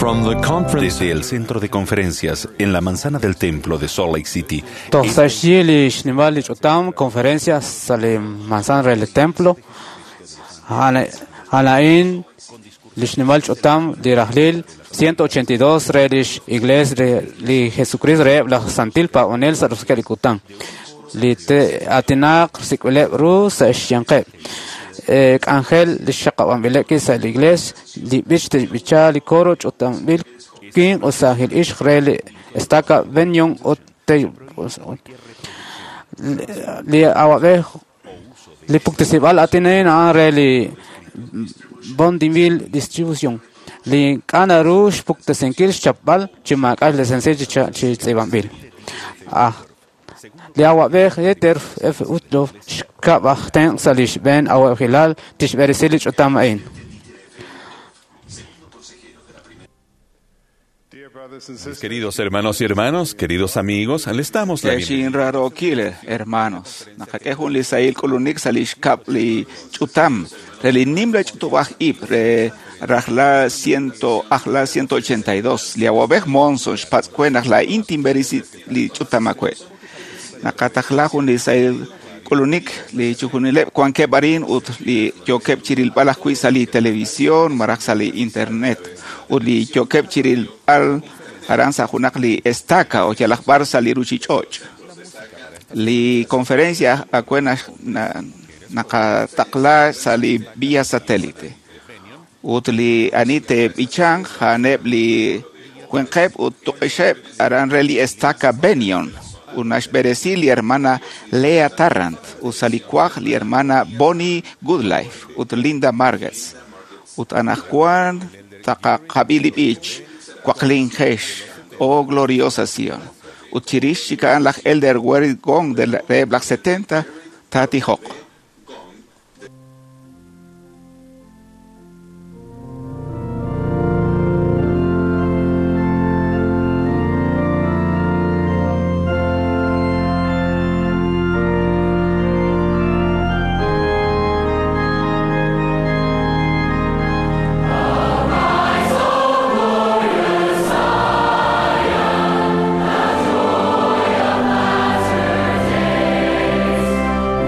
From the conference Desde el centro de conferencias en la manzana del templo de Salt Lake City, Toj sa' xyi li xnimal li ch'utam conferencia sa' li manzana re li templo a'an a'in li xnimal ch'utam li rajlil 182 re lix iglesia re li Jesucristo reheb' laj Santil Paab'anel sa' roso'jikeb' li kutan li atinaq sik'b'ileb' ru sa' xyanqeb' k'anjel li xaqab'anb'ileb' ki' sa' li iglesia li b'ich te'xb'icha li coro ch'utamb'il winq ut saajil ixq re li estaca Benyon ut li awab'ej li puktasib'al atina'in a'an re li Bondimil Distribution li ink'a' naru xpuktasinkil xchapb'al chi maak'a' licencia chi tz'iib'anb'il. Li awab'ej Dieter F. Uchtdorf xkab' aj tenq' sa' li xb'een awab'ejilal tixb'eresi li ch'utam a'in. Queridos hermanos y hermanas, queridos amigos, les damos la bienvenida. Xin rarokil, hermanos. Naqak'e jun li sahil k'ulunik sa' li xkab' li ch'utam re li nimla ch'utub'aj ib' re rajla ciento ajla 182 li awab'ej Monson xpatz'kwe naq la'in tinb'eresi li ch'utam akwe. Naqatajla jun li sahil k'ulunik li chujunileb' wankeb' arin ut li yookeb' chirilb'al ajwi' sa' li televisión malaj sa' li internet ut li yookeb' chirilb'al aran sa' junaq li estaca o yalaq b'ar sa' li ruchich'och'. Li conferencia akwe naqataqla sa' li vía satélite. Ut li ani te'b'ichanq a'aneb' li winqeb' ut tuq'ixeb' aran re li estaca Benyon. Ut naxb'eresi li hermana Lea Tarrant ut sa' li kuaj li hermana Bonnie Goodlife ut Linda Marguez. Ut anaqwan taqaqab'i li b'ich Cuaqlinjex, oh gloriosa Sion. Ut chirix chik a'an laj Elder Wery Gong de reheb' laj 70 taatijoq.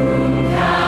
Who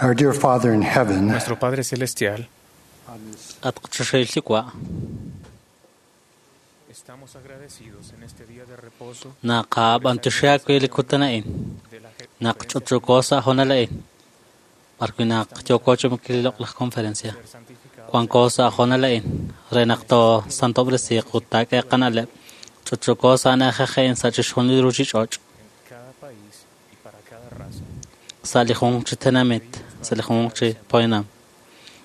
Our dear Father in heaven, Nuestro Padre Celestial, At qchaxayllikwa estamos agradecidos en este día de reposo naqab'antuxaakwi likutana'in de la naqch'uch'ukosa jonala'in parwi naqyokochumkililoq'laj conferencia ser santificado wankosa jonala'in renaqto santobresiq utak'eqanaleb ch'uch'ukosa najaje'in sach'ixjunil ruchich'och' en cada país y para cada raza. sa' li junq chi tenamit sa' li junq chi poyanam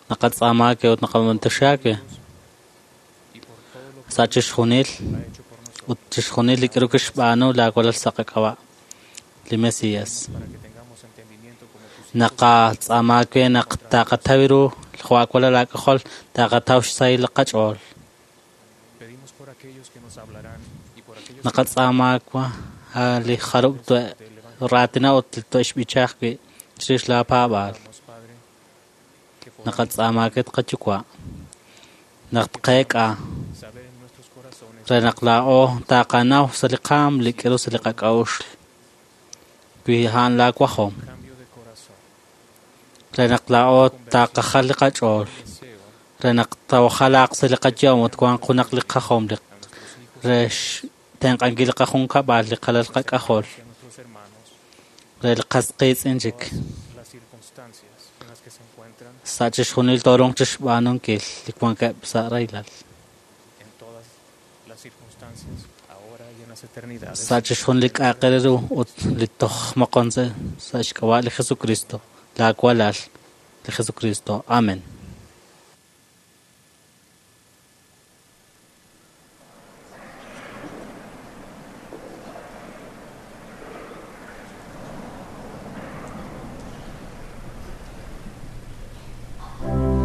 naqatz'aamaake ut naqab'antuxaakwi Y por todo lo que sa' chixjunil ha hecho por nosotros, ut chixjunil li k'aru kixb'aanu laawalal sa' qak'ab'a' li Mesías para que tengamos entendimiento como tus hijos naqatz'aamaake naq taqataw ru jwa'walal laak'ajol taqataw xsahil qach'ool pedimos por aquellos que nos hablarán y por aquellos que naqatz'aamaakwa li jarub' twe raatina ut twe xb'ichaj wi' chirix laapaab'aal nos, Padre, que podamos naqatz'aamaake tqayuwa' naq tqeek'a saber en nuestros corazones re naq laa'o taqanaw sa' li qaam li k'aru sa' li qak'a'uxl wi a'an laawajom cambio de corazón, re naq laa'o taqajal li qach'ool deseo re naq tawajalaaq sa' li qayom ut wanq junaq li qajom li a nuestros hijos re xtenq'ankil li qajunkab'al li qalal qak'ajol y a nuestros hermanos re li qas qiitz'in chik todas las circunstancias en las que se encuentran, sa' chixjunil torunq chixb'aanunkil li wankeb' sa' raylal en todas las circunstancias, ahora y en las eternidades. sa' chixjunil li k'aaqel ru ut li toj moqon sa' xk'ab'a' li Jesucristo laawalal li Jesucristo amen. Thank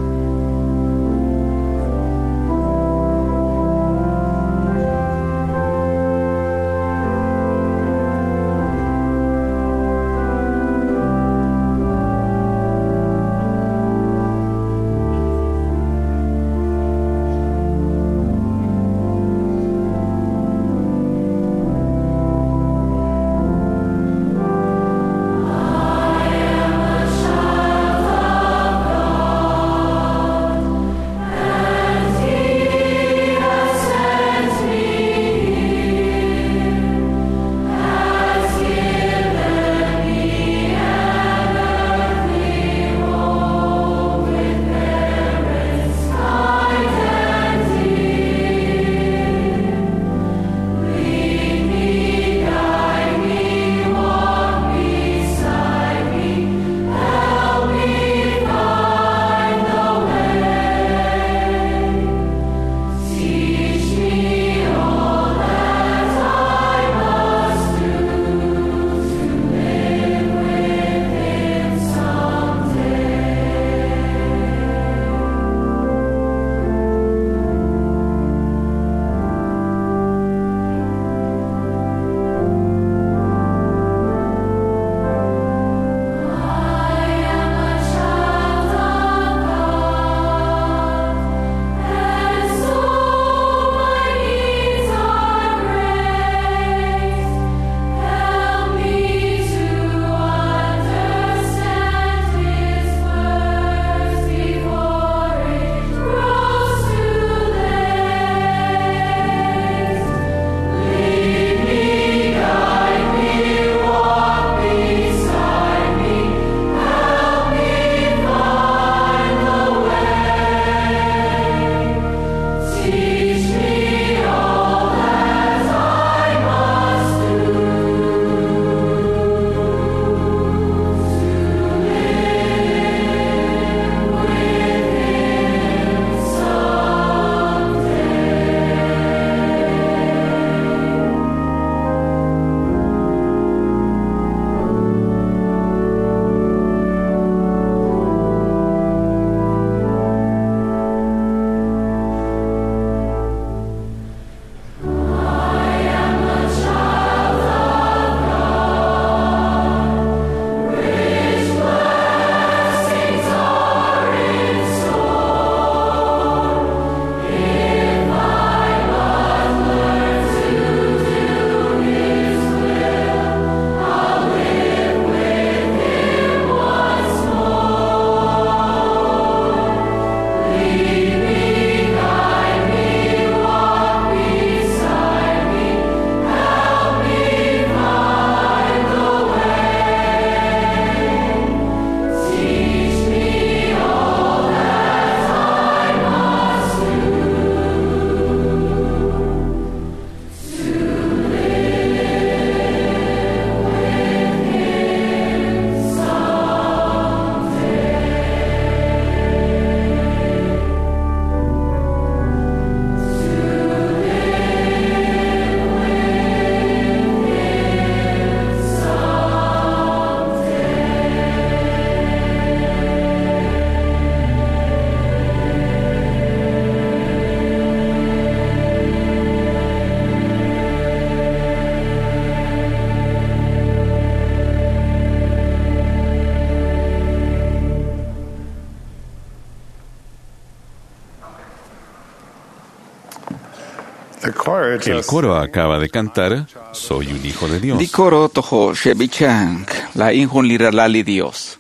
El coro acaba de cantar Soy un hijo de Dios. Li coro tojo xebichank la injun li ralal li Dios.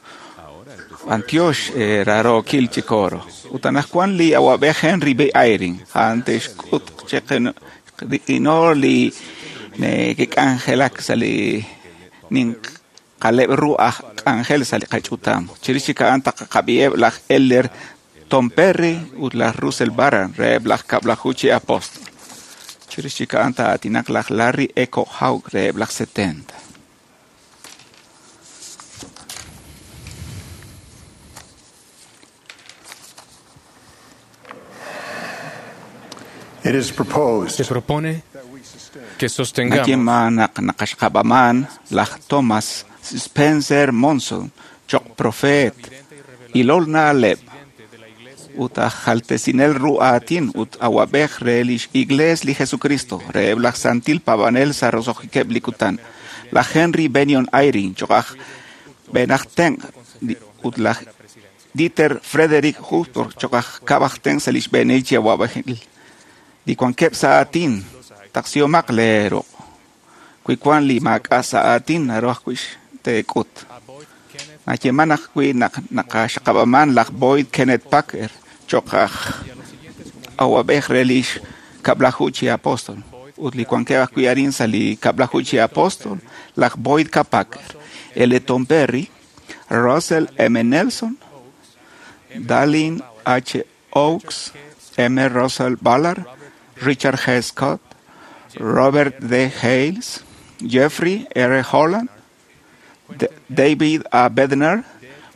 Antioch raro kilchi coro. Utanajkuan li awabej Henry B. Eyring. Antes kut cheqen inor li ne kik'anjelak sa li nin qaleb ru'aj k'anjel sa li qach'utam. Chirix a'an taqaqab'i'eb laj Elder Tom Perry ut laj Russell Barron reheb laj kab'laju chi apóstol. Chirix a'an ta'atinaq laj Larry Echo Hawk reheb laj 70. It is proposed Se propone que sostengamos Nayeman naq naqaxqab'aman laj Thomas Spencer Monson choq profeet ilol na'leb' ut aj jaltesinel ru'aatin ut awab'ej re lix iglees li Jesucristo reheb' laj Santil Pabanel sa roso'jikeb' li kutan laj Henry Benyon Eyring choq aj b'enaj tenq' ut laj Dieter Frederick Huftor choq aj kab'aj tenq' sa lix b'eenil chi awab'ejil li wankeb' sa aatin taqsihomaq leeruq' wi wan li maak'a' sa aatin naru ajwi' teek'ut. Nayeman ajwi' naq naqaxaqab'aman laj Boyd Kenneth Packer choq aj awab'ej re lix kab'laju chi apóstol ut li wankeb' ajwi' arin sa li kab'laju chi apóstol laj Boyd K. Packer, L. Tom Perry, Russell M. Nelson, Dallin H. Oaks, M. Russell Ballard, Richard G. Scott, Robert D. Hales, Jeffrey R. Holland, David A. Bednar,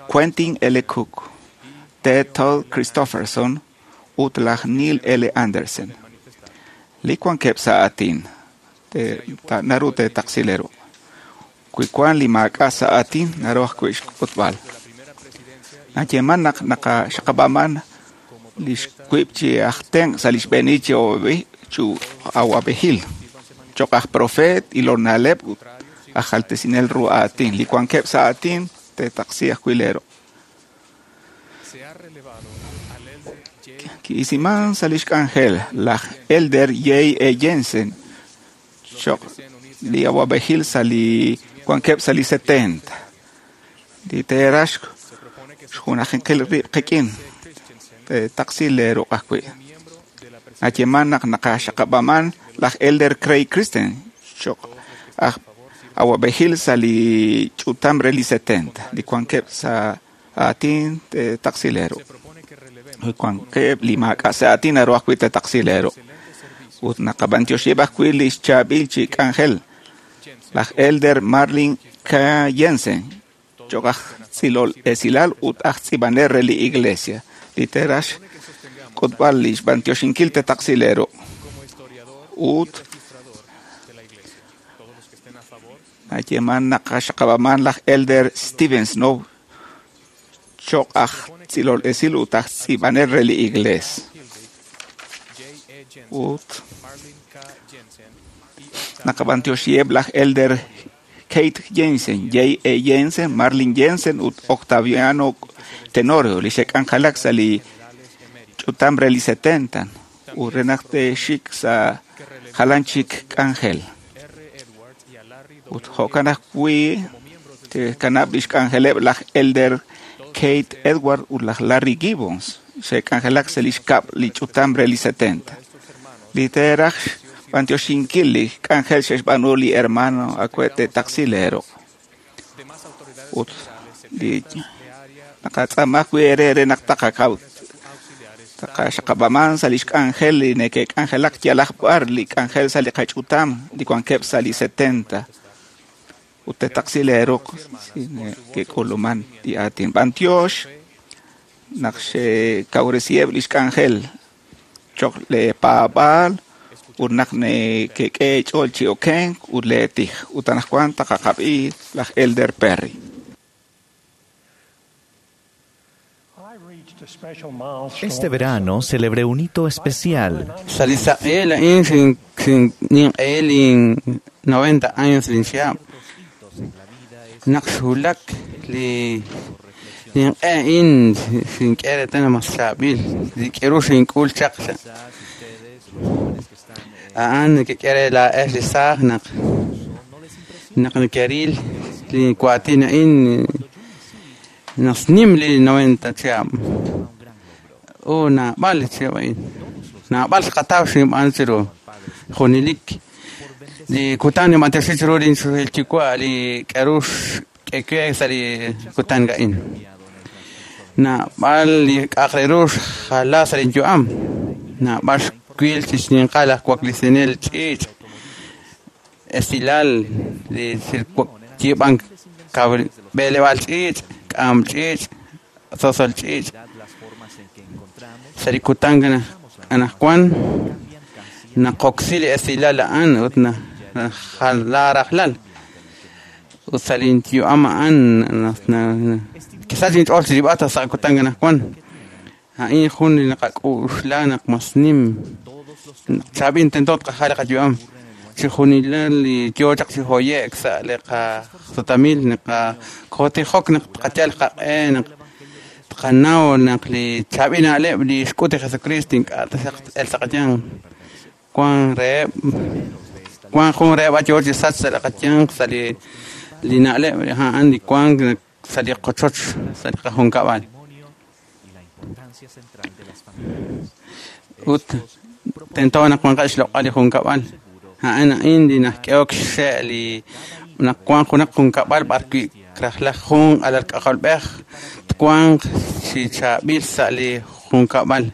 Quentin L. Cook, T. Todd Christofferson, ut laj Neil L. Andersen. Li wankeb' sa aatin, naru teetaqsileru. Wi wan li maak'a' sa aatin, naru ajwi' xk'utb'al. Nayeman naq naqaxaqab'aman lix wiib' chi aj tenq' sa lix b'eenil chi awab'ejil choq aj profeet ilol na'leb' ut aj jaltesinel ru aatin. Li wankeb' sa aatin teetaqsi ajwi' leeruq'. Ki'isiman sa lix k'anjel laj Elder J. E. Jensen choq li awab'ejil sa li wankeb' sa li 70. Li teerax xjunajinkil rib' qik'in teetaqsi leeruq' ajwi'. Nayeman naq naqaxaqab'aman laj Elder Craig Christen choq aj awab'ejil sa li ch'utam re li 70. Li wankeb' sa aatin teetaqsi leeruq'. Li wankeb' li maak'a' sa aatin naru ajwi' teetaqsi leeruq'. Ut naqab'antioxib' ajwi' lix chaab'il chi k'anjel laj Elder Marlin K. Jensen choq aj tz'ilol esilal ut aj tz'iib'anel re li iglesia. Li teerax k'utb'al lix b'antioxinkil teetaqsi leeruq'. Ut nayeman naqaxaqab'aman laj Elder Steven Snow choq aj tz'ilol esil ut aj tz'iib'anel re li iglees. Ut naqab'antioxiheb' laj Elder Kate Jensen, J. E. Jensen, Marlin Jensen ut Octaviano Tenorio li xe'k'anjelak sa li ch'utam re li 70 ut re naq te'xik sa jalan chik k'anjel. Ut jo'kan ajwi' te'kanab' lix k'anjeleb' laj Elder Kate Edward ut laj Larry Gibbons xe'k'anjelak sa lix kab' li ch'utam re li 70. Li teeraj b'antioxinkil li k'anjel xe'xb'aanu li hermano ajwi' teetaqsi leeruq'. Ut li naqatz'aama ajwi' eere re naq taqakaw taqaxaqab'aman sa lix k'anjel li neke'k'anjelak yalaq b'ar li k'anjel sa li qach'utam li wankeb' sa li 70. Ut teetaqsi leeruq' si neke'k'uluman li aatin. B'antiox naq xe'kawresiheb' lix k'anjel choq leepaab'aal ut naq neke'k'e ch'ool chi okenk ut leetij. Ut anaqwan taqaqab'i laj Elder Perry. Este verano celebré un hito especial. Salisa'el in sin sin nin el in 90 años linchia. Naqshulak li nin in sin kere tena masabil. Li quiero sin kul chaq. A'an nekek'e laa'ex li saaj naq naq nekeril li waatin a'in naq nim li 90 chihab'. Naab'al li chihab' a'in. Naab'al xqataw xinb'aan chiru junelik. Li kutan ninb'antioxi chiru linxuhil yuwa' li k'aru xk'e sa' li kutan a'in. Naab'al li k'a'aq re ru xjala sa' linyu'am. Naab'al xwil chi xninqal aj waklisinel ch'iich' esilal li yiib'ank b'eleb'aal ch'iich', k'am ch'iich', sosol ch'iich'. Sa' li kutan anaqwan naqoksi li esilal a'an ut najala rajlal. Ut sa' linyu'am a'an kisach inch'ool chirib'al sa' kutan anaqwan. A'in jun li naqak'uxla naq mas nim. Chaab'il tento tqajal li qayu'am. Chi junilal li yoo chaq chi hoye'k sa' li qasutamil naqakotijok naq tqayal qaq'e naq tqanaw naq li chaab'il na'leb' li xk'ut li Jesucristo ink'a' taxaq el sa' qayanq. Wan reheb' wan jun reheb' yoo chi sach sa' li qayanq sa' li na'leb' a'an li wank sa' li qochoch sa' li qajunkab'al. Ut tento naq wanqaq xloq'al li junkab'al. A'an a'in li najk'ehok xxe' li naq wan junaq junkab'al b'arwi' rajlaj jun alal k'ajolb'ej twanq chi chaab'il sa' li junkab'al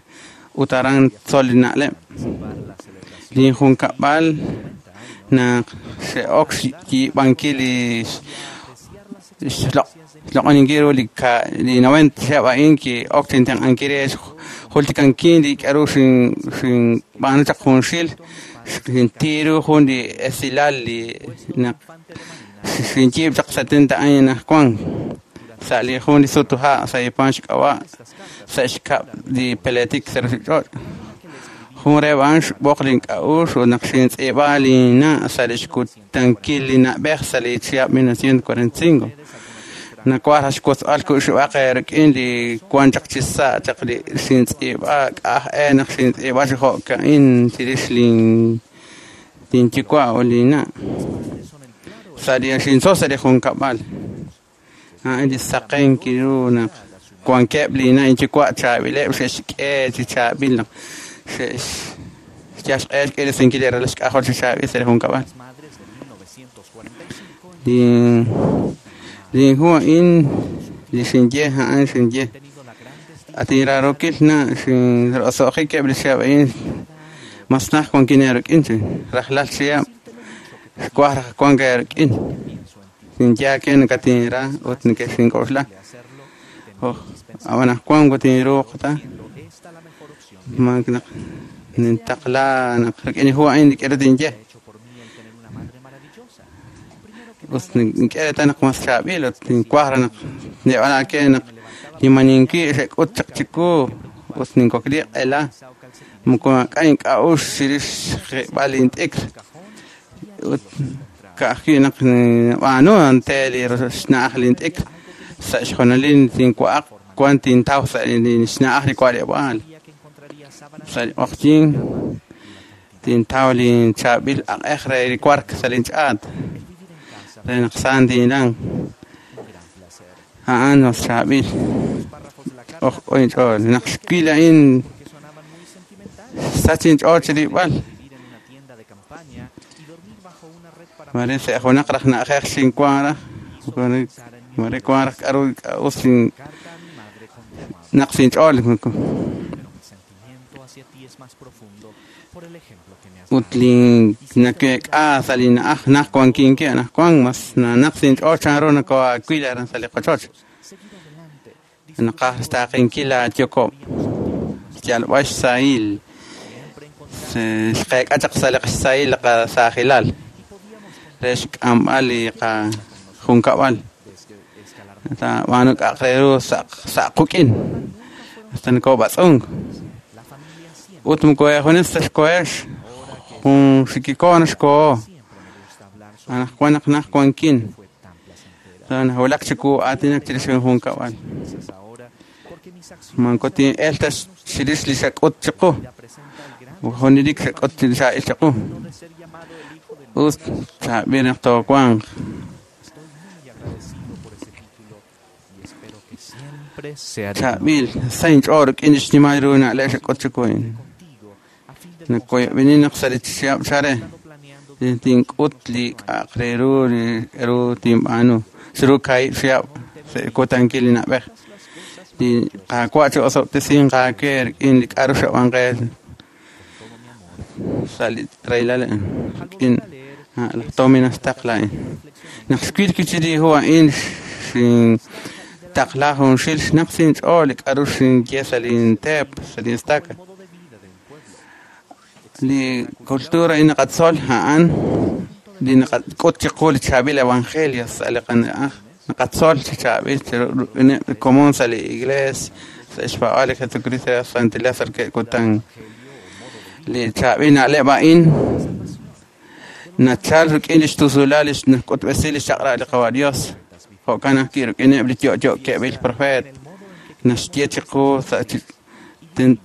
ut aran tzol li na'leb'. Li junkab'al naq xe'ok xyiib'ankil li xloq'oninkil ru li 90 chihab' a'in ki'ok chintenq'ankil re jultikankil li k'aru xinb'aanu chaq junxil xintiru jun li esilal li naq xinyiib' chaq 70 años anaqwan sa' li jun li sutuha' sa' Ipan xk'ab'a' sa' xkab' li peletik sa' ruchich'och'. Jun reheb' a'an xb'oq link'a'uxl ut naq xintz'iib'a linna' sa' li xkutankil li na'b'ej sa' li chihab' 1945. Nawaj xwotzb'al ku'xib'aq rik'in li wan chaq chi sa' chaq li xintz'iib'a k'aj e naq xintz'iib'a chi jo'ka'in chirix linyuwa' ut linna'. Sa' li xintzol sa' li junkab'al. A'an li saqenk ru naq wankeb' linna' inyuwa' chaab'ileb' xe'xk'e chi chaab'il naq xe'xyal xq'e xk'irisinkil li ralal xk'ajol chi chaab'il sa' li junkab'al. Li hu a'in li xinye a'an xinye. Atinrarokil na' xinroso'jik eb' li chihab' a'in mas naj wankin eerik'in chi rajlal chihab' xwaj raj wank eerik'in. Xinye nakatinra ut neke'xink'oxla. Ab'an watinruuq ta naq nintaqla naq rik'in li hu a'in li k'aru tinye. Ut nink'e ta naq mas chaab'il ut ninwaj raj naq nib'alake naq nimaninki' xe'k'ut chaq chiku ut ninkokli q'ela moko maak'a' ink'a'uxl chirix xjib'al lint'ikr. Ut ka'ajwi' naq nib'aanu ante li xna'aj lint'ikr sa' xjonalil tinwa'aq wan tintaw sa' li xna'aj li wa'leb'aal. Sa' li q'oqyink tintaw linchaab'il aq'ej re li wark sa' linch'aat re naq saan tinlan. A'an mas chaab'il oj inch'ool. Naq xwil a'in sach inch'ool chirib'al. Mare sa' junaq raj na'ajej xinwan raj mare wan raj k'aru us naq sinch'ool. Ut li nake'k'a sa' li na'aj naj wankinki anaqwan mas naq sinch'ool chanru nakoawil aran sa' li qochoch. Naqaj xtaaqinkil laayokob' xyalb'al xsahil xqeek'a chaq sa' li qxsahil li qasaajilal re xk'amb'al li qajunkab'al. B'aanu k'a'aq re ru sa' quk'in hasta nakob'atz'unk. Ut moko junes ta xkohex jun xikiko naxkoho. Anaqwan naq naj wankin. Nawulak chiku aatinak chirix junkab'al. Manko tin'el ta chirix li xak'ut chiqu. Junelik xak'ut chaab'il chiqu. Us chaab'il naq toowanq. Chaab'il sa inch'ool rik'in xnimal ru na'leb' xak'ut chiqu. Nakoyob'ini naq sa' li chihab' chare tink'ut li k'a'aq re ru li ru tinb'aanu chiru kaahib' chihab' sa' kutankil li na'b'ej. Li Qaawa' chi'osob'tesinq aawe rik'in li k'a'ru xab'an qe sa' li rahilal rik'in laj Tommy naxtaqla a'in. Naq xwil wi' li hu a'in xintaqla junxil xnaq sa' inch'ool li k'a'ru xinye sa' linteep sa' linstaka. Li cultura a'in naqatzol a'an li naqak'ut chiqu li chaab'il evangelio sa' li qana'aj. Naqatzol chi chaab'il rik'ineb' li komon sa' li iglees sa' xpaab'aal li Jesucristo re Santilal sa' kutan. Li chaab'il na'leb' a'in nachal rik'in li xtusulal li xk'utb'esi li xchaq'rab' li Qawa' Dios. Jo'kan ajwi' rik'ineb' li yo'yo'keb'il profeet naxye chiqu sa'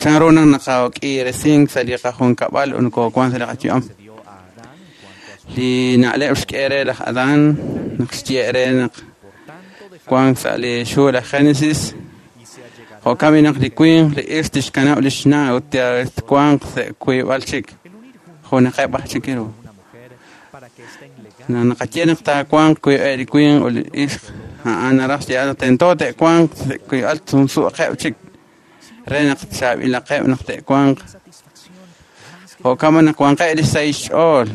chanru naq naqak'iiresink sa' li qajunkab'al ut nokoowank sa' li qayu'am. Li na'leb' xk'e re laj Adán naq xye re naq wank sa' li xhu laj Génesis. Jo'kan b'i naq li winq li ixq tixkanab' li xna' ut twanq sa' wiib'al chik junaqeb' aj chik ru. Naqaye naq taawanq wiib'eb' li winq ut li ixq a'an naraj xyeeb'al naq tento te'wanq sa' wiib'al sumsuuqeb' chik re naq chaab'ilaqeb' naq te'wanq. Jo'kan naq wanqeb' li sahil xch'ool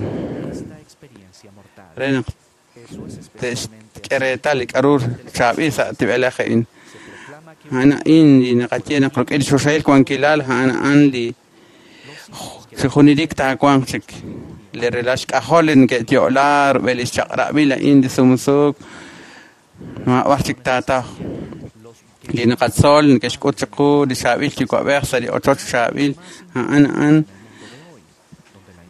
re naq te'xk'e reetal li k'a'ru chaab'il sa' tib'elej a'in. A'an a'in li naqaye naq rik'in li choxahil wankilal a'an a'an li junelik taawanq chik. Li relal xk'ajol li neke'yo'la rub'el li xchaq'rab'il a'in li sumsuuk maab'ar chik taataw. Li naqatzol neke'xk'ut chiqu li chaab'il yuwa'b'ej sa' li ochoch chaab'il a'an a'an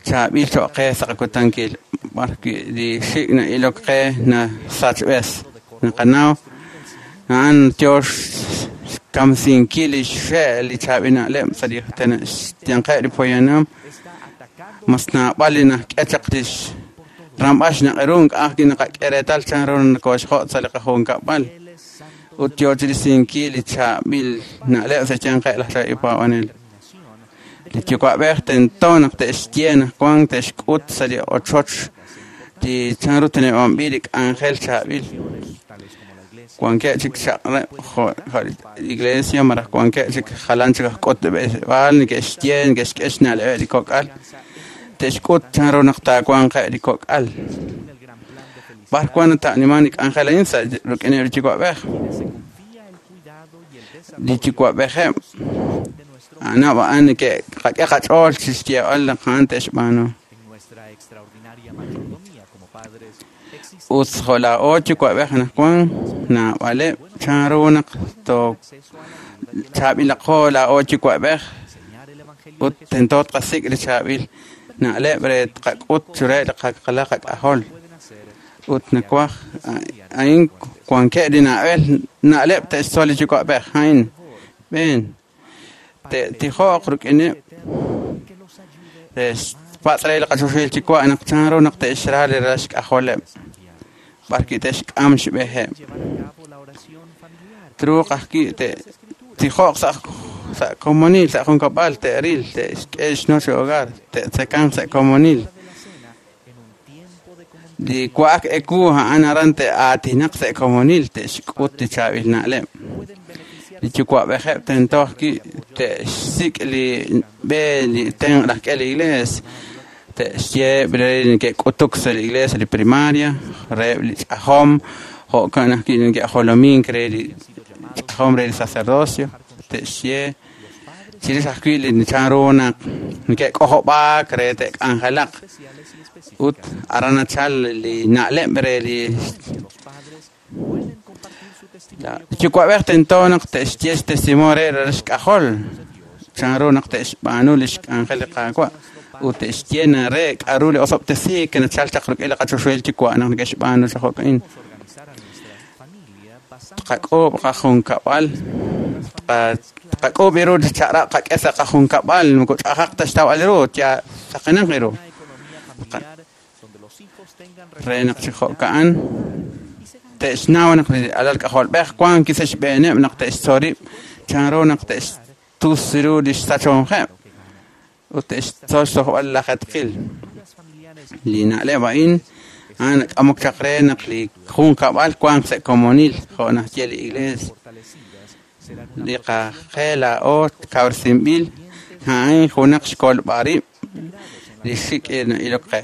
chaab'il cho'q qe sa' qakutankil b'ar wi' li xik' na'ilok qe nasachb'es. Naqanaw a'an yo xkamsinkil li xxe' li chaab'il na'leb' sa' li xyanqeb' li poyanam mas naab'al li nak'e chaq li ramb'al xnaq'eru ink'a' ajwi' naqak'e reetal chanru nokooxjo' sa' li qajunkab'al ut yo chirisinkil li chaab'il na'leb' sa' xyanqeb' laj chaab'il paab'anel. Li yuwa'b'ej tento naq te'xye naq wank te'xk'ut sa' li ochoch li chanru teneb'anb'il li k'anjel chaab'il. Wankeb' chik chaq'rab' jo' iglesia malaj wankeb' chik jalan chik aj k'utb'esib'aal neke'xye neke'xk'e xna'leb'eb' li kok'al te'xk'ut chanru naq taawanqeb' li kok'al. B'ar wan ta'niman li k'anjel a'in sa' rik'ineb' li yuwa'b'ej. Li yuwa'b'ejeb' a'anab' a'an neke'qak'e qach'ool chi xyeeb'al naq a'an te'xb'aanu. Ut jo' laa'o yuwa'b'ej anaqwan naab'aleb' chanru naq chaab'ilaqo laa'o yuwa'b'ej ut tento tqasik' li chaab'il na'leb' re tqak'ut chire li qaqalaq qak'ajol. Ut nawaj a'in wankeb' li na'leb' te'xtzol li yuwa'b'ej a'in b'een te'tijoq rik'ineb' te'xpatz' re li qachoxahil yuwa' naq chanru naq te'xra li ralal xk'ajoleb' b'ar wi' te'xk'am xb'eheb'. Truuq ajwi' te'tijoq sa' komonil sa' junkab'al te'ril te'xk'e xnoche hogar te'tzekanq sa' komonil. Li wa'ak ewu a'an aran te'aatinaq sa' komonil te'xk'ut li chaab'il na'leb'. Li yuwa'b'ejeb' tento ajwi' te'xsik' li b'e li tenq' laj k'e li iglees te'xye re neke'k'utuk sa' li iglees li primaria reheb' li ch'ajom jo'kan ajwi' neke'jolomink re li ch'ajom re li sacerdocio te'xye chirix ajwi' li chanru naq neke'k'ojob'aak re te'k'anjelaq ut aran nachal li na'leb' re li yuwa'b'ej tento naq te'xye xtestimonio re ralal xk'ajol chanru naq te'xb'aanu li xk'anjel li Qaawa' ut te'xye na re k'a'ru li osob'tesiik nachal chaq rik'in li qachoxahil yuwa' naq neke'xb'aanu chaq jo'ka'in. Tqak'uub' qajunkab'al Tqak'ub' iru li chaq'rab' qak'e sa' qajunkab'al moko ch'ajaq ta xtawb'al ru ya saqenaq iru. Re naq chi jo'ka'an te'xnaw naq li alal k'ajolb'ej wan kisa xb'eeneb' naq te'xtzorib' chanru naq te'xtus ru li xsachonjeb' ut te'xtzol xsojb'al lajetqil. Li na'leb' a'in a'an k'amok chaq re naq li junkab'al wan sa' komonil jo' naxye li iglees. Li qajel laa'o kawresinb'il a'in junaq xkolb'arib' li xik' ilok qe.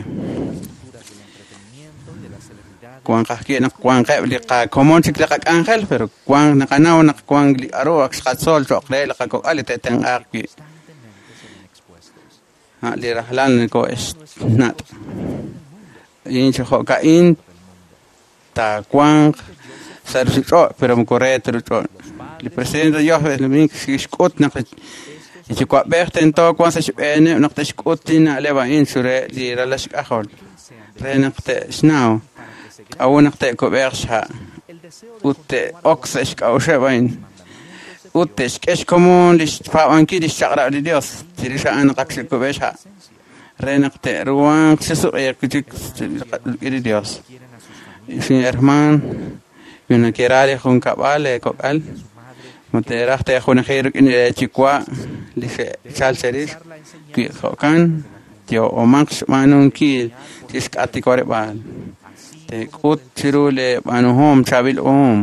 Wan qajki' naq wanqeb' li qakomon chik li qak'anjel, pero wan naqanaw naq wan li k'aru ak xqatzol cho'q re li qakok'al li te'tenq'aaq wi'. Li rajlal niko'exnat'. In chi jo'ka'in taawanq sa' ruchich'och', pero moko re ta ruch'och'. Li presidente Dios xk'ut naq li yuwa'b'ej tento wan sa' xb'eeneb' naq te'xk'ut li na'leb' a'in xure li ralal xk'ajol re naq te'xnaw k'a'u naq te'kub'eeq xha' ut te'ok sa' xk'a'uxeb' a'in ut te'xk'e xkomon li xpaab'ankil li xchaq'rab' li Dios chirix a'an naq ak xe'kub'e xha' re naq te'ruhanq xisuq'iiq chik rik'in li Dios. Xin herman, wi nakera li junkab'al leekok'al ma te'raj te'junaji rik'in li yuwa' li xe'chal cherix wi jo'kan yo'omaq xb'aanunkil chixk'atikoreb'aal te'k'ut chiru le b'aanuhom chaab'il ohom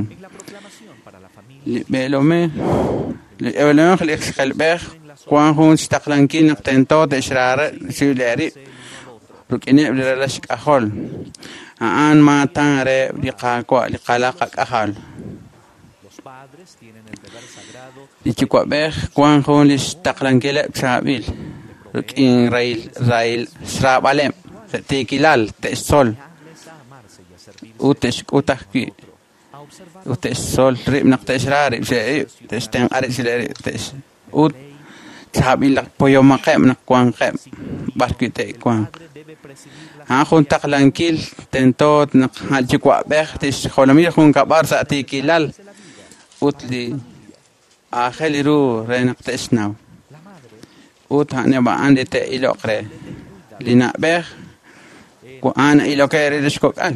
li b'eelomej li b'eelomej li xjelb'ej wan jun xtaqlankil naq tento te'xraare chiru leerib' rik'ineb' li ralal xk'ajol a'an maatan re li qaawa' li qalaq qak'ajal. Li yuwa'b'ej wan jun li xtaqlankileb' chaab'il rik'in rail xraab'aleb' tiikilal te'xtzol ut te'xk'ut ajwi' ut te'xtzol rib' naq te'xra rib' xe'rib' te'xtenq'a rib' xile'rib' te'x ut chaab'il poyomaqeb' naq wanqeb' b'ar wi' te'wanq. A'an jun taqlankil tento naq yuwa'b'ej te'xjolomil junkab'al sa' tiikilal ut li aajel ru re naq te'xnaw. Ut a'aneb' a'an li te'iloq re. Li na'b'ej a'an iloke re li xkok'al.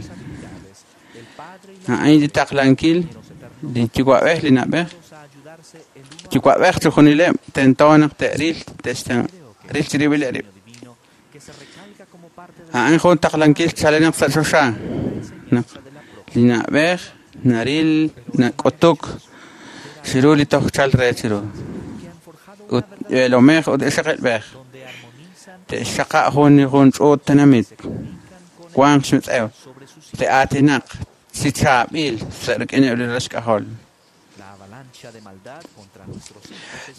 A'an li taqlankil li yuwa'b'ej li na'b'ej. Yuwa'b'ej chujunileb' tento naq te'ril te'xtenq' ril chirib'il rib'. A'an jun taqlankil chalenaq sa' choxa. Naq li na'b'ej naril nak'utuk chiru li toj chal re chiru. Ut b'eelomej ut ixaqilb'ej te'xxaqa' jun jun ch'uut tenamit wanq xmitz'ew te'aatinaq chi chaab'il sa' rik'ineb' li ralal xk'ajol.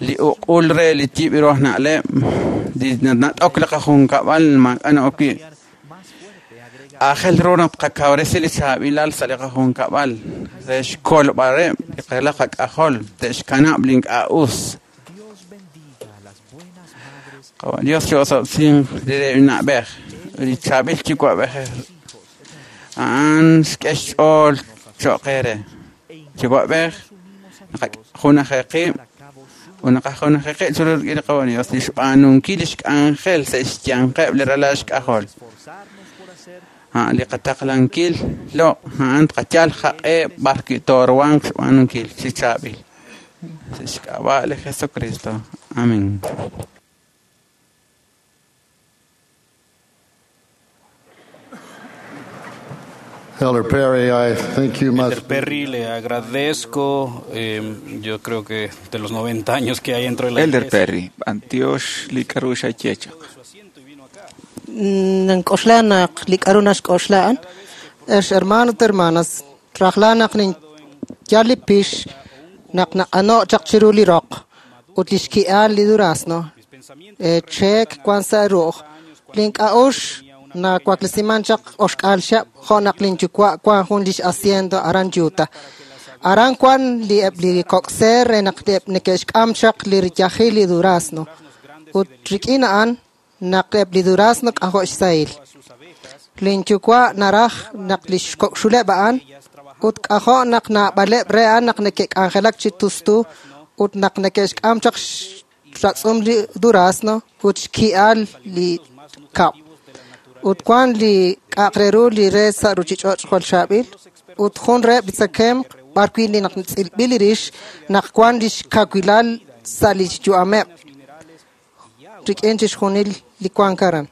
Li uq'ul re li yib' ruj na'leb' li nat'ok li qajunkab'al maak'a' na'ok wi'. Aajel ru naq qakawresi li chaab'ilal sa' li qajunkab'al re xkolb'aleb' li qalaq qak'ajol te'xkanab' li ink'a' us. Dios chi'osob'sin li re na'b'ej li chaab'il yuwa'b'ej a'an xk'e xch'ool cho'q eere. Yuwa'b'ej junajeqib' ut naqajunajeqib' chiru rik'in li Qawa' Dios li xb'aanunkil li xk'anjel sa' xyanqeb' li ralal xk'ajol. Li qataqlankil loq' a'an tqayal jaq'e b'ar wi' toruhanq xb'aanunkil chi chaab'il. Sa' xk'ab'a' li Jesucristo. Amén. Elder Perry, I think you must. Elder Perry, le agradezco. Yo creo que de los 90 años que hay dentro de la Elder iglesia. Perry, Antioch li k'aru xayechaq. Nk'oxla naq li k'aru naxk'oxla'an ex hermano ut hermanas rajla naq ninyal li pix naq naq'ano' chaq chiru li roq ut li xki'al li durazno cheek wan sa' ru'uj link'a'ux nawaklesiman chaq oxk'al xab' jo' naq linyuwa' wan jun lix hacienda aran Utah. Aran wan li eb' li kok'seer re naq eb' neke'xk'am chaq li riyajil li durazno ut rik'in a'an naq eb' li durazno k'ajo' xsahil. Linyuwa' naraj naq li xkok'xuleb' a'an ut k'ajo' naq naab'aleb' re a'an naq neke'k'anjelak chi tustu Ut naq neke'xk'am chaq xratz'um li durazno ut xki'al li kab'. Ut wan li k'a'aq re ru li re sa' ruchich'och' jwal chaab'il ut jun reheb' li tzakemq b'ar wi' li naq tz'ilb'il li rix naq wan lix kawilal sa' lix yu'ameb' rik'in chixjunil li wank aran.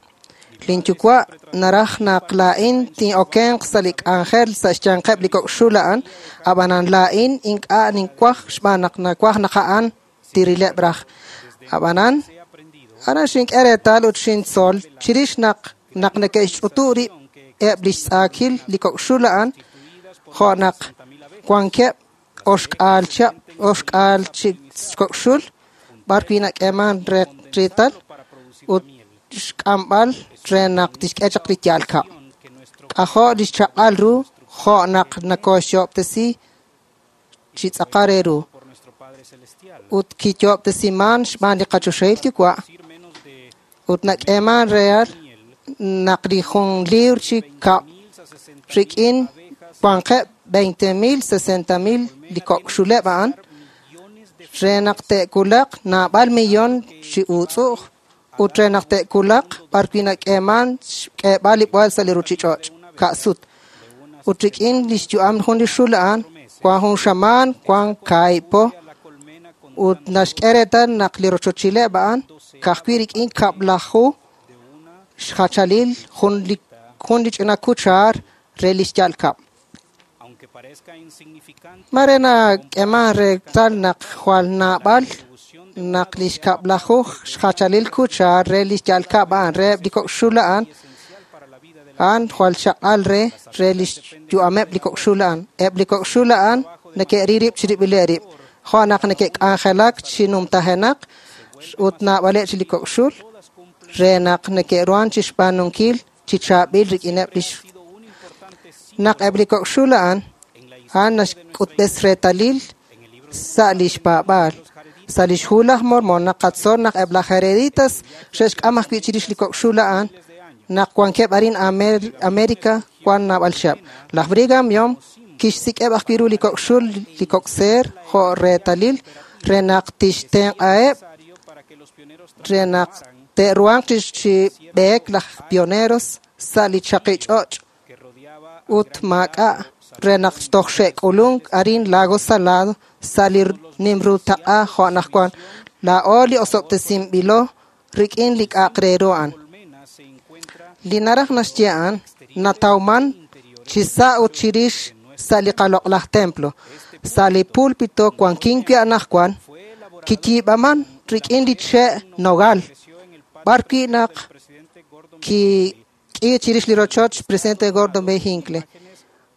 Lin yuwa' naraj naq laa'in tin'okenq sa' li k'anjel sa' xyanqeb' li kok' xul a'an, ab'anan laa'in ink'a' ninwaj xb'aan naq nawaj naq a'an tirileb' raj. Ab'anan, aran xink'e reetal ut xintzol chirix naq naq neke'xch'utu' rib' eb' lix tz'aakil li kok' xul a'an, jo' naq wankeb' oxk'aal chab' oxk'aal chi kok' xul b'ar wi' nak'eeman reetal ut xk'amb'al re naq tixk'e chaq li yaal kab'. K'ajo' lix chaq'al ru jo' naq nakoxyo'ob'tesi chi tz'aqal re ru. Ut kiyo'ob'tesiman xb'aan li qachoxahil yuwa' ut nak'eeman real naq li jun liwr chi kab' rik'in wanqeb' 20,000, 60,000 li kok' xuleb' a'an re naq te'wulaq naab'al millón chi uutz'u'j ut re naq te'wulaq b'ar wi' nak'eeman xk'eeb'al li b'oel sa' li ruchich'och' ka'sut. Ut rik'in lix yu'am jun li xul a'an wan jun xamaan, wan kaahib' ut naxk'e reetal naq li rochochileb' a'an ka'ajwi' rik'in kab'laju xjachalil jun li ch'ina kuchaar re lix ya'al kab'. Mare nak'eeman reetal naq jwal naab'al naq lix kab'laju xjachalil kuchaar re lix ya'al kab' a'an reheb' li kok' xul a'an a'an jwal chaq'al re lix yu'ameb' li kok' xul a'an. Eb' li kok' xul a'an neke'ril rib' chirib'ileb' rib'. Jo' naq neke'k'anjelak chi numtajenaq ut naab'aleb' chi li kok' xul re naq neke'ruhan chixb'aanunkil chi chaab'il rik'ineb' lix naq eb' li kok' xul a'an a'an naxk'utb'es reetalil sa' lix paab'aal. Sa' lix hu laj Mormon naqatzol naq eb' laj Hereditas xe'xk'am ajwi' chirix li kok' xul a'an naq wankeb' arin America wan naab'al chihab'. Laj Brigham Young kixsik'eb' ajwi' ru li kok' xul li kok' seer jo' reetalil re naq tixtenq'aheb' re naq te'ruhanq chi b'eek laj pioneros sa' li chaqi ch'och' ut maak'a' re naq toj xe'k'ulunk arin Lago Salado sa' li nim ru taq'a jo' anaqwan. Laa'o li osob'tesinb'ilo rik'in li k'a'aq re ru a'an. Li naraj naxye a'an natawman chi sa' ut chirix sa' li qaloq'laj templo. Sa' li púlpito wankin wi' anaqwan kiyiib'aman rik'in li che' nogal b'ar wi' naq kik'i chirix li rochoch presidente Gordon B. Hinckley.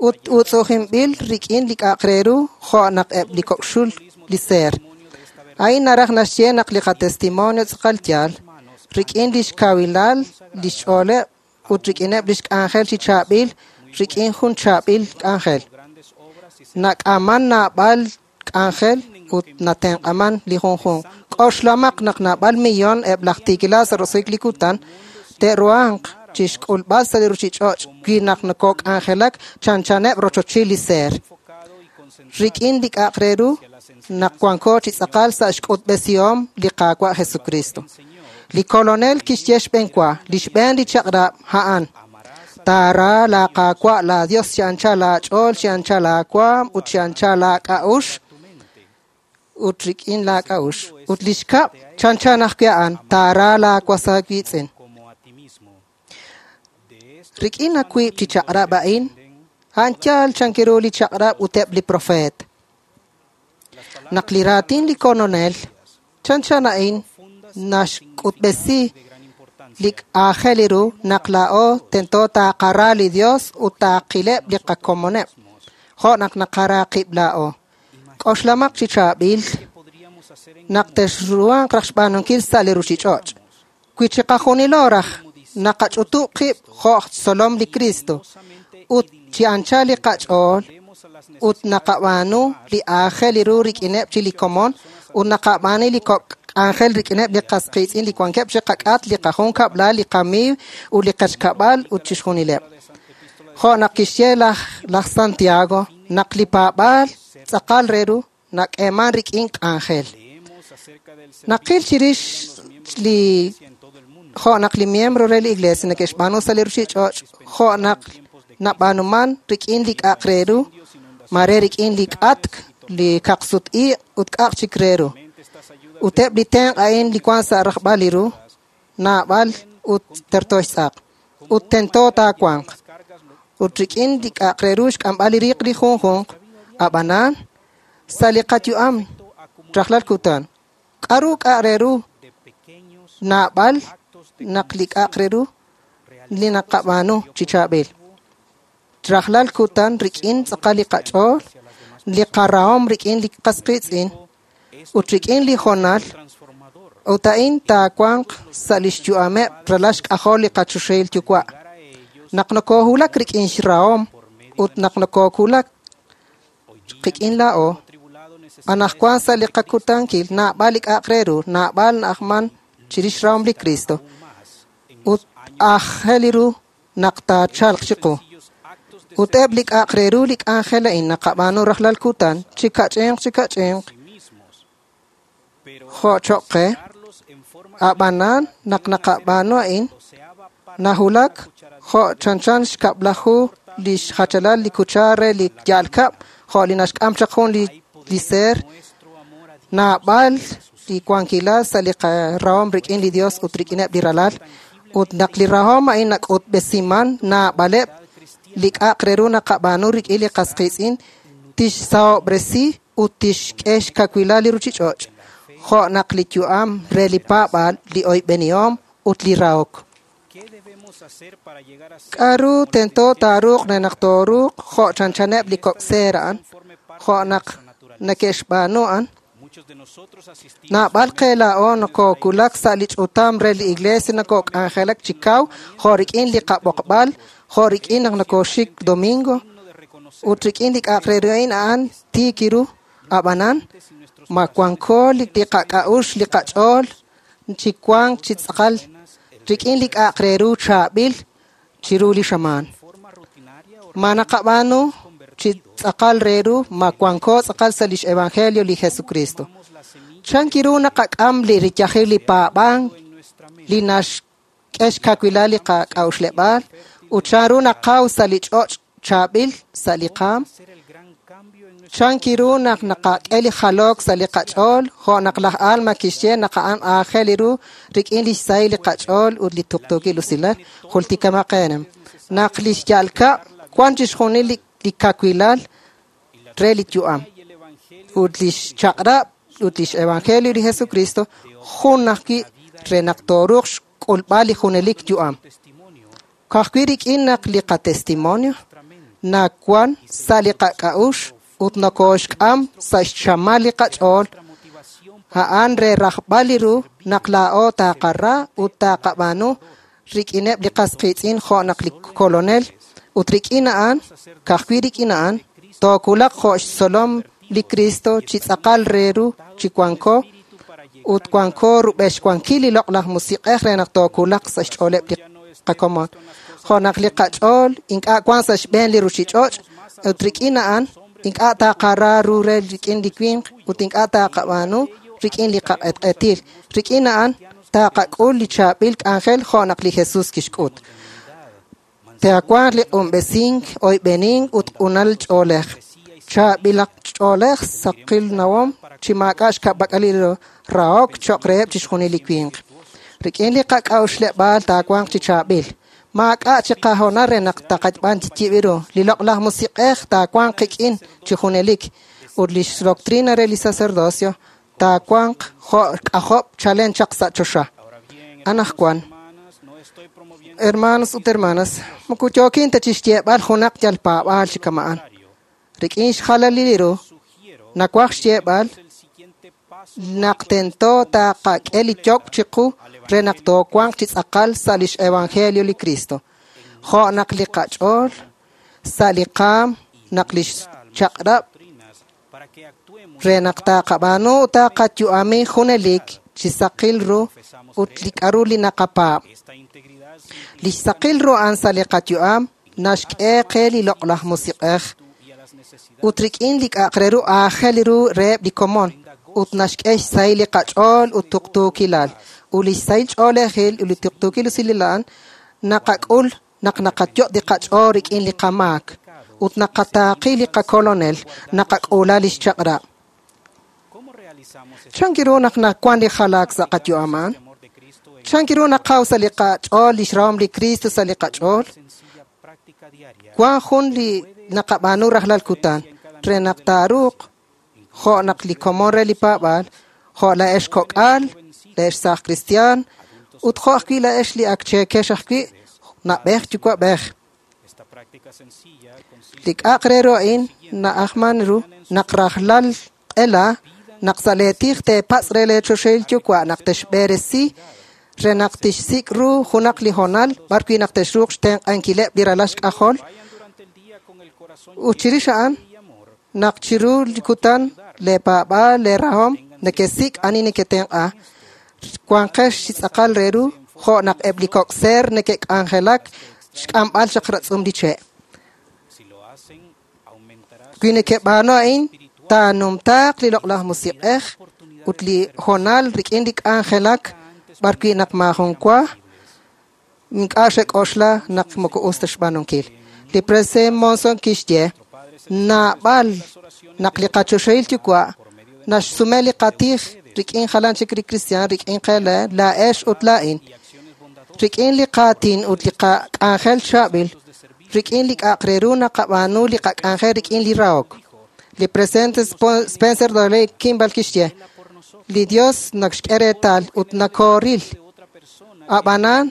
Ut utz'u'jinb'il rik'in li k'a'aq re ru jo' naq eb' li kok' xul li seer. A'in naraj naxye naq li qatestimonio tz'aqal yaal rik'in lix kawilal lix ch'ooleb' ut rik'ineb' lix k'anjel chi chaab'il rik'in jun chaab'il k'anjel. Nak'aman naab'al k'anjel ut natenq'aman li junjunq. K'oxlamaq naq naab'al millón eb' laj tiikilal sa' roso'jik li kutan te'ruhanq chixk'ulb'al sa' li ruchich'och' wi naq nokok'anjelak chanchaneb' rochochil li seer. Rik'in li k'a'aq re ru naq wanko chi tz'aqal sa' xk'utb'esihom li Qaawa' Jesucristo. Li kolonel kixye xb'een wa, li xb'een li chaq'rab' a'an. Taara laa Qaawa' laa Dios chi anchal aach'ool, chi anchal aawaam ut chi anchal aak'a'ux ut rik'in laak'a'ux. Ut li xkab' chanchan ajwi' a'an, taara laa was aawiitz'in. Rik'in awiib' chi chaq'rab' a'in, a'an yaal chankiru li chaq'rab' ut eb' li profeet. Naq li raatin li kolonel chanchan a'in naxk'utb'esi li aajel ru naq laa'o tento taaqara li Dios ut taaqileb' li qakomoneb' jo' naq naqara qib' laa'o. K'oxlamaq chi chaab'il naq texruhanq raj xb'aanunkil sa' li ruchich'och'. Wi chiqajunilo raj naqach'utub' qib' jo' xtzolom li Cristo ut chi anchal li qach'ool ut naqab'aanu li aajel ru rik'ineb' chi li komon ut naqab'aanu li kok' k'anjel rik'ineb' li qas qiitz'in li wankeb' chi qak'at, li qajunkab'lal, li qamiiw ut li qechkab'al ut chixjunileb'. Jo' naq kixye laj Santiago naq li paab'aal tz'aqal re ru nak'eeman rik'in k'anjel. Naqil chirix li jo' naq li miembro re li iglesia neke'xb'aanu sa' li ruchich'och', jo' naq nab'aanuman rik'in li k'a'aq re ru, mare rik'in li k'atk, li kaqsut-iq' ut k'a'aq chik re ru. Ut eb' li tenq' a'in li wan sa' rajb'al li ru, naab'al ut terto xtz'aq. Ut tento taawanq. Ut rik'in li k'a'aq re ru xk'amb'al li riiq li junjunq, ab'anan, sa' li qayu'am rajlal kutan, k'aru k'a'aq re ru naab'al naq li k'a'aq re ru li naqab'aanu chi chaab'il. Rajlal kutan rik'in tz'aqal li qach'ool, li qarahom rik'in li qas qiitz'in, ut rik'in li hoonal, ut a'in taawanq sa' lix yu'ameb' ralal xk'ajol li qachoxahil yuwa'. Naq nokohulak rik'in xrahom ut naq nokohulak qik'in laa'o, anaqwan sa' li qakutankil naab'al li k'a'aq re ru, naab'al na'ajman chirix xrahom li Cristo, ut aajel li ru naq taachalq chiqu. Ut eb' li k'a'aq re ru li k'anjel a'in naqab'aanu rajlal kutan, chi kach'inq chi kach'inq, jo' choq' qe, ab'anan naq naqab'aanu a'in, nahulak jo' chanchan xkab'laju li xjachalal li kuchar re li ya'al kab', jo' li naxk'am chaq jun li seer, naab'al li wankilal sa' li qarahom rik'in li Dios ut rik'ineb' li ralal, ut naq li rahom a'in nak'utb'esiman naab'aleb' li k'a'aq re ru naqab'aanu rik'in li qas qiitz'in, tixsahob'resi ut tixk'e xkawilal li ruchich'och', jo' naq li yu'am re li paab'aal, li oyb'enihom ut li rahok. K'aru tento taaruuq re naq tooruuq jo' chanchaneb' li kok' seer a'an, jo' naq neke'xb'aanu a'an? Naab'al qe laa'o nokokulak sa' li ch'utam re li iglesia nokok'anjelak chi kaw, jo' rik'in li qab'oqb'al, jo' rik'in naq nokoxik domingo, ut rik'in li k'a'aq re ru a'in a'an tiik ru, ab'anan, ma wanko li qak'a'uxl li qach'ool chi wank chi tz'aqal rik'in li k'a'aq re ru chaab'il chiru li xamaan. Ma naqab'aanu chi tz'aqal re ru, ma wanko tz'aqal sa' lix evangelio li Jesucristo. Chan kiru naqak'am li riyajil li paab'ank, li naxk'e xkawilal li qak'a'uxleb'aal, ut chan ru naqaw sa' li ch'och' chaab'il sa' li qaam. Chan kiru naq naqak'e li jalok sa' li qach'ool, jo' naq laj Alma kixye naq a'an aajel ru rik'in lix sahil li qach'ool ut li tuqtuukil usilal, jultikamaqenem. Naq lix ya'al kab' wan chixjunil li kawilal re li yu'am. Ut lix chaq'rab' ut lix evangelio li Jesucristo jun ajwi' re naq tooruuq xk'ulb'al li junelik yu'am. Ka'ajwi' rik'in naq li qatestimonio nawan sa' li qak'a'uxl ut nokoxk'am sa' xchamal li qach'ool, a'an re rajb'al li ru naq laa'o taqara ut taqab'aanu rik'ineb' li qas qiitz'in jo' naq li kolonel, ut rik'in a'an, ka'ajwi' rik'in a'an, tookulaq jo' xtzolom li Cristo chi tz'aqal re ru chi wanko, ut wanko rub'el xwankil li loq'laj musiq'ej re naq tookulaq sa' xch'ooleb' li qakomon. Jo' naq li qach'ool ink'a' wan sa' xb'een li ruchich'och', ut rik'in a'an ink'a' taqara ru re rik'in li winq ut ink'a' taqab'aanu rik'in li qaq'etq'etil. Rik'in a'an taqak'ul li chaab'il k'anjel jo' naq li Jesús kixk'ut. Taawanq li q'unb'esink, oyb'enink ut q'unal ch'oolej. Chaab'ilaq ch'oolej saqil nawom chi maak'a' xka'pak'alil rahok cho'q reheb' chixjunil li winq. Rik'in li qak'a'uxleb'aal taawanq chi chaab'il. Maak'a' chi qahoonal re naq taqab'an chi ru. Li loq'laj musiq'ej taawanq qik'in chi junelik ut lix doctrina re li sacerdocio taawanq jo' k'ajob' chalen chaq sa' choxa. Anaqwan, hermanos ut hermanas, moko yookin ta chixyeeb'al junaq yal paab'aal chi kama'an. Rik'in xjalalil li ru, nawaj xyeeb'al naq tento taqak'e li yokb' chiqu re naq toowanq chi tz'aqal sa' lix evangelio li Cristo. Jo' naq li qach'ool, sa' li qaam, naq lix chaq'rab' re naq taqab'aanu taqayu'ami junelik chi saqil ru ut li k'aru li naqapaab'. Lix saqil ru a'an sa' li qayu'am naxk'e qe li loq'laj musiq'ej. Ut rik'in li k'a'aq re ru aajel ru reheb' li komon ut naxk'e xsahil li qach'ool ut tuqtuukilal. Ut li xsahil ch'oolejil ut li tuqtuukil usilal a'an naqak'ul naq naqayot' li qach'ool rik'in li qamaak ut naqataaqi li qakolonel naqak'uula lix chaq'rab'. Chan ru naq nawan li jalaak sa' qayu'am a'an? Chan ru naqaw sa' li qach'ool lix rahom li Cristo sa' li qach'ool? Wan jun li naqab'aanu rajlal kutan re naq taaruuq jo' naq li komon re li paab'aal, jo' la'ex kok'al, la'ex saaj kristiaan, ut jo' ajwi' la'ex li ak cheekex ajwi' na'b'ej yuwa'b'ej. Li k'a'aq re ru a'in na'ajman ru naq rajlal q'ela naq sa' lee tij teepatz' re lee choxahil yuwa' naq texb'eresi re naq tixsik' ru junaq li hoonal b'ar wi' naq texruuq xtenq'ankileb' li ralal xk'ajol. Ut chirix a'an naq chiru li kutan lee paab'aal lee rahom nekesik' ani neketenq'a wanqex chi tz'aqal re ru jo' naq eb' li kok' seer neke'k'anjelak xk'amb'al chaq ratz'um li che'. Wi nekeb'aanu a'in taanumtaaq li loq'laj musiq'ej ut li hoonal rik'in li k'anjelak b'ar wi' naq maajun wa ink'a' xek'oxla naq moko us ta xb'aanunkil. Li president Monson kixye naab'al naq li qachoxahil yuwa' naxsume li qatij rik'in jalan chik li kristiaan rik'in qe laa'ex ut laa'in. Rik'in li qaatin ut li qak'anjel chaab'il, rik'in li k'a'aq re ru naqab'aanu li qak'anjel rik'in li rahok. Li presidente Spencer W. Kimball kixye li Dios nakxk'e reetal ut nakooril. Ab'anan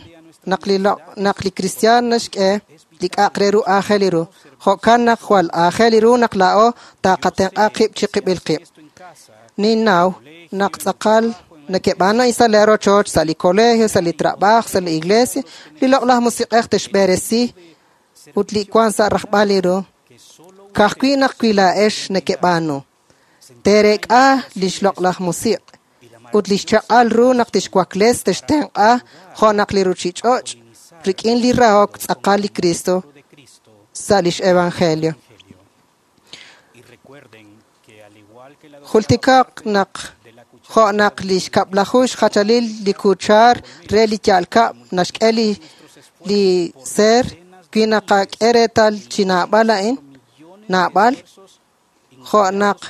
naq li kristiaan naxk'e li k'a'aq re ru aajel ru. Jo'kan naq jwal aajel ru naq laa'o taqatenq'a qib' chi qib'il qib'. Ninnaw naq tz'aqal nekeb'aanu a'in sa' lee rochoch, sa' li colegio, sa' li trabajo, sa' li iglesia, li loq'laj musiq'ej texb'eresi ut li wan sa' rajb'al li ru. Ka'ajwi' naq wi laa'ex nekeb'aanu. Teerek'a lix loq'laj musiq' ut lix chaq'al ru naq tixwakles textenq'a jo' naq li ruchich'och' rik'in li rahok tz'aqal li Cristo sa' lix evangelio. Jultikaq naq jo' naq lix kab'laju xjachalil li kuchar re li ya'al kab' naxk'e li seer wi naqak'e reetal chi naab'al a'in naab'al jo' naq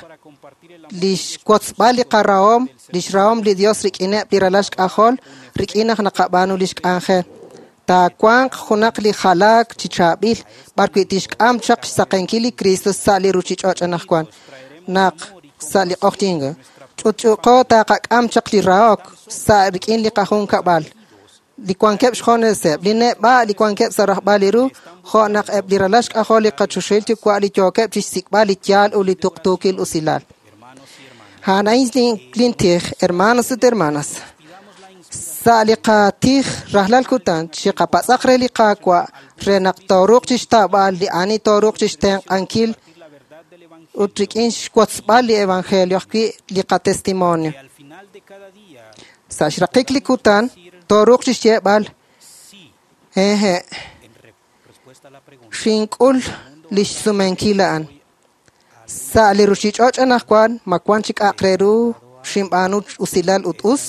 lix wotzb'al li qarahom lix rahom li Dios rik'ineb' li ralal xk'ajol rik'in naq naqab'aanu lix k'anjel. Taawanq junaq li jalaak chi chaab'il b'ar wi' tixk'am chaq xsaqenkil li Cristo sa' li ruchich'och' anaqwan naq sa' li q'oqyink ch'utch'uuqo taqak'am chaq li rahok sa' rik'in li qajunkab'al li wankeb' xjoneseb' li neb'a' li wankeb' sa' rajb'al li ru jo' naq eb' li ralal xk'ajol li qachoxahil yuwa' li yookeb' chixsik'b'al li yaal ut li tuqtuukil usilal. A'an a'in lintij, hermanos ut hermanas. Sa' li qatij rajlal kutan chiqapatz'aq re li Qaawa' re naq tooruuq chixtaab'al li ani tooruuq chixtenq'ankil ut rik'in xwotzb'al li evangelio ajwi' li qatestimonio. Sa' xraqik li kutan tooruuq chixyeeb'al hehe' xink'ul lix sumenkil a'an. Sa' li ruchich'och' anaqwan ma wan chik k'a'aq re ru xinb'aanu usilal ut us.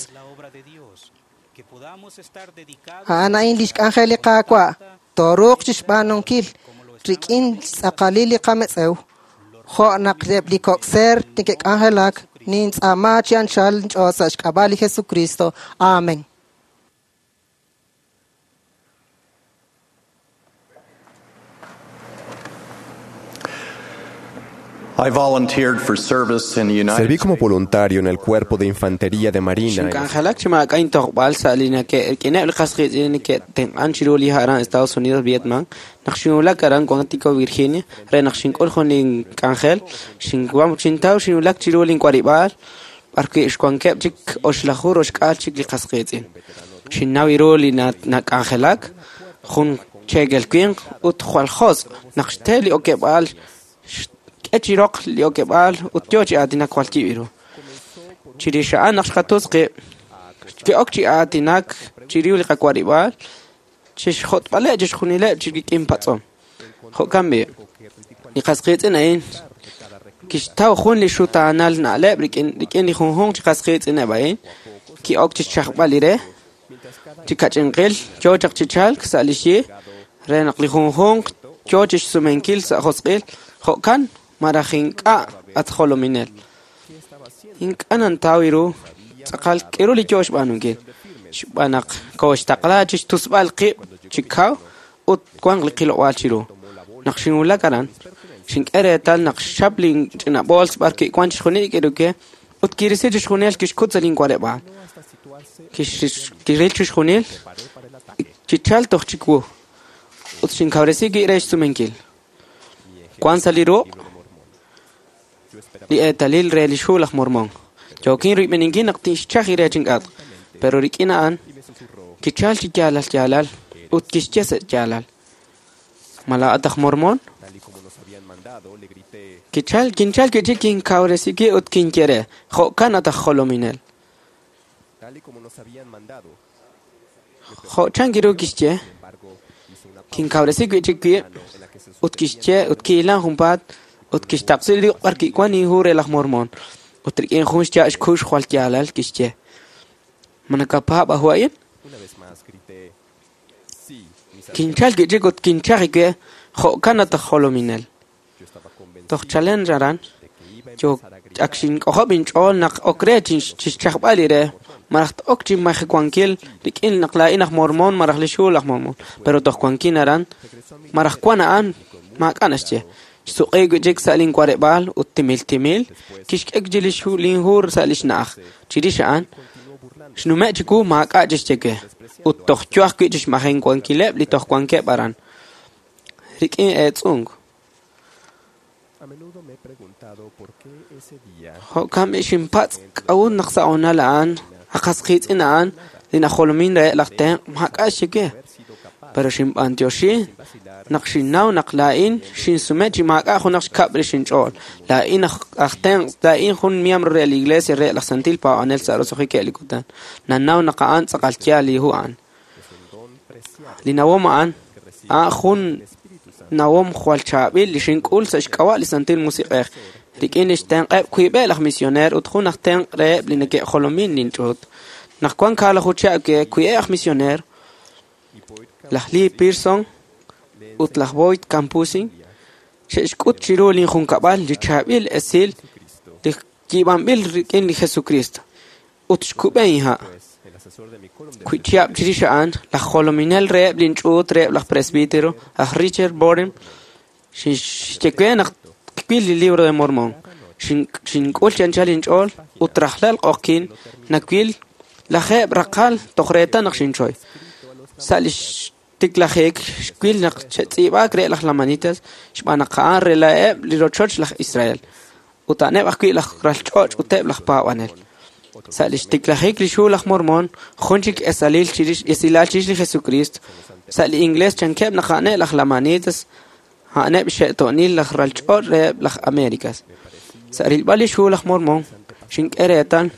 A'an a'in lix k'anjel li Qaawa' tooruuq chixb'aanunkil rik'in xtz'aqalil li qametz'ew jo' naq eb' li kok' seer neke'k'anjelak nintz'aama chi anchal nch'ool sa' xk'ab'a' li Jesucristo. Amen. I volunteered for service in the United Serví como voluntario en el Cuerpo de Infantería de Marina en Xink'anjelak chi maak'a' intojb'al sa' li nake'rik'ineb' li qasqiitz'in neke'tenq'an chiru li aran Estados Unidos, Vietnam. Naq xinwulak aran Quantico, Virginia, re naq xink'ul jun link'anjel, xintaw xinwulak chiru link'uarib'aal b'ar wi' xwankeb' chik oxlaju roxk'aal chik li qasqiitz'in. Xinnaw ru li nak'anjelak, jun cheekel winq ut jwal josq' naq xte li okeb'aal xk'e chi roq li okeb'aal ut yo chi aatinak jwal yib' ru. Chirix a'an naq xqatutz qib', ki'ok chi aatinak chiru li qawarib'aal, chixjot'b'aleb' chixjunileb' chi rik'in patz'om. Jo'kan b'i', li qasqiitz'in a'in Kixtaw jun li xutaanal na'leb' rik'in li junjunq chi qas qiitz'ineb' a'in, ki'ok chi xchajb'al li re, chi kach'inqil yo chaq chi chalk sa' li xyi, re naq li junjunq yo chi xsumenkil sa' josq'il, jo'kan maraj ink'a' at jolominel. Ink'a' nantaw ru tz'aqal k'iru li yo xb'aanunkil. Xb'aan naq kooxtaqla chi xtusb'al qib' chi kaw ut wanq li qilob'aal chiru. Naq xinwulak aran, xink'e reetal naq xchap linch'ina bools b'ar kiwan chixjunil li k'iruke ut kirisi chixjunil kixkut sa' linwarib'aal. Kiril chixjunil chichal toj chiwu ut xinkawresi wib' re xsumenkil. Wan sa' li ruq' li eetalil re li xhu laj Mormon. Yookin rib'eninkil naq tixchaj re chink'atq, pero rik'in a'an kichal chi yaalal yaalal ut kixye sa' yaalal. Ma laa'at aj Mormon? Kinchal kichik kinkawresi wib' ut kinye re, jo'kan at aj jolominel. Jo' chan kiru kixye, kinkawresi wi'chik wib' ut kixye ut ki'ilan junpaat ut kixtaqsi li ruq' b'ar kiwan inhu re laj Mormon. Ut rik'in jun xya' xkux jwal yaalal kixye, ma nakapaab' aju a'in? Kinchal wi'chik ut kinchaj we, jo'kan at aj jolominel. Toj chalen aran, yo ak xink'ojob' inch'ool naq ok re chixchajb'al li re, maraj ok chi majewankil rik'in naq laa'in aj Mormon maraj li xhu laj Mormon, pero toj wankin aran, maraj wan a'an maak'a' naxye. Xsuq'i wi'chik sa' linwarib'aal ut timil timil kixk'e li linhu sa' li xna'aj. Chirix a'an, xnume' chiwu maak'a' chixye we ut toj yo ajwi' chixmajewankileb' li toj wankeb' aran. Rik'in eetz'unk. Jo'kan b'i xinpatz' k'a'ut naq sa' honal a'an, aqas qiitz'in a'an, li najolomin reheb' laj tenq' maak'a' xye we. Pero xinb'antioxi naq xinnaw naq laa'in xinsume chi maak'a' junaq xkab' rix inch'ool. Laa'in aj tenq', laa'in jun miembro re la iglesia re laj Santil Paab'anel sa' roso'jikeb' li kutan. Nannaw naq a'an tz'aqal yaal li hu a'an. Li nawom a'an, a'an jun nawom jwal chaab'il li xink'ul sa' xk'ab'a' li Santil Musiq'ej. Rik'in li xtenq'eb' wiib'eb' laj misioneer ut jun aj tenq' reheb' li neke'jolomin linch'uut. Naq wan kaalaju chihab' wiib'eb' aj misioneer, laj Lee Pearson ut laj Boyd Campusin, xe'xk'ut chiru linjunkab'al li chaab'il esil li yiib'anb'il rik'in li Jesucristo ut xkub'e inha'. Wi chihab' chirix a'an, laj jolominel reheb' linch'uut reheb' laj presbítero, aj Richard Boren, xye we naq kwil li libro de Mormon. Xink'ul chi anchal inch'ool ut rajlal q'oqkin nawil lajeeb' raqal toj reetal naq xinchoy. Sa' li xtiklajik xwil naq xe'tz'iib'aak re laj Lamanitas xb'aan naq a'an rela'eb' li rochoch laj Israel ut a'aneb' ajwi' laj ralch'och' uteb' laj paab'anel. Sa' li xtiklajik li xhu laj Mormon, jun chik esilal chirix li Jesucristo. Sa' li ingles chankeb' naq a'aneb' laj Lamanitas, a'aneb' xe'to'nil laj ralch'och' reheb' laj Americas. Sa' rilb'al li xhu laj Mormon, xink'e reetal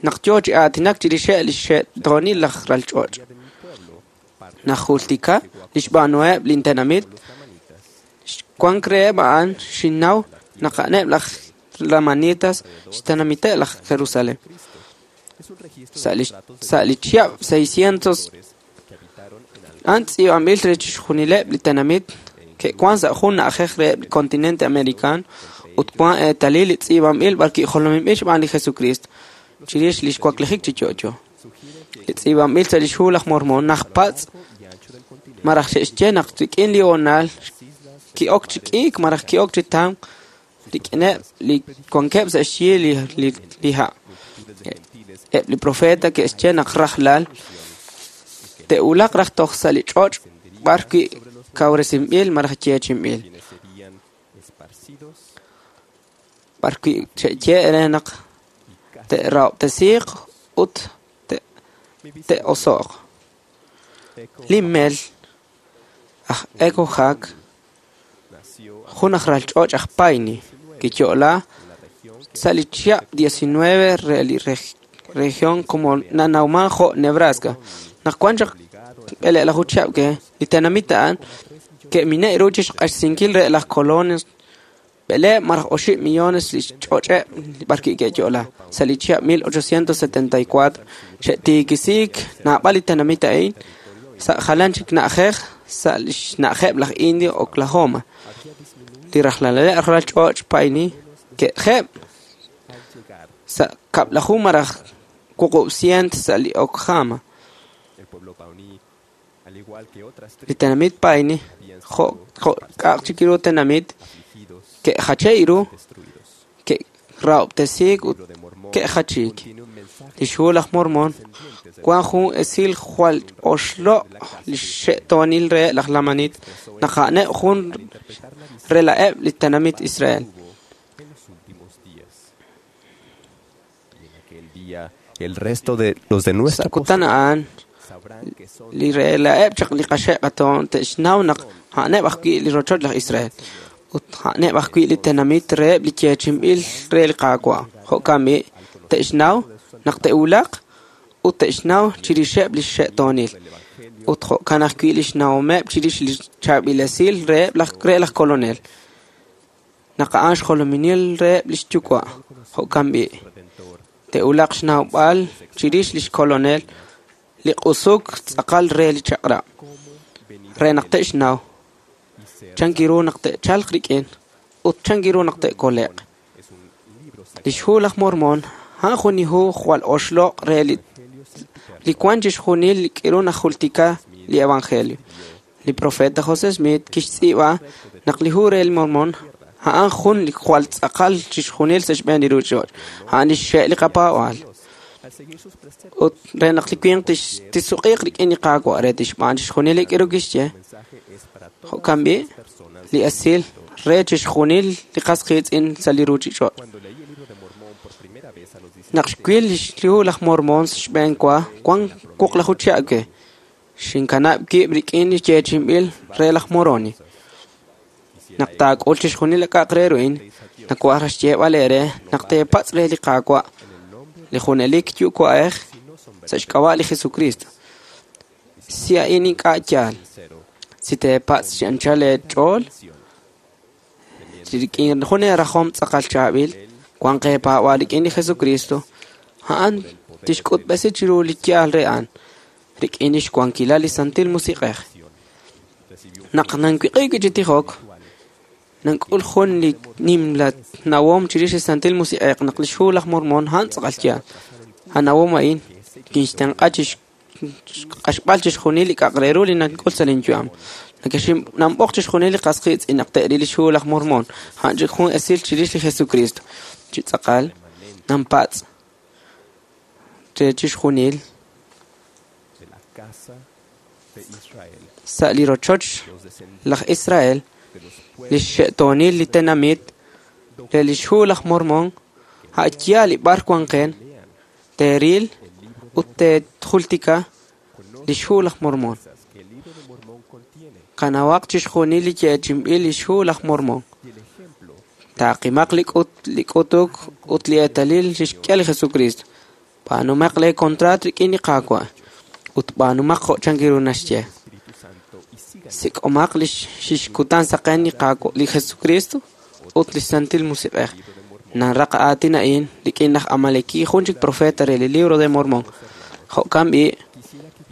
naq yo chi aatinak chirixeb' li xe'to'nil laj ralch'och'. Najultika li xb'aanuheb' lintenamit, wank reheb' a'an xinnaw naq a'aneb' laj Lamanitas xtenamiteb' laj Jerusalén. Sa' li chihab' 600 a'an tz'iib'anb'il re chixjunileb' li tenamit ke'wan sa' jun na'ajej reheb' li continente americano ut wan eetalil li tz'iib'anb'il b'ar ki'jolominb'il xb'aan li Jesucristo chirix li xwaklijik chi yo'yo. Li tz'iib'anb'il sa' li xhu laj Mormon najpatz' maraj xe'xye naq rik'in li honal ki'ok chi k'iik maraj ki'ok chi tamk rik'ineb' li wankeb' sa' xyi li ha'. Eb' li profeta ke'xye naq rajlal te'wulaq raj toj sa' li ch'och' b'ar wi' kawresinb'il maraj yeechi'inb'il. B'ar wi' xe'ye re naq te'rahob'tesiiq ut te'oso'q. Li mel aj Echo Hawk, jun aj ralch'och' aj Paine, kiyo'la sa' li chihab' 19 re li región como nanawman jo' Nebraska. Naq wan chaq b'eleelaju chihab' ke, li tenamit a'an ke'mine' ru chixq'axsinkil re laj colonos B'eleeb' maraj oxib' millones li xch'och'eb' b'arwi' ke'yo'la. Sa' li chihab' 1874 xe'tiikisiik naab'al li tenamit a'in sa' jalan chik na'ajej sa' li xna'ajeb' laj Indio Oklahoma. Li rajlaleb' ralal ch'och' Pawnee ke'jeb' sa' kab'laju maraj 800 sa' li Oklahoma. Li tenamit Pawnee jo' k'a'aq chik ru tenamit ke'jache' ru, ke'rahob'tesiik ut ke'jachiik. Li xhu laj Mormon wan jun esil jwal oxloq' li xe'toonil reheb' laj Lamanit naq a'aneb' jun rela'eb' li tenamit Israel. El resto de los de nuestra Sa' kutan a'an li rela'eb' chaq li qaxe' qatoon te'xnaw naq a'aneb' ajwi' li rochoch laj Israel ut a'aneb' ajwi' li tenamit reheb' li yeechi'inb'il re li Qaawa'. Jo'kan b'i' te'xnaw naq te'wulaq ut te'xnaw chirixeb' li xe'toonil ut jo'kan ajwi' li xnawomeb' chirix li chaab'ilesil reheb' laj re laj kolonel naq a'an xjolominil reheb' li xyuwa'. Jo'kan b'i' te'wulaq xnawb'al chirix li xkolonel li q'usuk tz'aqal re li chaq'rab' re naq te'xnaw chan ru naq te'chalq rik'in ut chan ru naq te'kole'q. Li xhu laj Mormon a'an jun li hu jwal oxloq' re li wan chixjunil li k'iru najultika li evangelio. Li profeta José Smith kixtz'iib'a naq li hu re li Mormon a'an jun li jwal tz'aqal chixjunil sa' xb'een li ruuchich'och'. A'an li xxe' li qapaab'aal. Ut re naq li winq tisuq'iiq rik'in li Qaawa' re tixb'aan chixjunil li k'iru kixye. Jo'kan b'i' li esil re chixjunil li qas qiitz'in sa' li ruuchich'och'. Naq xwil li hu laj Mormon xb'een wa wan wuqlaju chihab' we. Xinkanab' wib' rik'in li yeechi'inb'il re laj Moroni. Naq taak'ul chixjunil li k'a'aq re ru'in, nawaj raj xyeeb'al eere naq teepatz' re li Qaawa' li junelik yuwa'ej sa' xk'ab'a' li Jesucristo. Si a'in ink'a' yaal, si teepatz' chi anchal eech'ool, rik'in jun eerajom tz'aqal chaab'il, wan qeepaab'aal rik'in li Jesucristo, a'an tixk'utb'esi chiru li yaal re a'an, rik'in lix wankilal li Santil Musiq'ej. Naq nanwiq'i wi' chi tijok, nank'ul jun li nimla nawom chirix li Santil Musiq'ej naq li xhu laj Mormon a'an tz'aqal yaal. A nawom a'in kinxtenq'a chixq'axb'al chixjunil li k'a'aq re ru li nank'ul sa' lin yu'am. Nanb'oq chixjunil li qas qiitz'in naq te'ril li xhu laj Mormon, a'an chik jun esil chirix li Jesucristo. Chi tz'aqal, nanpatz' re chixjunil sa' li rochoch laj Israel, li xe'toonil li tenamit re li xhu laj Mormon, a' yaal li b'ar wanqen, teeril ut te'jultika li xhu laj Mormon. Qanawaq chixjunil li yeechi'inb'il li xhu laj Mormon. Taaqimaq li k'utuk ut li eetalil li xk'e li Jesucristo. B'aanumaq lee contrat rik'in li Qaawa' ut b'aanumaq jo' chan ru naxye. Sik'omaq li xkutan saqen li Qaawa' li Jesucristo ut li Santil Musiq'ej. Nanraq aatin a'in rik'in laj Amaleki jun chik profeta re li Libro de Mormon. Jo'kan b'i'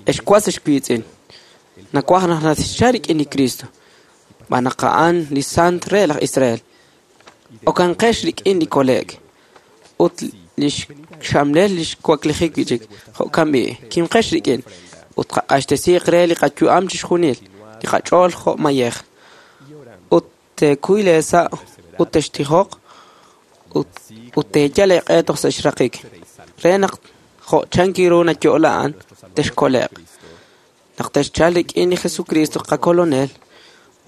ex was ex wiitz'in. Nawaj naq natixcha rik'in li Cristo. B'an naq a'an li Sant re laj Israel. Okanqex rik'in li kole'k ut li xxamlel li xwaklijik wi' chik. Jo'kan b'i' kimqex rik'in ut qaq'axtesiiq re li qayu'am chixjunil li qach'ool jo' mayej. Ut teekuy leesa' ut textijoq ut teeyal eeq'e toj sa' xraqik. Re naq jo' chan ru nayo'la a'an texkole'q. Naq texchal rik'in li Jesucristo qakolonel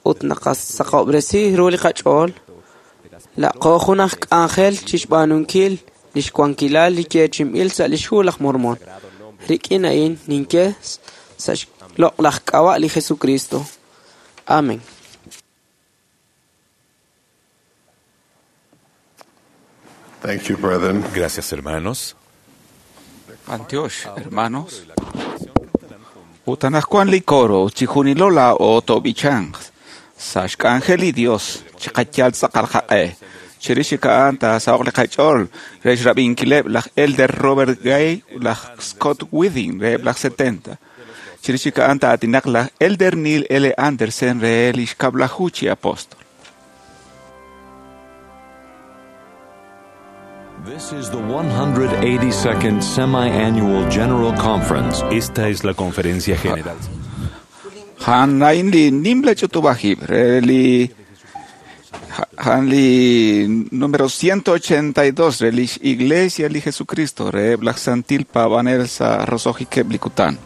ut naqasaqob'resi ru li qach'ool, laqo jun aj k'anjel chixb'aanunkil li xwankilal li yeechi'inb'il sa' li xhu laj Mormon. Rik'in a'in ninye sa' xloq'laj k'ab'a' li Jesucristo. Amén. Thank you, brethren. Gracias, hermanos. Antioch, hermanos. Utanajkuan li coro, chijunilola o tobichan. Sa xk'anjel li Dios, chiqayal tz'aqal qaq'e. Chirix chik a'an taasaho'q li qach'ool re xrab'inkileb' laj Elder Robert Gay ut laj Scott Withing reheb' laj 70. Chirix chik a'an taatinaq laj Elder Neil L. Andersen re li xkab'laju chi apóstol. This is the 182nd Semi-Annual General Conference. Esta es la conferencia general. A'an a'in li nimla ch'utub'aj re li a'an li número 182 re lix Iglesia li Jesucristo reheb' laj Santil Paab'anel sa' roso'jikeb' li kutan.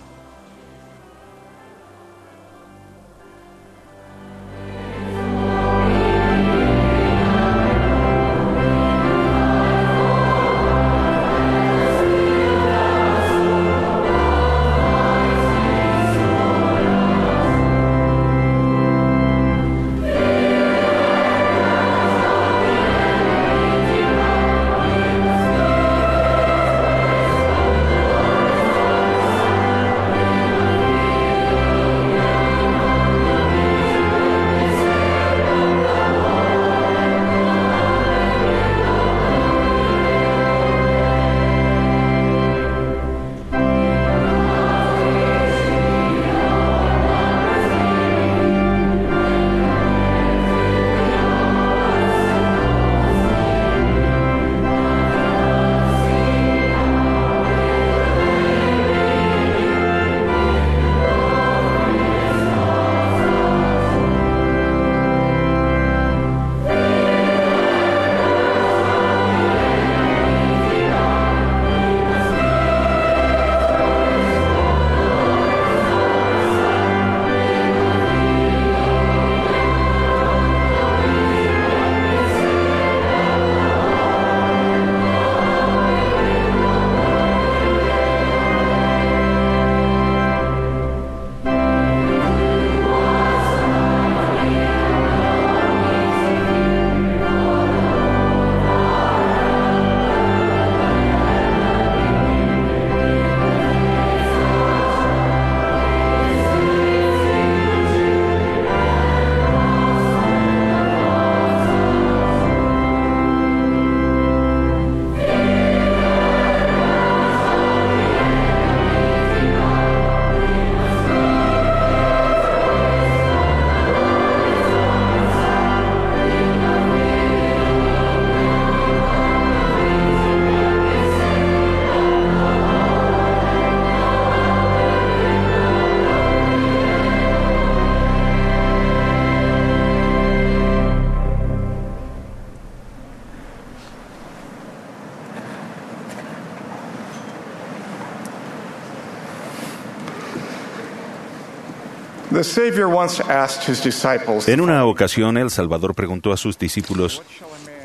The Savior once asked his disciples, En una ocasión, el Salvador preguntó a sus discípulos,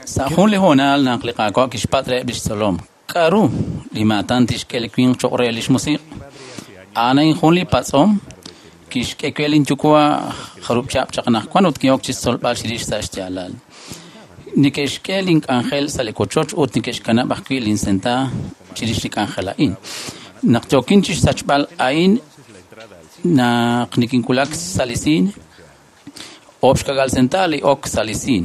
Sa' jun li hoonal naq li Qaawa' kixpatz' reheb' lix tzolom, k'aru li maatan tixk'e li winq cho'q re lix musiq'? A'an a'in jun li patz'om kixk'e we linyuwa' jarub' chihab' chaq anaqwan ut ki'ok chixtzolb'al chirix sa' xyaalal. Neke'xk'e link'anjel sa' li wochoch ut neke'xkanab' ajwi' linsenta chirix li k'anjel a'in. Naq yookin chixsachb'al a'in naq nikinwulak sa' li siin, oob' xka'k'aal senta li ok sa' li siin.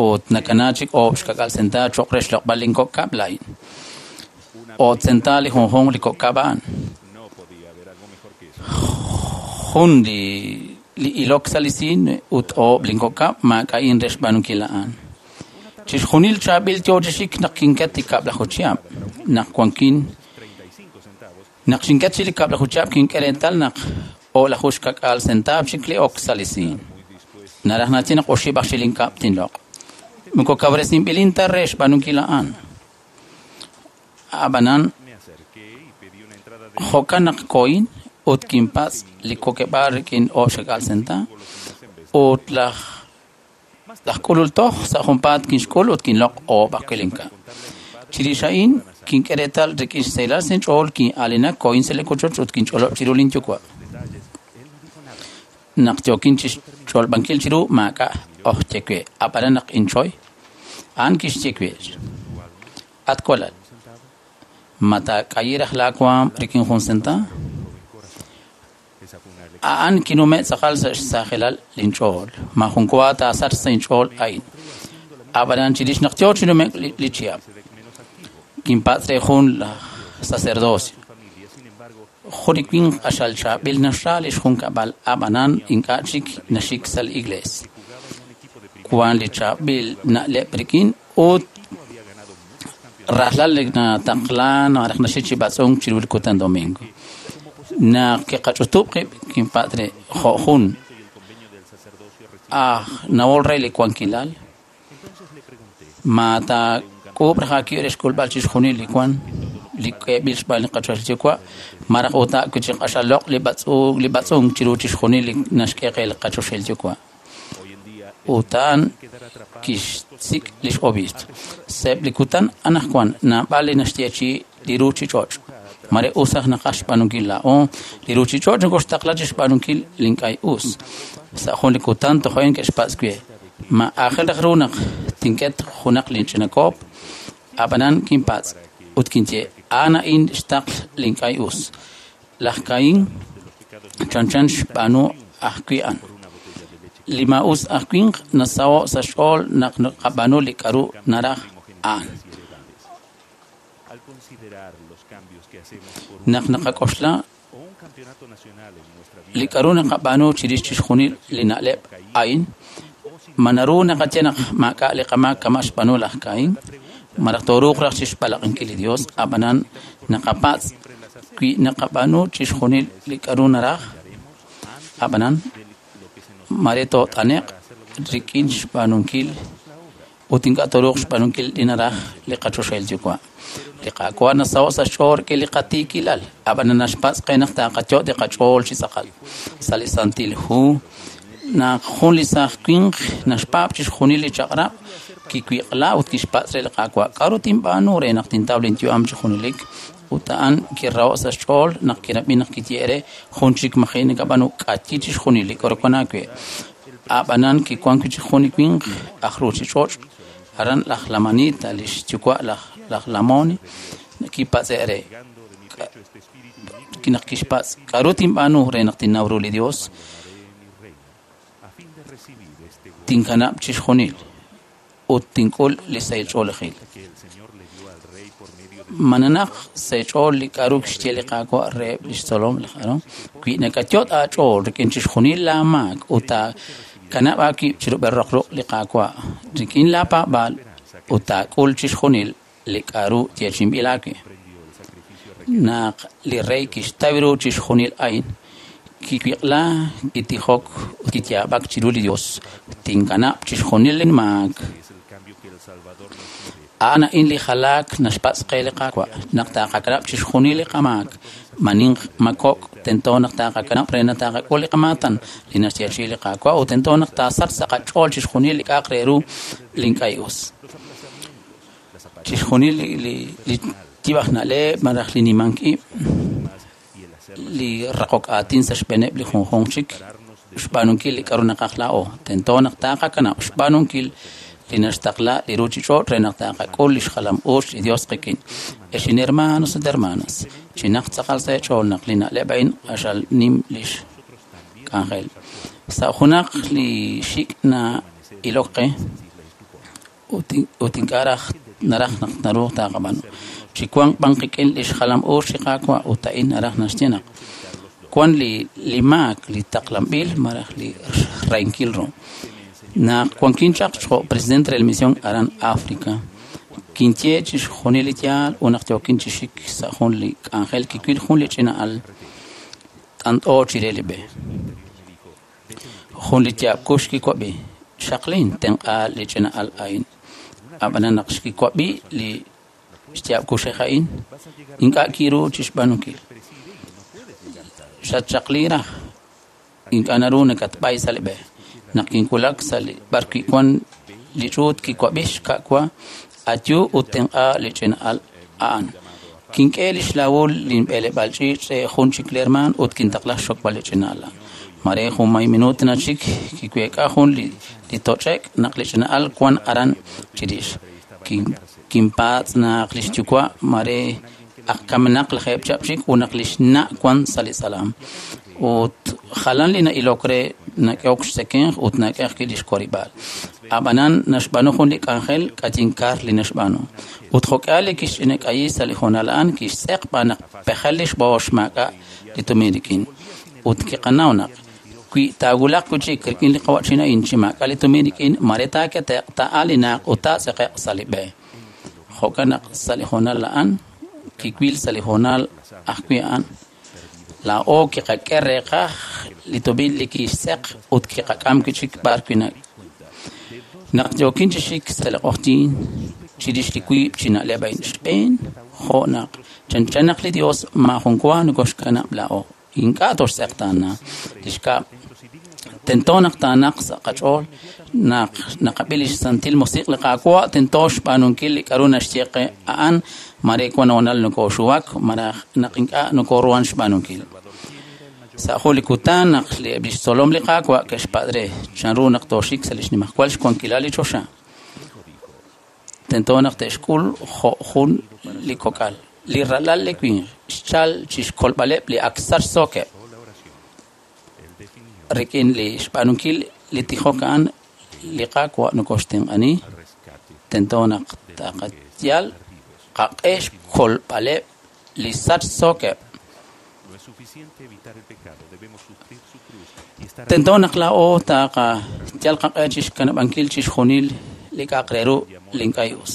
Ut nakana chik oob' xka'k'aal senta cho'q re xloq'b'al linkok' kab'l a'in. Oob' senta li junjunq li kok' kab' a'an. Jun li ilok sa' li siin ut oob' linkok' kab' maak'a'in re xb'aanunkil a'an. Chixjunil chaab'il yoo chi xik naq kinket li kab'laju chihab'. Naq wankin naq xinket chi li kab'laju chihab' kink'e reetal naq o'laju xka'k'aal centaab' chik li ok sa' li siin. Naraj naxye naq oxib' aj xilinkab' tinloq'. Moko kawresinb'ilin ta re xb'aanunkil a'an. Ab'anan jo'kan naq kohin ut kinpatz' li kokeb'aal rik'in oob' xka'k'aal senta ut laj k'ulul toj sa' junpaat kinxk'ul ut kinloq' oob' ajwi' linkab'. Chirix a'in kink'e reetal rik'in xsahilal sa' inch'ool kin'aalinak kohin sa' li wochoch ut kinch'olob' chiru linyuwa'. Naq yookin chixch'olb'ankil chiru maak'a' oj ye we, ab'anan naq inchoy, a'an kixye we, at walal, ma taak'ayi raj laawaam rik'in jun senta? A'an kinume' tz'aqal sa' xsajelal linch'ool. Maajun wa taasachq sa' inch'ool a'in. Ab'anan chirix naq yo chi nume'k li chihab', kinpatz' re jun laj sacerdocio. Jun li winq q'axal chaab'il naxra li xjunkab'al, ab'anan ink'a' chik naxik sa' li iglees. Wan li chaab'il na'leb' rik'in ut rajlal nataqlan malaj naxik chi b'atz'unk chiru li kutan domingo. Naq kiqach'utub' qib' kinpatz' re jo' jun aj nawol re li wankilal, ma taak'uub' raj aawib' re xk'ulb'al chixjunil li wan li k'eeb'il xb'aan li qaChoxahil Yuwa', malaj ut wi' chi q'axal loq' li b'atz'unk chiru chixjunil li naxk'e qe li qaChoxahil Yuwa'. Ut a'an kixsik' lix obiisp. Sa'eb' li kutan anaqwan naab'al li naxyeechi'i li ruuchich'och'. Mare us raj naqaj xb'aanunkil laa'o, li ruuchich'och' nokoxtaqla chixb'aanunkil li ink'a' us. Sa' jun li kutan tojo'en ke'xpatz' we, ma aajel raj ru naq tink'et junaq linch'ina koop? Ab'anan kinpatz' ut kinye, a'an a'in xtaql li ink'a' us. Laj Caín chanchan xb'aanu ajwi' a'an. Li maa'us aj winq nasaho' sa' xch'ool naq naqab'aanu li k'aru naraj a'an. Naq naqak'oxla li k'aru naqab'aanu chirix chixjunil li na'leb' a'in, ma naru naqaye naq maak'a' li qamaak kama' xb'aanu laj Caín? Malaj tooruuq raj chixb'alaq'inkil li Dios, ab'anan naqapatz' wi naqab'aanu chixjunil li k'aru naraj, ab'anan mare toot'ane'q rik'in xb'aanunkil ut ink'a' tooruuq xb'aanunkil li naraj li qaChoxahil Yuwa'. Li Qaawa' nasaho' sa' xch'ool rik'in li qatiikilal, ab'anan naxpatz' qe naq taqayo' li qach'ool chi tz'aqal. Sa' li Santil Hu, naq jun li saaj winq naxpaab' chixjunil li chaq'rab', kiwiq'la ut kixpatz' re li Qaawa', k'aru tinb'aanu re naq tintaw linyu'am chi junelik? Ut a'an kiraho' sa' xch'ool naq kirab'i naq kiyehe' re jun chik maji' nakab'aanu k'ayi chixjunil li k'aru wan aawe. Ab'anan kiwan wi' chik jun li winq aj ruuchich'och', aran laj Lamanita, li xyuwa' laj Lamoni, kipatz'e' re naq kixpatz' k'aru tinb'aanu re naq tinnaw ru li Dios? Tinkanab' chixjunil ut tink'ul li sahil ch'oolejil. Ma nanaq sa' xch'ool li k'aru kixye li Qaawa' reheb' li xtzolom laj Aarón? Wi nakayot' aach'ool rik'in chixjunil laamaak ut taakanab' aawib' chirub'el roq ruq' li Qaawa' rik'in laapaab'aal ut taak'ul chixjunil li k'aru yeechi'inb'il aawe. Naq li rey kixtaw ru chixjunil a'in, kiwiq'la, kitijok ut kiyaab'ak chiru li Dios, tinkanab' chixjunil linmaak. A'an a'in li jalaak naxpatz' qe li Qaawa', naq taqakanab' chixjunil li qamaak, ma ninq ma kok', tento naq taqakanab' re naq taqak'ul li qamaatan li naxyeechi'i li Qaawa' ut tento naq taasachq sa' qach'ool chixjunil li k'a'aq re ru li ink'a' us. Chixjunil li yib' aj na'leb' malaj li nimank ib', li raqok aatin sa' xb'eeneb' li junjunq chik, xb'aanunkil li k'aru naqaj laa'o, tento naq taqakanab' xb'aanunkil li naxtaqla li ruuchich'och' re naq taqak'ul li xjalam-uuch li Dios qik'in. Ex inhermanos ut hermanas, chinaq tz'aqal sa' eech'ool naq li na'leb' a'in q'axal nim lix k'anjel. Sa' junaq li xik' na'ilok qe ut ink'a' raj naraj naq naru taqab'aanu. Chiwanq b'an qik'in li xjalam-uuch li Qaawa' ut a'in naraj naxye naq wan li maak li taqlanb'il malaj li xrahinkil ru. Naq wankin chaq jo' presidente re la misión aran África, kinye chixjunil li yaal ut naq yookin chi xik sa' jun li k'anjel kiwil jun li ch'ina al t'ant'o chire li b'e. Jun li yaab' kux kiwab'i, xaqlin tenq'a li ch'ina al a'in. Ab'anan naq xkiwab'i li xyaab' kuxej a'in, ink'a' kiru chixb'aanunkil. Xatxaqli raj, ink'a' naru nakatb'ay sa' li b'e. Naq kinwulak sa' li b'ar wi' wan li ch'uut kiwab'i xka'wa, ayu ut tenq'a li ch'ina al a'an. Kink'e li xlawul linb'eleb'aal ch'iich' re jun chik li hermaan ut kintaqla xxokb'al li ch'ina al. Mare jun may minuut na chik kiweek'a jun li toch'ek naq li ch'ina al wan aran chirix. Kinpatz' naq li xyuwa' mare aj kamenaq lajeeb' chihab' chik ut naq li xna' wan sa' li tz'alam. Ut jalan li na'ilok re nak'ehok xtzekemq ut nak'e ajwi' li xwarib'aal. Ab'anan naxb'aanu jun li k'anjel k'ayinkar li naxb'aanu. Ut jo'k'ihal li kixch'inak'ayi sa' li hoonal a'an kixtz'eq b'an naq pejel li xb'oox maak'a' li tumin rik'in. Ut kiqanaw naq wi taawulaq wi' chik rik'in li qawa'chin a'in chi maak'a' li tumin rik'in mare taakete'q taa'alinaq ut taatz'eqe'q sa' li b'e. Jo'kan naq sa' li hoonal a'an kiwil sa' li hoonal ajwi' a'an laa'o kiqak'e reeqaj li tumin li kixtz'eq ut kiqak'am wi' chik b'ar wi' naq yookin chi xik sa' li q'oqyink chirix li wiib' chi na'leb' a'in xb'een jo' naq chanchan naq li Dios maajun wa nokoxkanab' laa'o ink'a' toxtz'eqtaana li xkab' tento naq taanaq sa' qach'ool naq naqab'i li xsantil musiq' li Qaawa' tento xb'aanunkil li k'aru naxye qe a'an mare wan hoonal nokoxuwak malaj naq ink'a' nokoruhan xb'aanunkil. Sa' jun li kutan naq eb' li xtzolom li Qaawa' ke'xpatz' re chanru naq tooxik sa' li xnimajwal xwankilal li choxa. Tento naq te'xk'ul jo' jun li kok'al. Li ralal li winq xchal chi xkolb'aleb' li ak sachsookeb'. Rik'in li xb'aanunkil li tijok a'an li Qaawa' nokoxtenq'ani tento naq taqayal qaq'e xkolb'aleb' li sachsookeb'. Tento naq laa'o taqayal qaq'e chi xkanab'ankil chi xjunil li k'a'aq re ru li ink'a' us.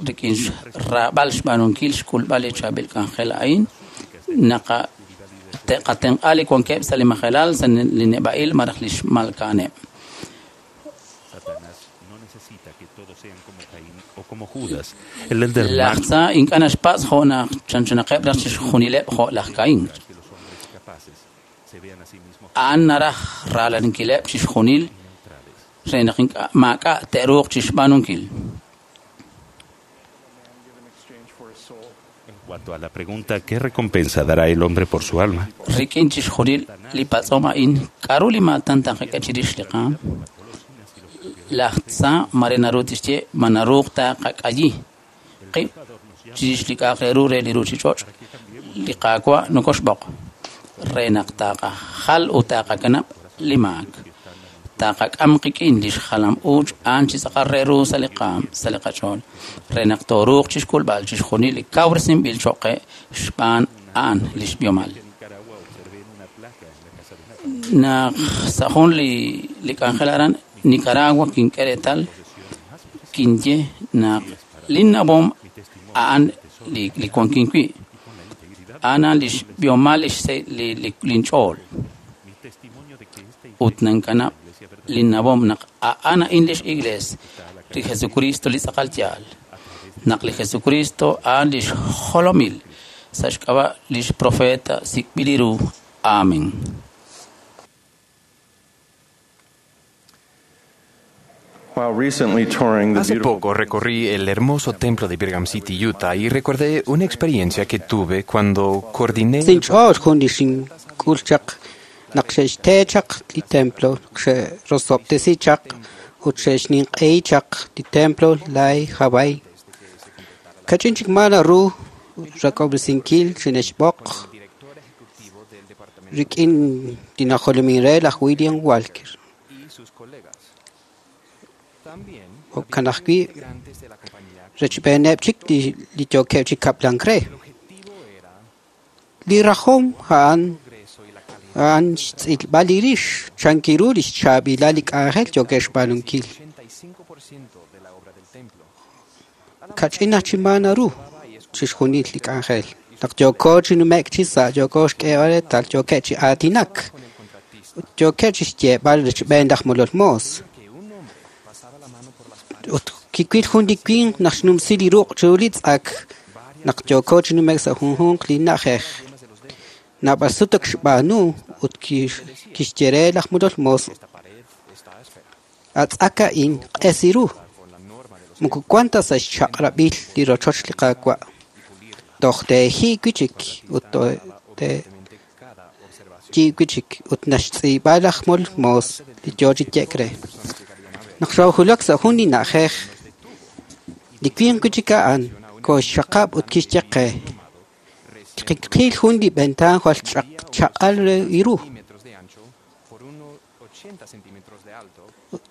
Rik'in xraab'al xb'aanunkil xk'ulb'al li chaab'il k'anjel a'in naqa te'qatenq'a li wankeb' sa' li majelal sa' li neb'a'il malaj li xmalka'aneb'. Laj Tza ink'a' naxpatz' jo' naq chanchanaqeb' raj chi xjunileb' jo' laj Caín. A'an naraj raalaninkileb' chi xjunil re naq ink'a' maak'a' te'ruuq chi xb'aanunkil. En cuanto a la pregunta ¿qué recompensa dará el hombre por su alma? Rik'in chi xjunil li patz'om a'in k'aru li maatan taqak'e chirix li qaam? Laj Tza mare naru tixye ma naruuq taqak'ayi qib' chirix li k'a'aq re ru re li ruuchich'och' li Qaawa' nokoxb'oq re naq taqajal ut taqakanab' li maak. Taqak'am qik'in li xjalam-uuch a'an chi tz'aqal re ru sa' li qaam sa' li qach'ool re naq tooruuq chi xk'ulb'al chi xjunil li kawresinb'il cho'q qe xb'aan a'an li xb'ihomal. Naq sa' jun li k'anjel aran Nicaragua kink'e reetal kinye naq linnawom a'an li wankin wi' a'an li xb'ihomal linch'ool ut nankanab' linnawom naq a'an a'in lix Iglees li Jesucristo li tz'aqal yaal naq li Jesucristo a'an lix jolomil sa' xk'ab'a' lix profeta sik'b'il ru. Amén. Hace poco recorrí el hermoso templo de Brigham City, Utah, y recordé una experiencia que tuve cuando coordiné. Sinch'ool jun li xink'ul chaq naq xe'xte chaq li templo xe'rosob'tesi chaq ut xe'xninq'ehi chaq li templo lay Hawaii. Kach'in chik ma naru rak'ob'resinkil xine'xb'oq rik'in li najolomin re laj William Walker. Jo'kan ajwi' rechb'eeneb' chik li yookeb' chi kab'lank re. Li rajom a'an xtz'ilb'al li rix chankiru li xchaab'ilal li k'anjel yookeb' xb'aanunkil. Kach'in aj chi ma naru chi xjunil li k'anjel. Naq yooko chi nume'k chi sa' yooko xk'eeb'al reetal yookeb' chi aatinak ut yookeb' chi xyeeb'al rechb'een laj molol moos. Ut kiwil jun li winq naq xnumsi li ruq' chiru li tz'ak naq yooko chi nume'k sa' junjunq li na'ajej. Naab'al sut ak xb'aanu ut kixye re laj molol moos atz'ak a'in q'es ru. Moko wan ta sa' xchaq'rab'il li rochoch li Qaawa'. Toj teeji wi' chik ut teeyi wi' chik ut naxtz'iib'a laj molol moos li yoo chi ye'k re. Naq xoohulak sa' jun li na'ajej li winq wi' chik a'an kooxxaqab' ut kixye qe. Kiqil jun li ventaan jwal chaq'al re iru. Ut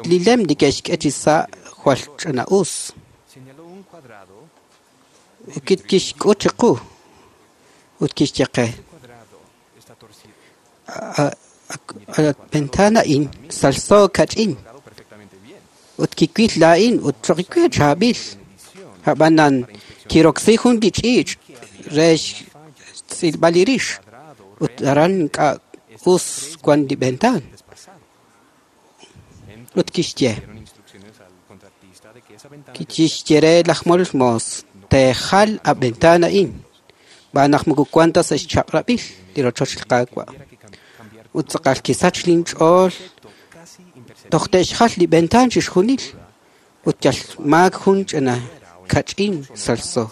li lem li ke'xk'e chi sa' jwal ch'ina'us. Ut kixk'ut chiqu ut kixye qe: Ventana a'in salso kach'in. Ut kiwil laa'in ut choq' chaab'il. Ab'anan kiroksi jun li ch'iich' re xtz'ilb'al li rix. Ut aran ink'a' us wan li ventan. Ut kixye: Kixye re laj molol moos teejal a ventana a'in. B'aan naq moko wan ta sa' xchaq'rab'il li rochoch li Qaawa'. Ut tz'aqal kisach linch'ool toj te'xjal li ventan chixjunil. Ut yal maak jun ch'ina kach'in salso.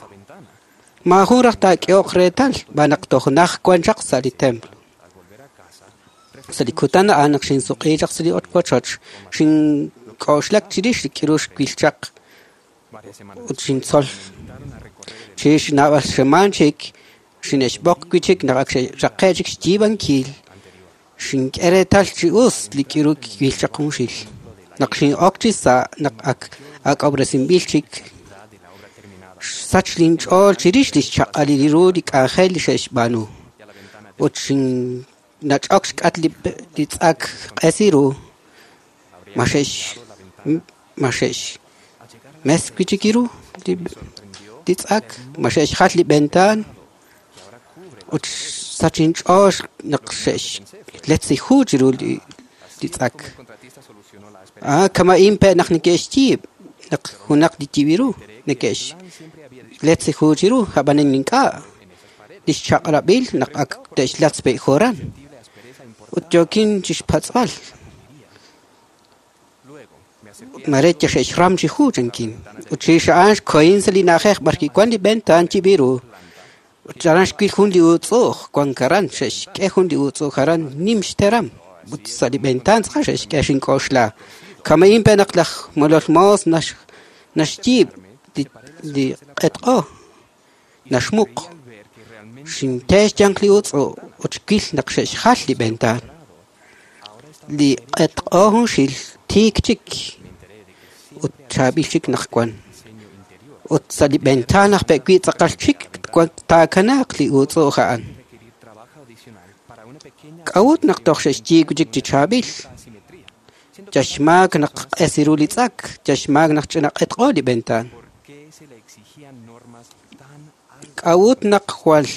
Maajun raj taak'ehoq reetal b'aan naq toj naj wan chaq sa' li templo. Sa' li kutan a'an naq xinsuq'i chaq sa' li wochoch, xink'oxlak chirix li k'iru xwil chaq ut xintzol. Chirix naab'al xemaan chik, xine'xb'oq wi' chik naq ak xe'raqe' chik xyiib'ankil. Xink'e reetal chi us li k'iru kiwil chaq junxil. Naq xin'ok chi sa' naq ak ak'ob'resinb'il chik, xsach linch'ool chirix li xchaq'alil ru li k'anjel li xe'xb'aanu. Ut xinnach'ok xk'at li tz'ak q'es ru, ma xe'xmes wi' chik ru li tz'ak, ma xe'xjal li ventan. Ut xsach inch'ool naq xe'xletzi ju chiru li tz'ak. Kama'in pe' naq neke'xyiib' naq junaq li yiib'iru neke'xletzi ju chiru ab'anan ink'a' li xchaq'rab'il naq ak te'xlatz pe' joran. Ut yookin chixpatz'b'al. Mare xe'xram chi ju chankin. Ut chirix a'an xkohin sa' li na'ajej b'ar kiwan li ventan yiib'iru. Ut aran xwil jun li uutz'u'uj wan aran xe'xk'e jun li uutz'u'uj aran nim xteram. Ut sa' li ventan tz'aqal xe'xk'e xink'oxla. Kama'in pe' naq laj molol moos naxyiib' li q'etq'o naxmuq. Xinte xyanq li uutz'u'uj ut xwil naq xe'xjal li ventan. Li q'etq'o junxil tiik chik ut chaab'il chik naq wan. Ut sa' li ventan aj pe' wi' tz'aqal chik taakanaaq li uutz'u'uj a'an. K'a'ut naq toj xe'xyiib' chik chi chaab'il. Yaxmaak naq q'es ru li tz'ak, yaxmaak naq ch'ina q'etq'o li ventan. K'a'ut naq jwal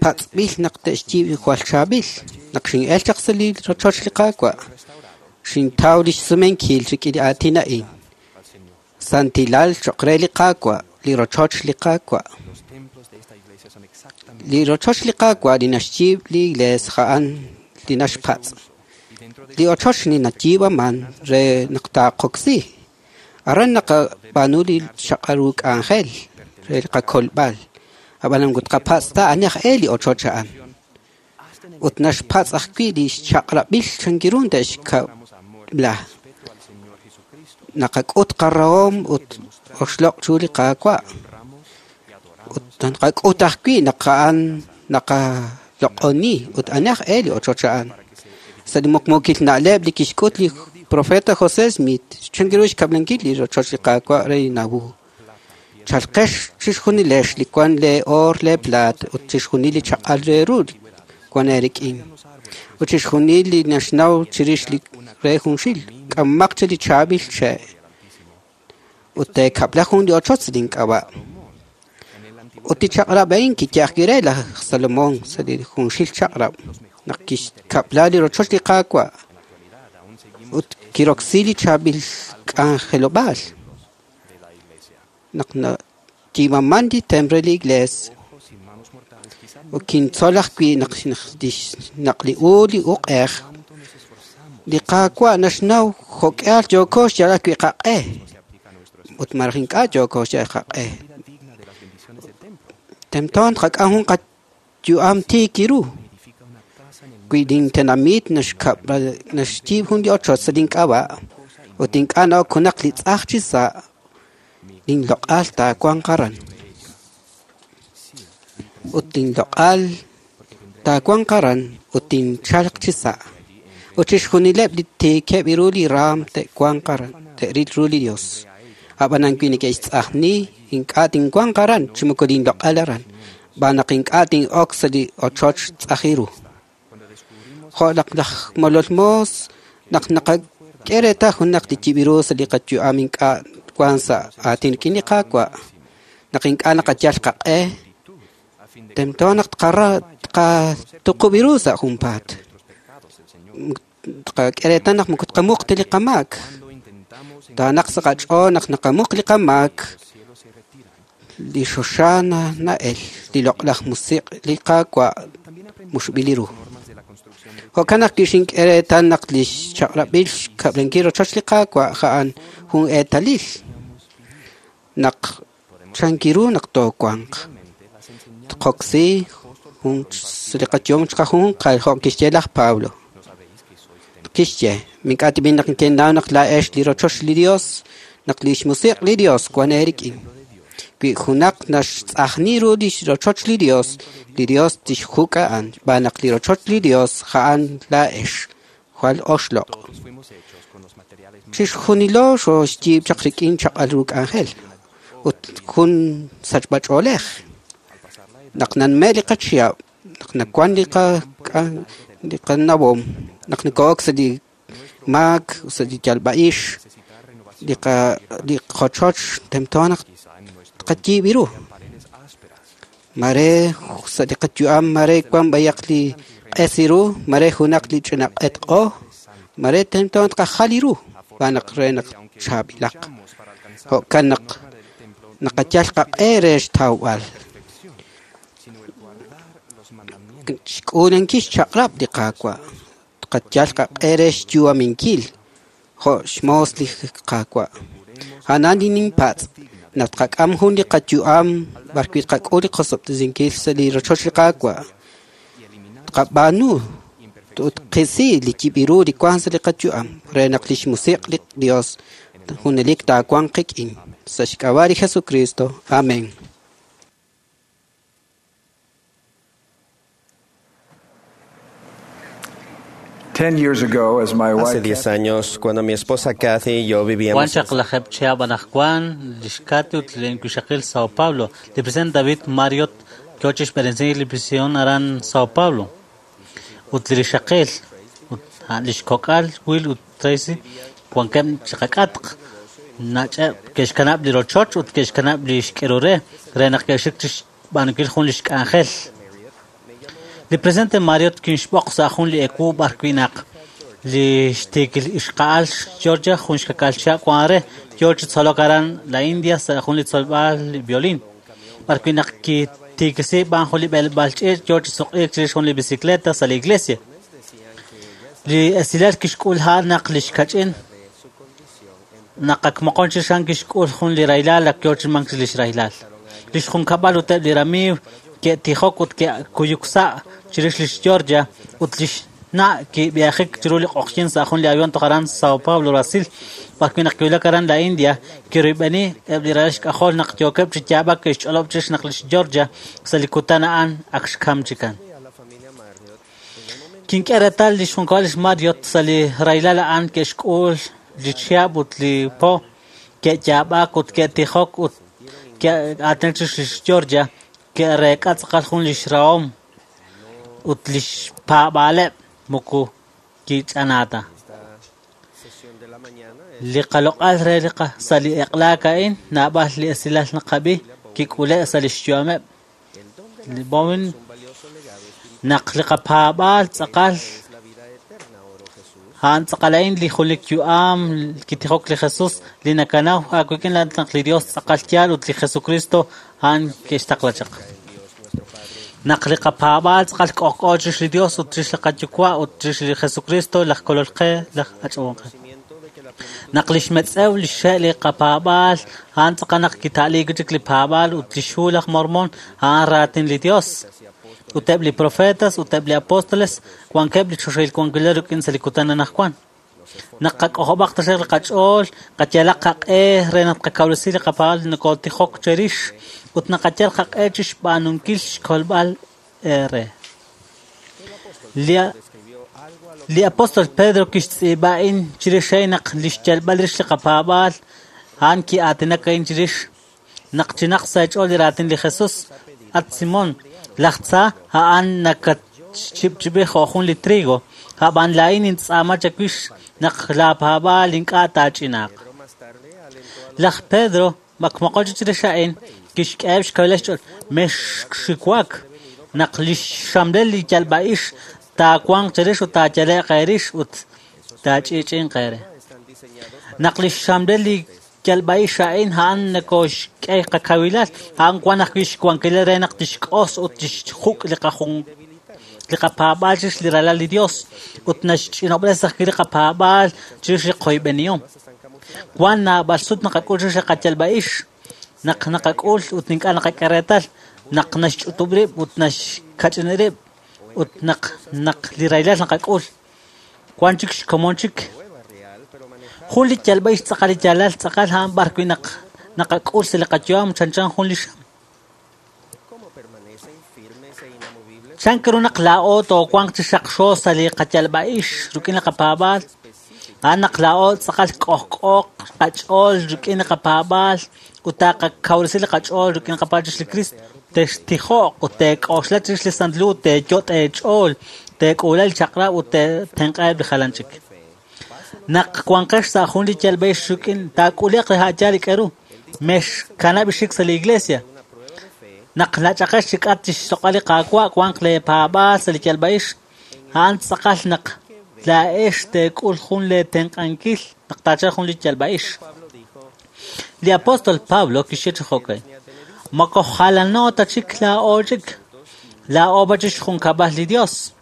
patz'b'il naq te'xyiib' jwal chaab'il. Naq xin'el chaq sa' li rochoch li Qaawa', xintaw li xsumenkil rik'in li aatin a'in. Santilal cho'q re li Qaawa', li rochoch li Qaawa'. Li rochoch li Qaawa' li naxyiib' li iglees a'an li naxpatz'. Li ochoch li nayiib'aman re naq taaqoksi. Aran naqab'aanu li xaq'al ru k'anjel re li qakolb'al. Ab'anan ut qapatz' ta ani aj e li ochoch a'an. Ut naxpatz' ajwi' li xchaq'rab'il chankirun te'xkab'la. Naqak'ut qarahom ut oxloq' chu li Qaawa'. Ut naqak'ut ajwi' naq a'an naqaloq'oni ut ani aj e li ochoch a'an. Sa' li muqmuukil na'leb' li kixk'ut li profeta José Smith chankiru xkab'lankil li rochoch li Qaawa' re Nauvoo. Chalqex chixjunilex li wan le oor le plaat ut chixjunil li chaq'al re ru wan eerik'in. Ut chixjunil li naxnaw chirix li re junxil k'ammaq che li chaab'il che'. Ut teekab'la jun li ochoch link'ab'a'. Ut li chaq'rab' a'in kiyajwi' re laj Salomón sa' li junxil chaq'rab' naq kixkab'la li rochoch li Qaawa'. Ut kiroksi li chaab'il k'anjelob'aal. Naq nayiib'aman li templo li iglees. Ut kintzol ajwi' naq li u li uq'ej. Li Qaawa' naxnaw jo'k'ihal yooko xyalb'al wi' qaq'e. Ut maraj ink'a' yooko xyalb'al qaq'e. Temtoon qak'am jun qayu'am tiik ru. Wi' lintenamit naxyiib' jun li ochoch sa' link'ab'a' ut ink'a' na'ok junaq li tz'aj chi sa' linloq'al taawanq aran. Ut linloq'al taawanq aran ut tinchalq chi sa'. Ut chixjunileb' li tiikeb' ru li raam te'wanq aran, te'ril ru li Dios. Ab'anan wi neke'xtz'ajni, ink'a' tinwanq aran chi moko linloq'al aran, xb'aan naq ink'a' tin'ok sa' li ochoch tz'aj ru. Jo' naq laj molol moos, naq naqak'e reetal junaq li yib' ru sa' li qayu'am ink'a' wank sa' aatin rik'in li Qaawa', naq ink'a' naqayal qaq'e, tento naq tqatuqub' ru sa' junpaat. Tqak'e reetal naq moko tqamuq ta li qamaak. Taanaq sa' qach'ool naq naqamuq li qamaak, li xoxa na'el, li loq'laj musiq' li Qaawa' muxb'il ru. Jo'kan naq kixink'e reetal naq li xchaq'rab'il xkab'lankil rochoch li Qaawa' a'an jun eetalil naq chankiru naq toowanq. Tqoksi jun sa' li qayu'am chiqajunjunqal jo' kixye laj Pablo. Kixye, mink'a' tib'in naq nekenaw naq laa'ex li rochoch li Dios, naq li xmusiq' li Dios wan eerik'in. Wi junaq naxtz'ajni ru li rochoch li Dios, li Dios tixjuk' a'an, xb'aan naq li rochoch li Dios a'an laa'ex, jwal oxloq'. Chixjunilo xooxyiib' chaq rik'in chaq'al ru k'anjel ut jun sachb'ach'oolej. Naq nanme' li qachihab', naq nawan li qanawom, naq noko'ok sa' li maak, sa' li yalb'a'ix, li qochoch tento naq tqayiib' ru. Mare sa' li qayu'am, mare wan b'ayaq li q'es ru, mare junaq li ch'ina q'etq'o, mare tento tqajal ru, xb'aan naq re naq chaab'ilaq. Jo'kan naq naqayal qaq'e re xtawb'al. Xk'uulankil xchaq'rab' li Qaawa', tqayal qaq'e re xyu'aminkil jo' xmoos li Qaawa'. A'an li ninpatz' naq tqak'am jun li qayu'am b'arwi' tqak'ul li qosob'tesinkil sa' li rochoch li Qaawa'. Tqab'aanu ut tqisi li yib' ru li wank sa' li qayu'am re naq li xmusiq' li Dios junelik taawanq qik'in. Sa' xk'ab'a' li Jesucristo. Amén. Hace 10 años, cuando mi esposa Kathy y yo Wan vivíamos chaq lajeb' chihab' anaqwan lix Kathy ut li wixaqil Sao Paulo. Li presidente David Marriott yoo chixb'eresinkil li misión aran Sao Paulo. Ut li rixaqil ut lix kok'al Will ut Tracy wankeb' chiqak'atq. Nach'eb' ke'xkanab' li rochoch ut ke'xkanab' li xk'eru re re naq ke'xik chixb'aanunkil jun lix k'anjel. Li presidente Marriott kinxb'oq sa' jun li ewu b'arwi' naq li xtiikil ixqa'al Georgia jun xkakal chihab' wan re yoo chi tzolok aran la India sa' jun li tzolb'al violín. B'arwi' naq kitiikisi b'an jun li b'elb'al ch'iich' yoo chi suq'iik chirix jun li bicicleta sa' li iglesia. Li esilal kixk'ul a'an naq li xkach'in naq ak moqon chirix a'an kixk'ul jun li rahilal ak yoo chi mank lix rahilal. Lix junkab'al ut eb' li ramiiw ke'tijok ut ke'kuyuk sa' chirix lix Georgia ut lix na' kib'eejik chiru li q'oqyink sa' jun li avión toj aran Sao Paulo, Brasil. B'arwi' naq kiwulak aran la India, kirub'eni eb' li ralal xk'ajol naq yookeb' chi yaab'ak ke'xch'olob' chirix naq lix Georgia sa' li kutan a'an ak xkam chikan. Kink'e reetal lix junkab'al lix Marriott sa' li rahilal a'an ke'xk'ul li chihab' ut li po, ke'yaab'ak ut ke'tijok ut ke'aatinak chirix lix Georgia, ke'reek'a tz'aqal jun lix rahom ut lix paab'aaleb' moko kich'anaata. Li qaloq'al re li sa' li eq'laak a'in naab'al li esilal naqab'i kik'ule' sa' lix yu'ameb'. Li Bowen naq li qapaab'aal tz'aqal a'an tz'aqal a'in li junelik yu'am kitijok li Jesus li nakanaw aawik'in naq li Dios tz'aqal yaal ut li Jesucristo a'an ke'xtaqla chaq. Naq li qapaab'aal tz'aqal k'ojk'o chirix li Dios ut chirix li qayuwa' ut chirix li Jesucristo laj kolol qe laj ach'ab'on qe. Naq lix metz'ew lix xe' li qapaab'aal a'an tz'aqal naq kita'liik chik li paab'aal ut lix hu laj Mormon a'an raatin li Dios. Ut eb' li profetas ut eb' li apóstoles wankeb' li choxahil wankilal rik'in sa' li kutan anaqwan. Naq qak'ojob'aq taxaq li qach'ool, qayalaq qaq'e re naq tqakawresi li qapaab'aal nokotijok cherix ut naqayal qaq'e chixb'aanunkil xkolb'al eere. Li apóstol Pedro kixtz'iib'a a'in chirix a'in naq lix yalb'al rix li qapaab'aal a'an ki'aatinak a'in chirix naq chinaq sa' xch'ool li raatin li Jesús. At Simón, laj tza a'an nakatxchipch'ibi jo' jun li trigo, ab'an laa'in nintz'aama chawix naq laapaab'aal ink'a' taach'inaaq. Laj Pedro makmoqon chik chirix a'in kixk'eheb' xkawilal xch'ool mexxiwak naq lix xamlel li yalb'a'ix taawanq cherix ut taayale'q eerix ut taach'i'ch'i'inq eere. Naq lix xamlel li yalb'a'ix a'in a'an nakoxk'e qakawilal, a'an wan ajwi' xwankilal re naq tixk'os ut tixjuk' li qapaab'aal chirix li ralal li Dios ut naxch'inob'res ajwi' li qapaab'aal chirix li qoyb'enihom. Wan naab'al sut naqak'ul chirix li qayalb'a'ix, naq naqak'ul ut ink'a' naqak'e reetal, naq naxch'utub' rib' ut naxkach'in rib' ut naq li rahilal naqak'ul. Wan chik xkomon chik. Jun li yalb'a'ix tz'aqal li yaalal tz'aqal a'an b'ar wi' naq naqak'ul sa' li qayu'am chanchan jun li xam. Chank ru naq laa'o toowanq chi xaqxo sa' li qayalb'a'ix rik'in li qapaab'aal, a'an naq laa'o tz'aqal k'ojk'ooq qach'ool rik'in li qapaab'aal ut taqakawresi li qach'ool rik'in qapaab'aal chirix li Cristo. Textijo'q ut teek'oxla chirix li Santil Hu, teeyot' eech'ool, teek'uula li chaq'rab' ut teetenq'aheb' li jalan chik. Naq wanqex sa' jun li yalb'a'ix rik'in taak'ule'q li ha'yaal li k'eru, mexkanab' xik sa' li iglesia. Naq nach'aqex chi k'at chixloq'al li Qaawa' wanq leepaab'aal sa' li yalb'a'ix, a'an tz'aqal naq laa'ex teek'ul jun leetenq'ankil naq taachalq jun li yalb'a'ix. Li apóstol Pablo kixye chi jo'kan: Moko jalano ta chik laa'o chik, laa'o b'a chik xjunkab'al li Dios.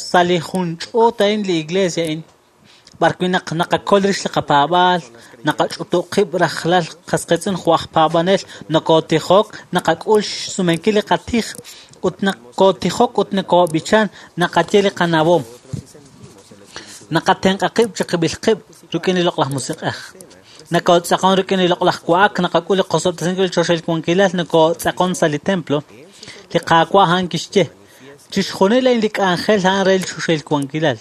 Sa' li jun ch'uut a'in li iglesia a'in, b'ar wi' naq naqakol rix li qapaab'aal, naqach'utub' qib' rajlal qasqitz'in jo' aj paab'anel, nokotijok, naqak'ul xsumenkil li qatij, ut nakotijok ut nakob'ichan, naqaye li qanawom. Naqatenq'a qib' chiqib'il qib' rik'in li loq'laj musiq'ej. Nakotz'aqon rik'in li loq'laj wa'ak, naqak'ul li qosob'tesinkil li choxahil wankilal, nakotz'aqon sa' li templo. Li Qaawa' a'an kixye, chixjunil a'in li k'anjel a'an re li choxahil wankilal.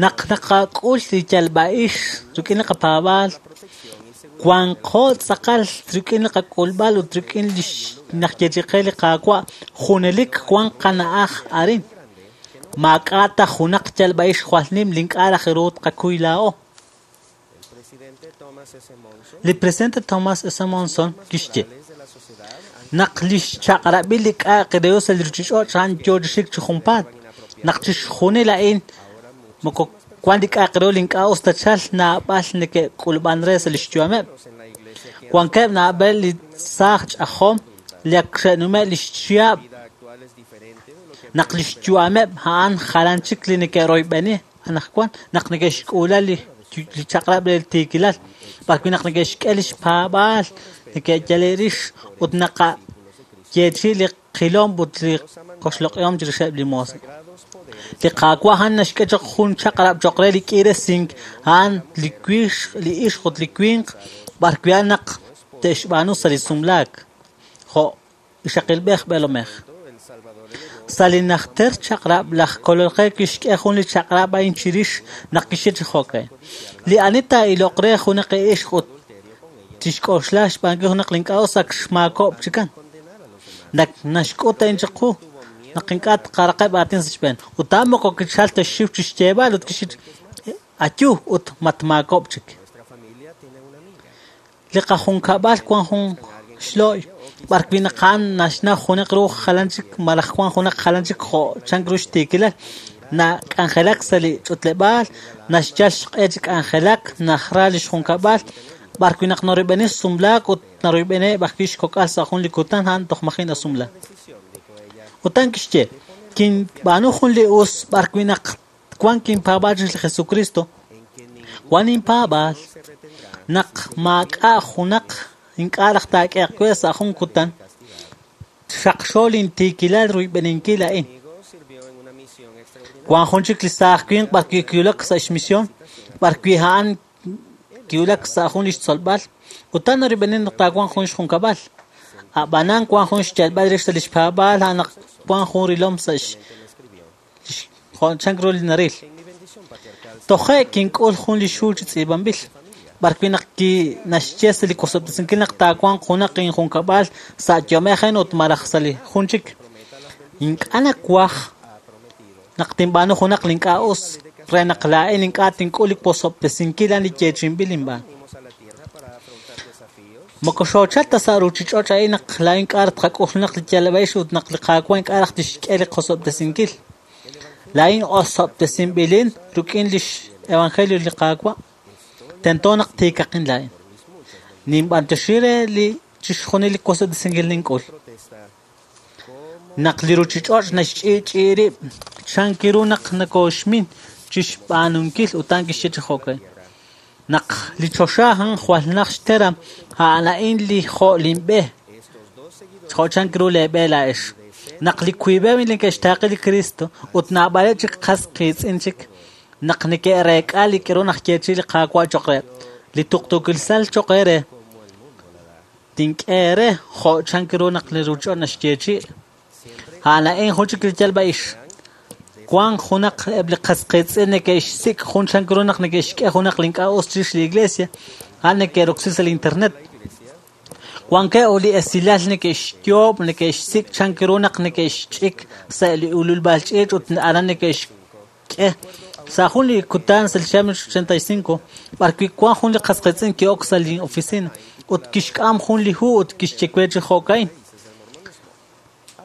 Naq naqak'ul li yalb'a'ix rik'in li qapaab'aal, wanqo tz'aqal rik'in li qak'ulb'al ut rik'in li naq yechiqe li Qaawa' junelik wan qana'aj arin. Maak'a' ta junaq yalb'a'ix jwal nim li ink'a' raj ru tqakuy laa'o. Li presidente Thomas S. Monson kixye naq li xchaq'rab'il li k'a'aq re sa' li ruuchich'och' a'an yo chi xik chi junpaat. Naq chixjunil a'in moko wan li k'a'aq re li ink'a' us ta chal naab'al neke'k'ulb'an re sa' li xyu'ameb'. Wankeb' naab'al li saaj ch'ajom li ak xe'nume' li xchihab' naq li xyu'ameb' a'an jalan chik li neke'royb'eni anaqwan naq neke'xk'uula li chaq'rab' re li tiikilal, b'ar wi' naq neke'xk'e li xpaab'aal, neke'yale rix ut naqayeechi li qilom ut li qoxloq'ihom chirixeb' li moos. Li Qaawa' a'an naxk'e choq jun chaq'rab' choq re li k'iiresink, a'an li wix, li ixq ut li winq, b'ar wi' a'an naq te'xb'aanu sa' li sumlaak, jo' ixaqilb'ej b'eelomej. Sa' li najter chaq'rab' laj Kolol qe kixk'e jun li chaq'rab' a'in chirix naq kixye chi jo'kan. Li ani taa'iloq re junaq ixq ut tixk'oxla xb'aankil junaq li ink'a' us ak xmaakob' chikan. Naq naxk'ut a'in chiqu, naq ink'a' tqaraqeb' aatin sa' xb'een. Ut a'an moko kichal ta xxiw chi xyeeb'al ut kixye ayu ut matmaakob' chik. Li qajunkab'al wan jun xlo'y, b'ar wi' naq a'an naxnaw junaq ru jalan chik malaj wan junaq jalan chik jo' chank ru xtiikilal. Nak'anjelak sa' li ch'utleb'aal, naxyal xq'e chi k'anjelak, najra li xjunkab'al, b'ar wi' naq naroyb'eni sumlaak ut naroyb'eniheb' ajwi' xkok'al sa' jun li kutan a'an toj maji' nasumla. Ut a'an kixye, kinb'aanu jun li us b'ar wi' naq wan kinpaab'aal chirix li Jesucristo, wan inpaab'aal naq maak'a' junaq ink'a' raj taak'ehaq we sa' jun kutan, xaqxo lintiikilal ruyb'eninkil a'in. Wan jun chik li saaj winq b'arwi' kiwulak sa' xmisión, b'arwi' a'an kiwulak sa' jun li xtzolb'al, ut a'an narib'enin naq taawanq jun xjunkab'al. A'b'anan wan jun xyalb'al rix sa' li xpaab'aal a'an naq wan jun rilom sa' jo' chan ru li naril. Toje' kink'ul jun li xhu chi tz'iib'anb'il, b'arwi' naq naxye sa' li wosob'tesinkil naq taawanq junaq injunkab'al sa' yu'amej a'in ut malaj sa' li jun chik. Ink'a' nawaj naq tinb'aanu junaq li ink'a' us re naq laa'in ink'a' tink'ul li wosob'tesinkil a'an li yeechi'inb'il inb'aan. Moko xoochal ta sa' ruuchich'och' a'in naq laa'in ink'a' tqak'ul junaq li yalb'a'ix ut naq li Qaawa' ink'a' raj tixk'e li qosob'tesinkil. Laa'in osob'tesinb'ilin rik'in lix evangelio li Qaawa'. Tento naq tiikaqin laa'in. Ninb'antioxi re li chixjunil li wosob'tesinkil nink'ul. Naq li ruuchich'och' naxch'i'ch'i'i rib' chan kiru naq nakooxmin chixb'aanunkil ut a'an kixye chi jo'kan. Naq li choxa a'an jwal naj xteram, a'an a'in li jo' linb'e, jo' chan kiru leeb'e laa'ex. Naq li wiib'eb' li neke'xtaaqe li Cristo ut naab'aleb' chik qas qiitz'in chik, naq neke'reek'a li k'aru naxyeechi'i li Qaawa' cho'q reheb', li tuqtuukilsal cho'q eere, tink'e eere jo' chan kiru naq li ruuchich'och' naxyeechi'i. A'an a'in jun chik li yalb'a'ix. Wan junaq eb' li qas qiitz'in neke'xsik' jun chan ru naq neke'xk'e junaq li ink'a' us chirix li iglesia, a'an neke'roksi sa' li internet. Wankeb' li esilal neke'xyoob', neke'xsik' chan ru naq neke'xch'ik sa' li ululb'al ch'iich' ut aran neke'xk'e. Sa' jun li kutan sa' li 1985, b'arwi' wan jun li qas qiitz'in ki'ok sa' li oficina ut kixk'am jun li hu ut kixye we chi jo'ka'in.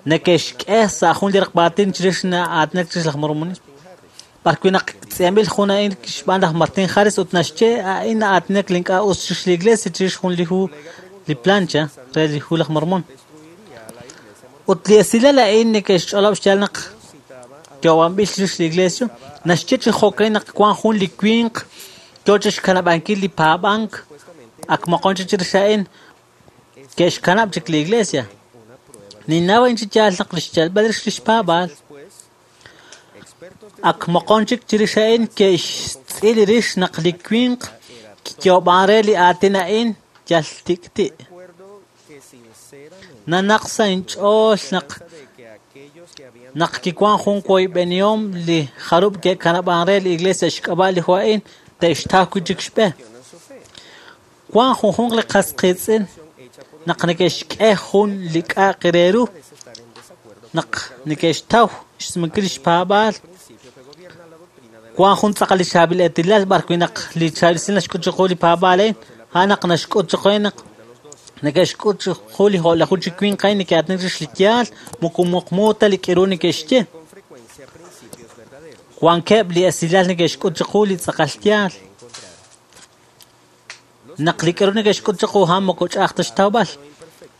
Neke'xk'e sa' jun li raqb'aatin chirix na'aatinak chirix laj mormonismo. B'arwi' naq tz'iib'anb'il jun a'in xb'aan laj Martin Harris ut naxye a'in na'aatinak li ink'a' us chirix li iglesia chirix jun li hu li plancha re li hu laj Mormon. Ut li esilal a'in neke'xch'olob' xyaal naq yo'ob'anb'il chirix li iglesia, naxye chi jo'kan naq wan jun li winq yo chixkanab'ankil li paab'ank ak moqon chik chirix a'in ke'xkanab' chik li iglesia. Ninnaw a'in chi yaal naq li xyalb'al rix li xpaab'aal. Ak moqon chik chirix a'in ke'xtz'il rix naq li winq kiyo'ob'an re li aatin a'in yal tik'ti'. Nanaq sa' inch'ool naq kiwan jun woyb'enihom li jarub' ke'kanab'an re li iglesia xk'ab'a' li hu a'in te'xtaw wi' chik xb'e. Wan junjunq li qas qiitz'in naq neke'xk'e jun li k'a'aq re ru naq neke'xtaw xsumenkil li xpaab'aal. Wan jun tz'aqal li chaab'il eetilal b'arwi' naq li chaab'il esil naxk'ut chiqu li paab'aal a'in, a'an naq naxk'ut chiqu naq neke'xk'ut chiqu li jo'laju chi winq a'in neke'aatinak chirix li yaal, moko muqmu ta li k'aru neke'xye. Wankeb' li esilal neke'xk'ut chiqu li tz'aqal yaal. Naq li k'aru neke'xk'ut chiqu a'an moko ch'a'aj ta xtawb'al.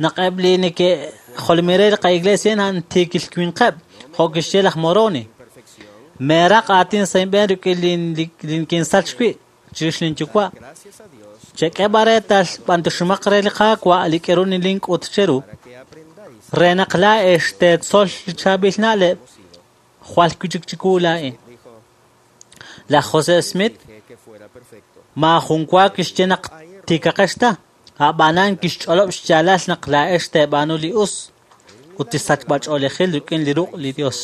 Naq eb' li neke'jolomil re li qa'iglesia a'an tiikil winqeb', jo' kixye laj Moroni. Meeraq aatin sa' inb'een rik'in li kinsach wi' chirix linyuwa'. Chek'e b'an reetal b'antioximaq re li Qaawa' li k'aru nilink'ut cheru, re naq laa'ex teetzol li chaab'il na'leb' jwal wi' chik chiwu laa'in. Laj José Smith maajun wa kixye naq tiikaqex ta, a'b'anan kixch'olob' xyaalal naq laa'ex teeb'aanu li us ut li sachb'ach'oolejil rik'in li ruq' li Dios.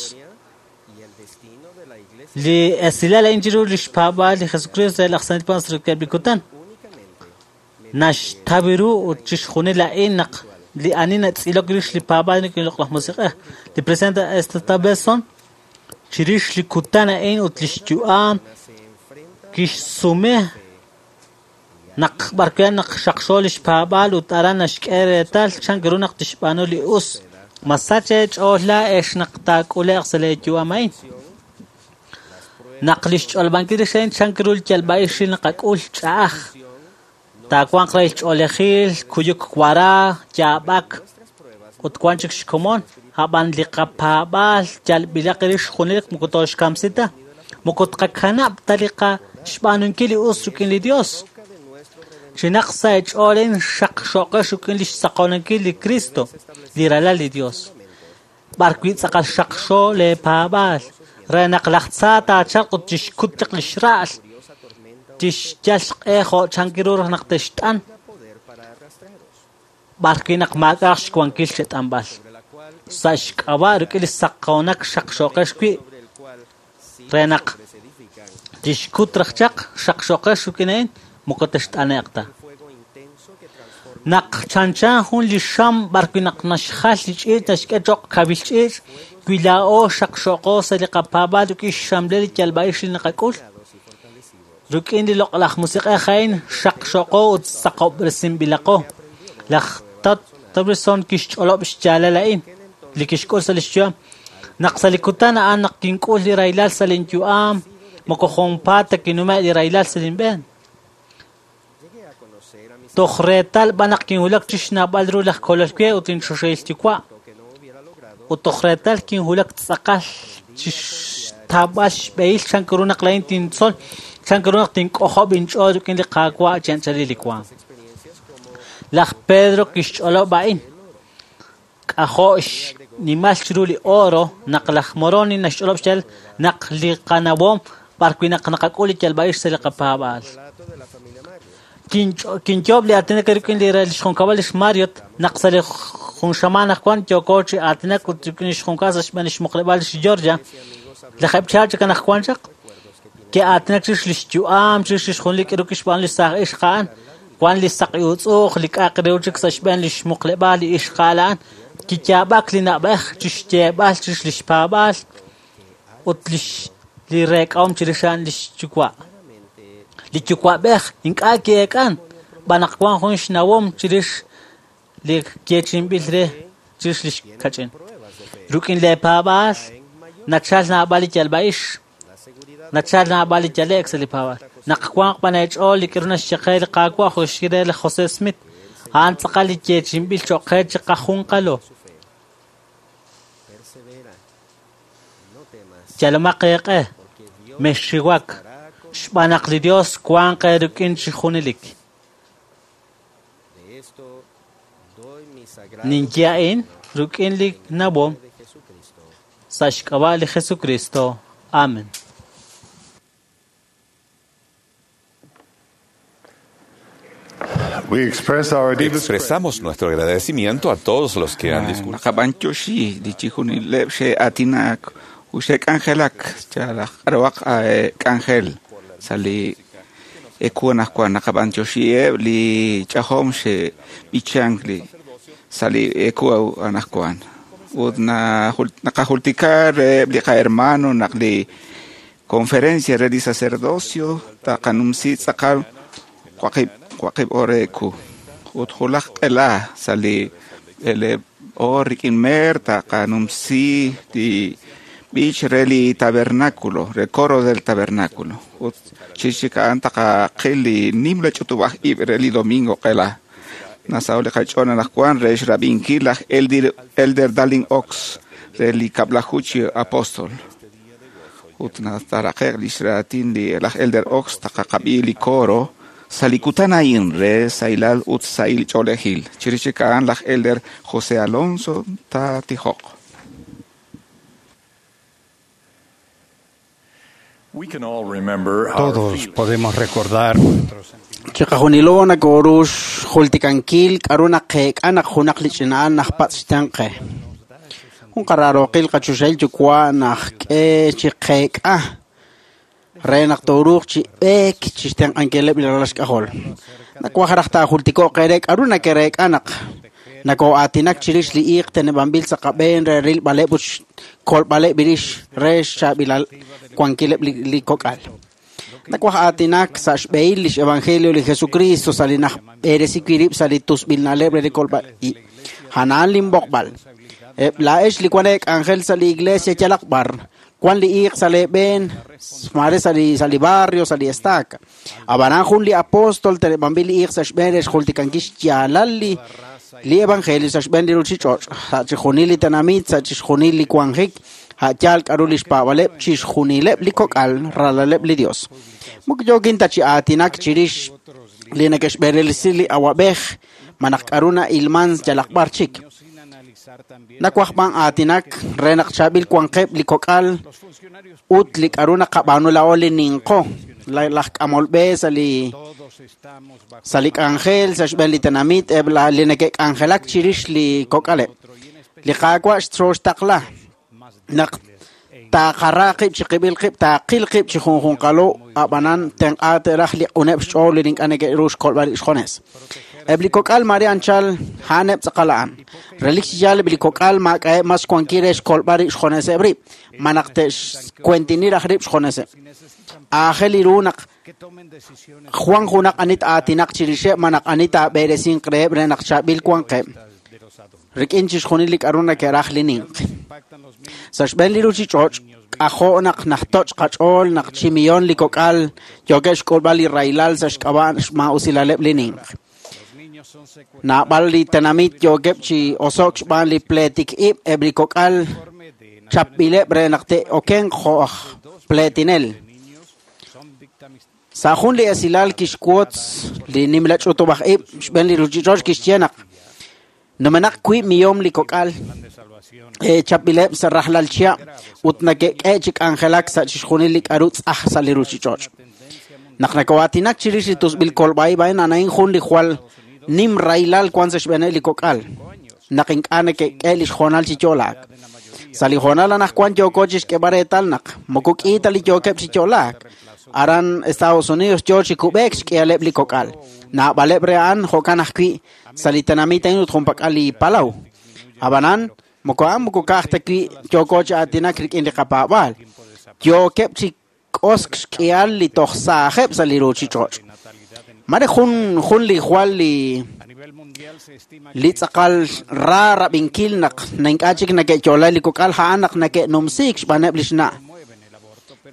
Li esilal a'in chiru li xpaab'aal li Jesucristo re laj Santil Paab'anel rik'ineb' li kutan. Naxtaw ru ut chixjunil a'in naq li ani natz'ilok rix li paab'aal rik'in li Loq'laj Musiq'ej. Li presidente Esta Benson chirix li kutan a'in ut li xyu'am kixsume naq b'arwi' naq xaqxo li xpaab'aal ut aran naxk'e reetal chan ru naq tixb'aanu li us. Masach eech'ool laa'ex naq taak'ule'q sa' leeyu'am a'in. Naq li xch'olb'ankil rix a'in chan ru li yalb'a'ix li naqak'ul ch'a'aj. Taawanq re xch'oolejil, kuyuk wara, yaab'ak ut wan chik xkomon. A'b'an li qapaab'aal yalb'ilaq rix junelik moko tooxkamsi ta. Moko tqakanab' ta li xb'aanunkil li us rik'in li Dios. Chinaq sa' eech'ool xaqxoqex rik'in li xsaqonankil li Cristo, li ralal li Dios. B'arwi' tz'aqal xaqxo leepaab'aal. Re naq laj tza taachalq ut tixkut chaq li xra'al, tixyal xq'e jo' chankiru raj naq text'an, b'arwi' naq maak'a'aq xwankil chet'anb'al. Sa' xk'ab'a' rik'in li saqoonak xaqxooqex wi', re naq tixkut raj chaq xaqxooqex rik'in a'in, moko text'ane'q ta. Naq chanchan jun li xam b'arwi' naq naxjal li ch'iich' naxk'e cho'q kawil ch'iich', wi laa'o xaqxooqo sa' li qapaab'aal rik'in xxamlel li yalb'a'ix li naqak'ul, rik'in li loq'laj musiq'ej a'in xaqxooqo ut saqob'resinb'ilaqo. Laj Todd Tobrison kixch'olob' xyaalal a'in li kixk'ul sa' lix yu'am. Naq sa' li kutan a'an naq kink'ul li rahilal sa' lin yu'am, moko junpaat ta kinume' li rahilal sa' lin b'een. Toj reetal b'an naq kinwulak chi xnawb'al ru laj Kolol we ut lin choxahil yuwa'. Ut toj reetal kinwulak tz'aqal chi xtawb'al xb'ehil chan ru naq laa'in tintzol, chan ru naq tink'ojob' inch'ool rik'in li Qaawa' chi anchalil li waam. Laj Pedro kixch'olob' a'in. K'ajo' xnimal chiru li oro naq laj Moroni naxch'olob' xyaalal naq li qanawom b'arwi' naq naqak'ul li yalb'a'ix sa' li qapaab'aal. Kinyoob' li aatinak rik'in li xjunkab'al lix Marriott naq sa' li jun xamaan aj wan yooko chi aatinak ut rik'in lix junkab'al sa' xb'een lix muqleb'aal lix Georgia. Lajeb' chihab' chik anaqwan chaq ke'aatinak chirix lix yu'am, chirix lix junli k'iru kixb'aanu li saaj ixq a'an. Wan li saqi utz'uuq li k'a'aq re chik sa' xb'een lix muqleb'aal li ixqa'al a'an. Kiyaab'ak li na'b'ej chixyeeb'al chirix lix paab'aal ut li reek'ahom chirix a'an lix yuwa'. Li yuwa'b'ej ink'a' ki'eek'an b'an naq wan jun xnawom chirix li yeechi'inb'il re chirix lix kach'in. Rik'in lee paab'aal nachal naab'al li yalb'a'ix, nachal naab'al li yale'k sa' li paab'aal. Naq wanq b'an eech'ool li k'iru naxye qe li Qaawa' jo' xye re laj José Smith, a'an tz'aqal li yeechi'inb'il cho'q qe chiqajunqalo. Yalomaq eeq'e, mexxiwak, xb'aan naq li Dios wanq eerik'in chi junelik. Ninye a'in rik'in li nawom sa' xk'ab'a' li Jesucristo. Amen. Expresamos nuestro agradecimiento a todos los que han discutido. Naqab'antioxi li chijunileb' xe'aatinak ut xe'k'anjelak chalaj k'aruhaq k'anjel sa' li eku anaqwan. Naqab'antioxieb' li ch'ajom xe'b'ichank li sa' li eku anaqwan. Ut naqajultika reheb' li qahermano naq li conferencia re li sacerdocio taqanumsi tz'aqal waqib' oor eku. Ut julaj q'ela sa' li b'eleeb' oor rik'in meer taqanumsi li b'ich re li tabernáculo, re coro del tabernáculo. Ut chix chik a'an taqaqil li nimla ch'utub'aj ib' re li domingo q'ela. Nasaho' li qach'ool anaqwan re xrab'inkil laj Elder Dallin Ox re li kab'laju chi apóstol. Ut nataraqe'q lix raatin li laj Elder Ox taqaqab'i li coro sa' li kutan a'in re sahilal ut sahil ch'oolejil. Chirix chik a'an laj Elder José Alonso taatijoq. Todos podemos recordar Chiqajunilo nakoru xjultikankil k'aru naqeek'a naq junaq li ch'ina'al najpatz' xtenq'e. Jun qaraaroqil qachuxahil yuwa' najk'e chiqeek'a re naq tooruuq chi b'eek chixtenq'ankileb' li ralal xk'ajol. Nawaj raj taajultiko'q eere k'aru nakereek'a naq nakoo'aatinak chirix li iiq teneb'anb'il sa' qab'een re rilb'aleb' ut xkolb'aleb' rix re xchaab'ilal wankileb' li kok'al. Nawaj aatinak sa' xb'ehil lix evangelio li Jesucristo sa' li najb'eresi wi' rib' sa' li tusb'il na'leb' re li kolb'al ib'. A'an linb'oqb'al. Eb' laa'ex li wan eek'anjel sa' li iglesia yalaq b'ar, wan li iiq sa' leeb'een, mare sa' li barrio, sa' li estaca. Ab'anan jun li apóstol teneb'anb'il li iiq sa' xb'een re xjultikankil xyaalal li evangelio sa' xb'een li ruchich'och', sa' chixjunil li tenamit, sa' chixjunil li wanjik, a'yaal k'aru li xpaab'aleb' chixjunileb' li kok'al ralaleb' li Dios. Moko yookin ta chi aatinak chirix li neke'xb'eresi li awab'ej, ma naq k'aru na'ilman yalaq b'ar chik. Nawaj b'an aatinak re naq chaab'il wanqeb' li kok'al ut li k'aru naqab'aanu laa'o li ninqo, laj k'amol b'e sa' li k'anjel, sa' xb'een li tenamit, eb' li neke'k'anjelak chirix li kok'aleb'. Li Qaawa' xtaqla naq taaqara qib' chi qib'il qib', taaqil qib' chi junjunqalo, ab'anan tenq'a te'raj li q'uneb' xch'ool li ink'a' neke'ru xkolb'al rib' xjunes. Eb' li kok'al mare anchal a'aneb' tz'aqal a'an. Relik chi yaal eb' li kok'al maak'a'eb' mas xwankil re xkolb'al rib' xjuneseb' rib', ma naq te'xkuentini raj rib' xjuneseb'. Aajel ru naq Juan junaq anit aatinaq chirixeb' ma naq anit aab'eresinq reheb' re naq chaab'il wanqeb'. Rik'in chixjunil li k'aru neke'raj li ninq. Sa' xb'een li ruuchich'och', k'ajo' naq najtoch' qach'ool naq chi millón li kok'al yookeb' xk'ulb'al li rahilal sa' xk'ab'a' xmaa'usilaleb' li ninq. Naab'al li tenamit yookeb' chi oso'k xb'aan li pleetik ib' eb' li kok'al chapb'ileb' re naq te'okenq jo' aj pleetinel. Sa' jun li esilal kixwotz li nimla ch'utub'aj ib' xb'een li ruuchich'och' kixye naq numenaq 2 millón li kok'al chapb'ileb' sa' rajlal chihab' ut neke'k'e chi k'anjelak sa' chixjunil li k'aru tz'aj sa' li ruuchich'och'. Naq nako'aatinak chirix li tusb'il kolb'a'ib' a'in a'an jun li jwal nim rahilal wan sa' xb'eeneb' li kok'al naq ink'a' neke'k'e li xhoonal chi yo'laak. Sa' li hoonal anaqwan yooko chi xk'eeb'al reetal naq moko k'i ta li yookeb' chi yo'laak. Aran Estados Unidos yoo chi kub'eek xk'ihaleb' li kok'al. Naab'aleb' re a'an jo'kan ajwi' sa' li tenamit a'in ut junpak'al li palaw. Ab'anan, moko a'an moko ka'aj ta wi' yooko chi aatinak rik'in li qapaab'aal. Yookeb' chi k'osk xk'ihal li toj saajeb' sa' li ruuchich'och'. Mare jun li jwal li tz'aqal ra rab'inkil naq ink'a' chik neke'yo'la li kok'al a'an naq neke'numsiik xb'aaneb' li xna'.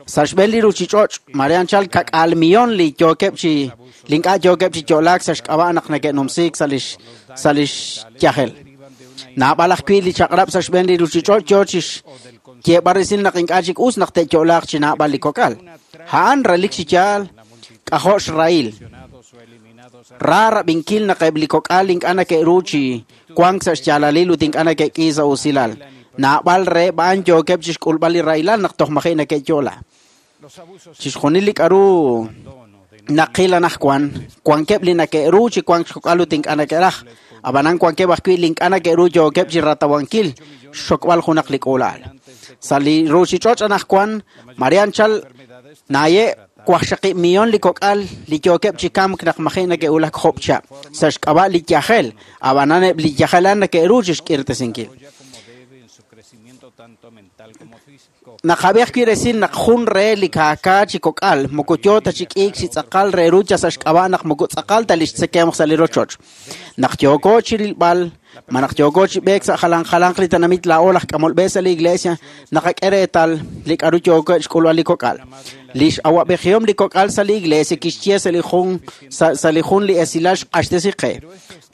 Sa' xb'een li ruuchich'och', mare anchal 2 millón li yookeb' chi li ink'a' yookeb' chi yo'laak sa' xk'ab'a' naq neke'numsiik sa' lix yajel. Naab'al ajwi' li chaq'rab' sa' xb'een li ruuchich'och' yoo chi xyeeb'al resil naq ink'a' chik us naq te'yo'laaq chi naab'al li kok'al. A'an relik chi yaal k'ajo' xrahil. Ra rab'inkil naq eb' li kok'al ink'a' neke'ru chi wank sa' xyaalalil ut ink'a' neke'k'i sa' usilal. Naab'al reheb' a'an yookeb' chi xk'ulb'al li rahilal naq toj maji' neke'yo'la. Chixjunil li k'aru naqil anaqwan, wankeb' li neke'ru chi wank xkok'al ut ink'a' neke'raj. Ab'anan wankeb' ajwi' li ink'a' neke'ru yookeb' chi ratawankil xxokb'al junaq li k'uula'al. Sa' li ruuchich'och' anaqwan, mare anchal naaye' 8 millón li kok'al li yookeb' chi kamk naq maji' neke'wulak job' chihab' sa' xk'ab'a' li yajel, ab'anan eb' li yajel a'an neke'ru chi xk'irtesinkil. Naqab'i ajwi' resil naq jun re li kaakaa chi kok'al moko yoo ta chi k'iik chi tz'aqal re ru sa' xk'ab'a' naq moko tz'aqal ta li xtzekemq sa' li rochoch. Naq yooko chi rilb'al, ma naq yooko chi b'eek sa' jalan jalanq li tenamit laa'o laj k'amol b'e sa' li iglesia, naqak'e reetal li k'aru yooko xk'ulb'al li kok'al. Li x'awab'ejihom li kok'al sa' li iglesia kixye sa' li jun li esilal xq'axtesi qe.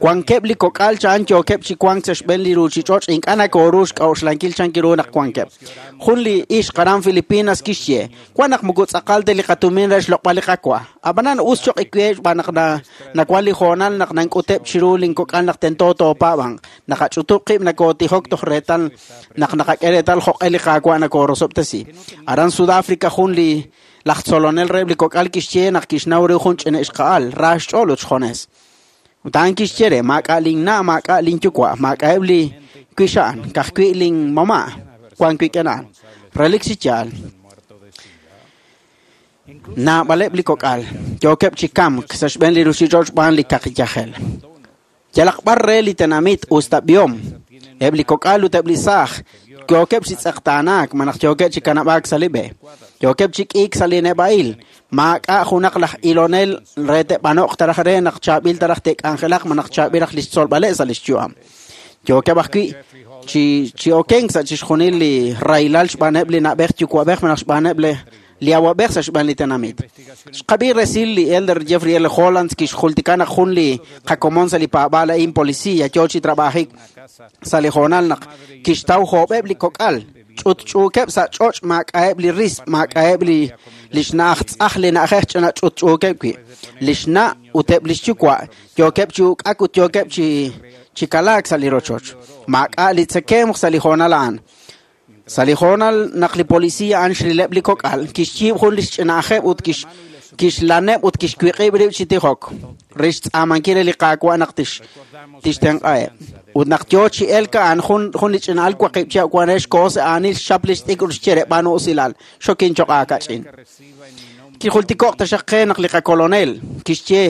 Wankeb' li kok'al cha'an yookeb' chi wank sa' xb'een li ruuchich'och' ink'a' nakoru xk'a'uxlankil chankiru naq wankeb'. Jun li ixq aran Filipinas kixye, wan naq moko tz'aqal ta li qatumin re xloq'b'al li qawa. Ab'anan us choq' iwe xb'aan naq nawan li hoonal naq nank'uteb' chiru linkok'al naq tento toopaab'anq. Naqach'utub' qib' nakootijok toj reetal naq naqak'e reetal jo'q'e li Qaawa' nakoorosob'tesi. Aran Sudáfrica jun li laj tzolonel reheb' li kok'al kixye naq kixnaw ru jun ch'ina ixqa'al ra xch'ool ut xjones. Ut a'an kixye re maak'a' linna' maak'a' linyuwa' maak'a'eb' li wixa'an ka'ajwi' linmama' wan wik'in a'an. Relik chi yaal. Naab'aleb' li kok'al yookeb' chi kamk sa' xb'een li ruuchich'och' xb'aan li kaqi yajel. Yalaq b'ar re li tenamit us ta b'ihom, eb' li kok'al ut eb' li saaj yookeb' chi tz'eqtaanaak ma naq yookeb' chi kanab'aak sa' li b'e. Yookeb' chi k'iik sa' li neb'a'il, maak'a' junaq laj ilonel re te'b'anoq taraj re naq chaab'il taraj te'k'anjelaq ma naq chaab'il raj li xtzolb'aleb' sa' li xyu'am. Yookeb' ajwi' chi okenk sa' chixjunil li rahilal xb'aaneb' li na'b'ej yuwa'b'ej ma naq xb'aaneb' li awab'ej sa' xb'een li tenamit. Xqab'i resil li Elder Jeffrey L. Holland kixjultika naq jun li qakomon sa' li paab'aal a'in policía yoo chi trabajik sa' li hoonal naq kixtaw joob'eb' li kok'al ch'utch'uukeb' sa' ch'och' maak'a'eb' li risb', maak'a'eb' li xna'aj tz'aj li na'ajej ch'ina ch'utch'uukeb' wi'. Li xna' ut eb' li xyuwa' yookeb' chi uk'ak ut yookeb' chi chi kalaak sa' li rochoch. Maak'a' li tzekemq sa' li hoonal a'an. Sa' li hoonal naq li polisiiy a'an xrileb' li kok'al, kixyiib' jun li xch'ina'ajeb' ut kixlaneb' ut kixwiq'ib' rib' chi tijok re xtz'aamankil re li Qaawa' naq tixtenq'aheb'. Ut naq yo chi elk a'an, jun li ch'ina'al waqib' chihab' wan re xkoho sa' aanil xchap li xt'ikr ut xye re, b'aanu usilal, xokin choq' aakach'in. Kijultiko'q taxaq qe naq li qakolonel kixye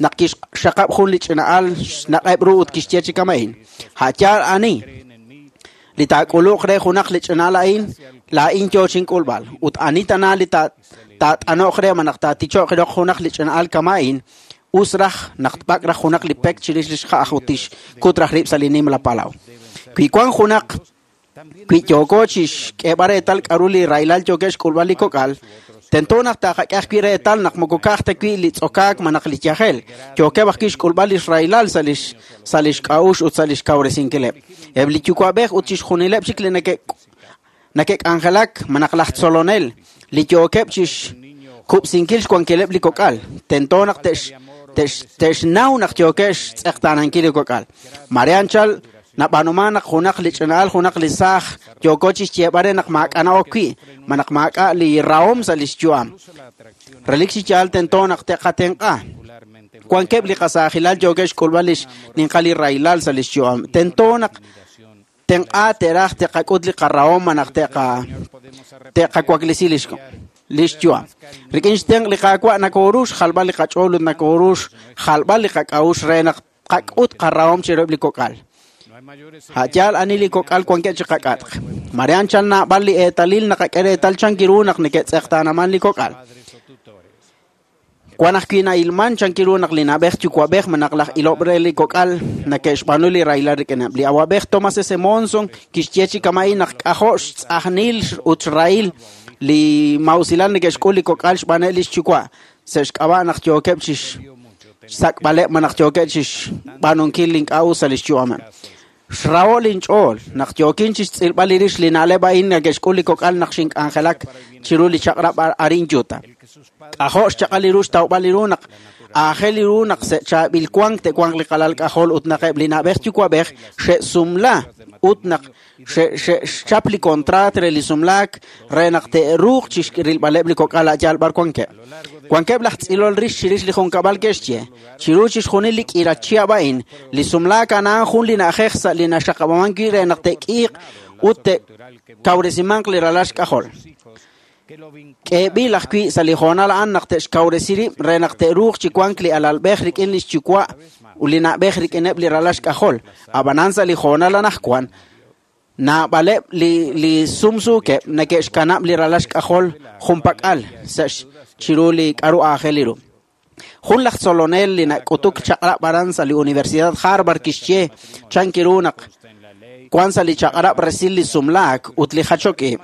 naq kixxaqab' jun li ch'ina'al xnaq'eb' ru ut kixye chi kama'in, a' yaal ani li taak'uluq re junaq li ch'ina'al a'in, laa'in yo chink'ulb'al. Ut ani tana li taat'ano'q re malaj taaticho'q roq junaq li ch'ina'al kama'in, us raj naq tb'ak' raj junaq li pek chirix li xja'aj ut tixkut raj rib' sa' li nimla palaw. Wi wank junaq, wi yooko chixk'eeb'al reetal k'a'ru li rahilal yookeb' xk'ulb'al li kok'al, tento naq taqak'e ajwi' reetal naq moko ka'aj ta wi' li tz'okaak malaj li yajel, yookeb' ajwi' xk'ulb'al li xrahilal sa' li xk'a'uxl ut sa' li xkawresinkileb'. Eb' li yuwa'b'ej ut chixjunileb' chik li neke'k'anjelak malaj laj tzolonel li yookeb' chixkub'sinkil xwankileb' li kok'al, tento naq te'xnaw naq yookeb' xtz'eqtaanankil li kok'al. Mare anchal nab'aanuman naq junaq li ch'ina'al, junaq li saaj yooko chixyeeb'al re naq maak'a' na'ok wi', malaj maak'a' li rahom sa' li xyu'am. Relik chi yaal tento naq te'qatenq'a. Wankeb' li qasaajilal yookeb' xk'ulb'al li xninqal li rahilal sa' li xyu'am. Tento naq tenq'a te'raj te'qak'ut li qarahom malaj te'qawaklisi li xyu'am. Rik'in xtenq' li Qaawa' nakoru xjalb'al li qach'ool ut nakoru xjalb'al li qak'a'uxl re naq qak'ut qarahom chiruheb' li kok'al. A' yaal ani li kok'al wankeb' chi qak'atq. Mare anchal naab'al li eetalil naqak'e reetal chankiru naq neke'tz'eqtaanaman li kok'al. Wan ajwi' na'ilman chankiru naq li na'b'ej yuwa'b'ej malaj laj ilob' re li kok'al neke'xb'aanu li rahilal rik'ineb'. Li awa'b'ej Thomas S. Monson kixye chi kama'in naq k'ajo' xtz'ajnil ut xrahil li mausilal neke'xk'ul li kok'al xb'aaneb' li xyuwa' sa' xk'ab'a' naq yookeb' chi xsak'b'aleb' malaj yookeb' chi xb'aanunkil li ink'a' us sa' li xyu'ameb'. Xraho' linch'ool naq yookin chi xtz'ilb'al li rix li na'leb' a'in neke'xk'ul li kok'al naq xink'anjelak chiru li chaq'rab' arin Utah. K'ajo' xchaq'al li ru xtawb'al li ru naq aajel li ru naq chaab'il wank te'wanq li qalal k'ajol ut naq eb' li na'b'ej yuwa'b'ej xe'sumla ut naq xe'xchap li kontraat re li sumlaak re naq te'ruuq chi rilb'aleb' li kok'al a' yaal b'ar wankeb'. Wankeb' laj tz'ilol rix chirix li junkab'al ke'xye, chiru chixjunil li k'iila chihab' a'in, li sumlaak a'an jun li na'ajej sa' li naxaqab'aman wi' re naq te'k'iiq ut te'kawresimanq li ralal xk'ajol. K'eeb'il ajwi' sa' li hoonal a'an naq te'xkawresi rib' re naq te'ruuq chi wank li alalb'ej rik'in li xyuwa' ut li na'b'ej rik'ineb' li ralal xk'ajol. Ab'anan sa' li hoonal anaqwan, naab'aleb' li sumsuukeb' neke'xkanab' li ralal xk'ajol junpak'al sa' chiru li k'a'ru aajel li ru. Jun laj tzolonel li nak'utuk chaq'rab' aran sa' li Universidad Harvard kixye chankiru naq wan sa' li chaq'rab' resil li sumlaak ut li jachok ib'.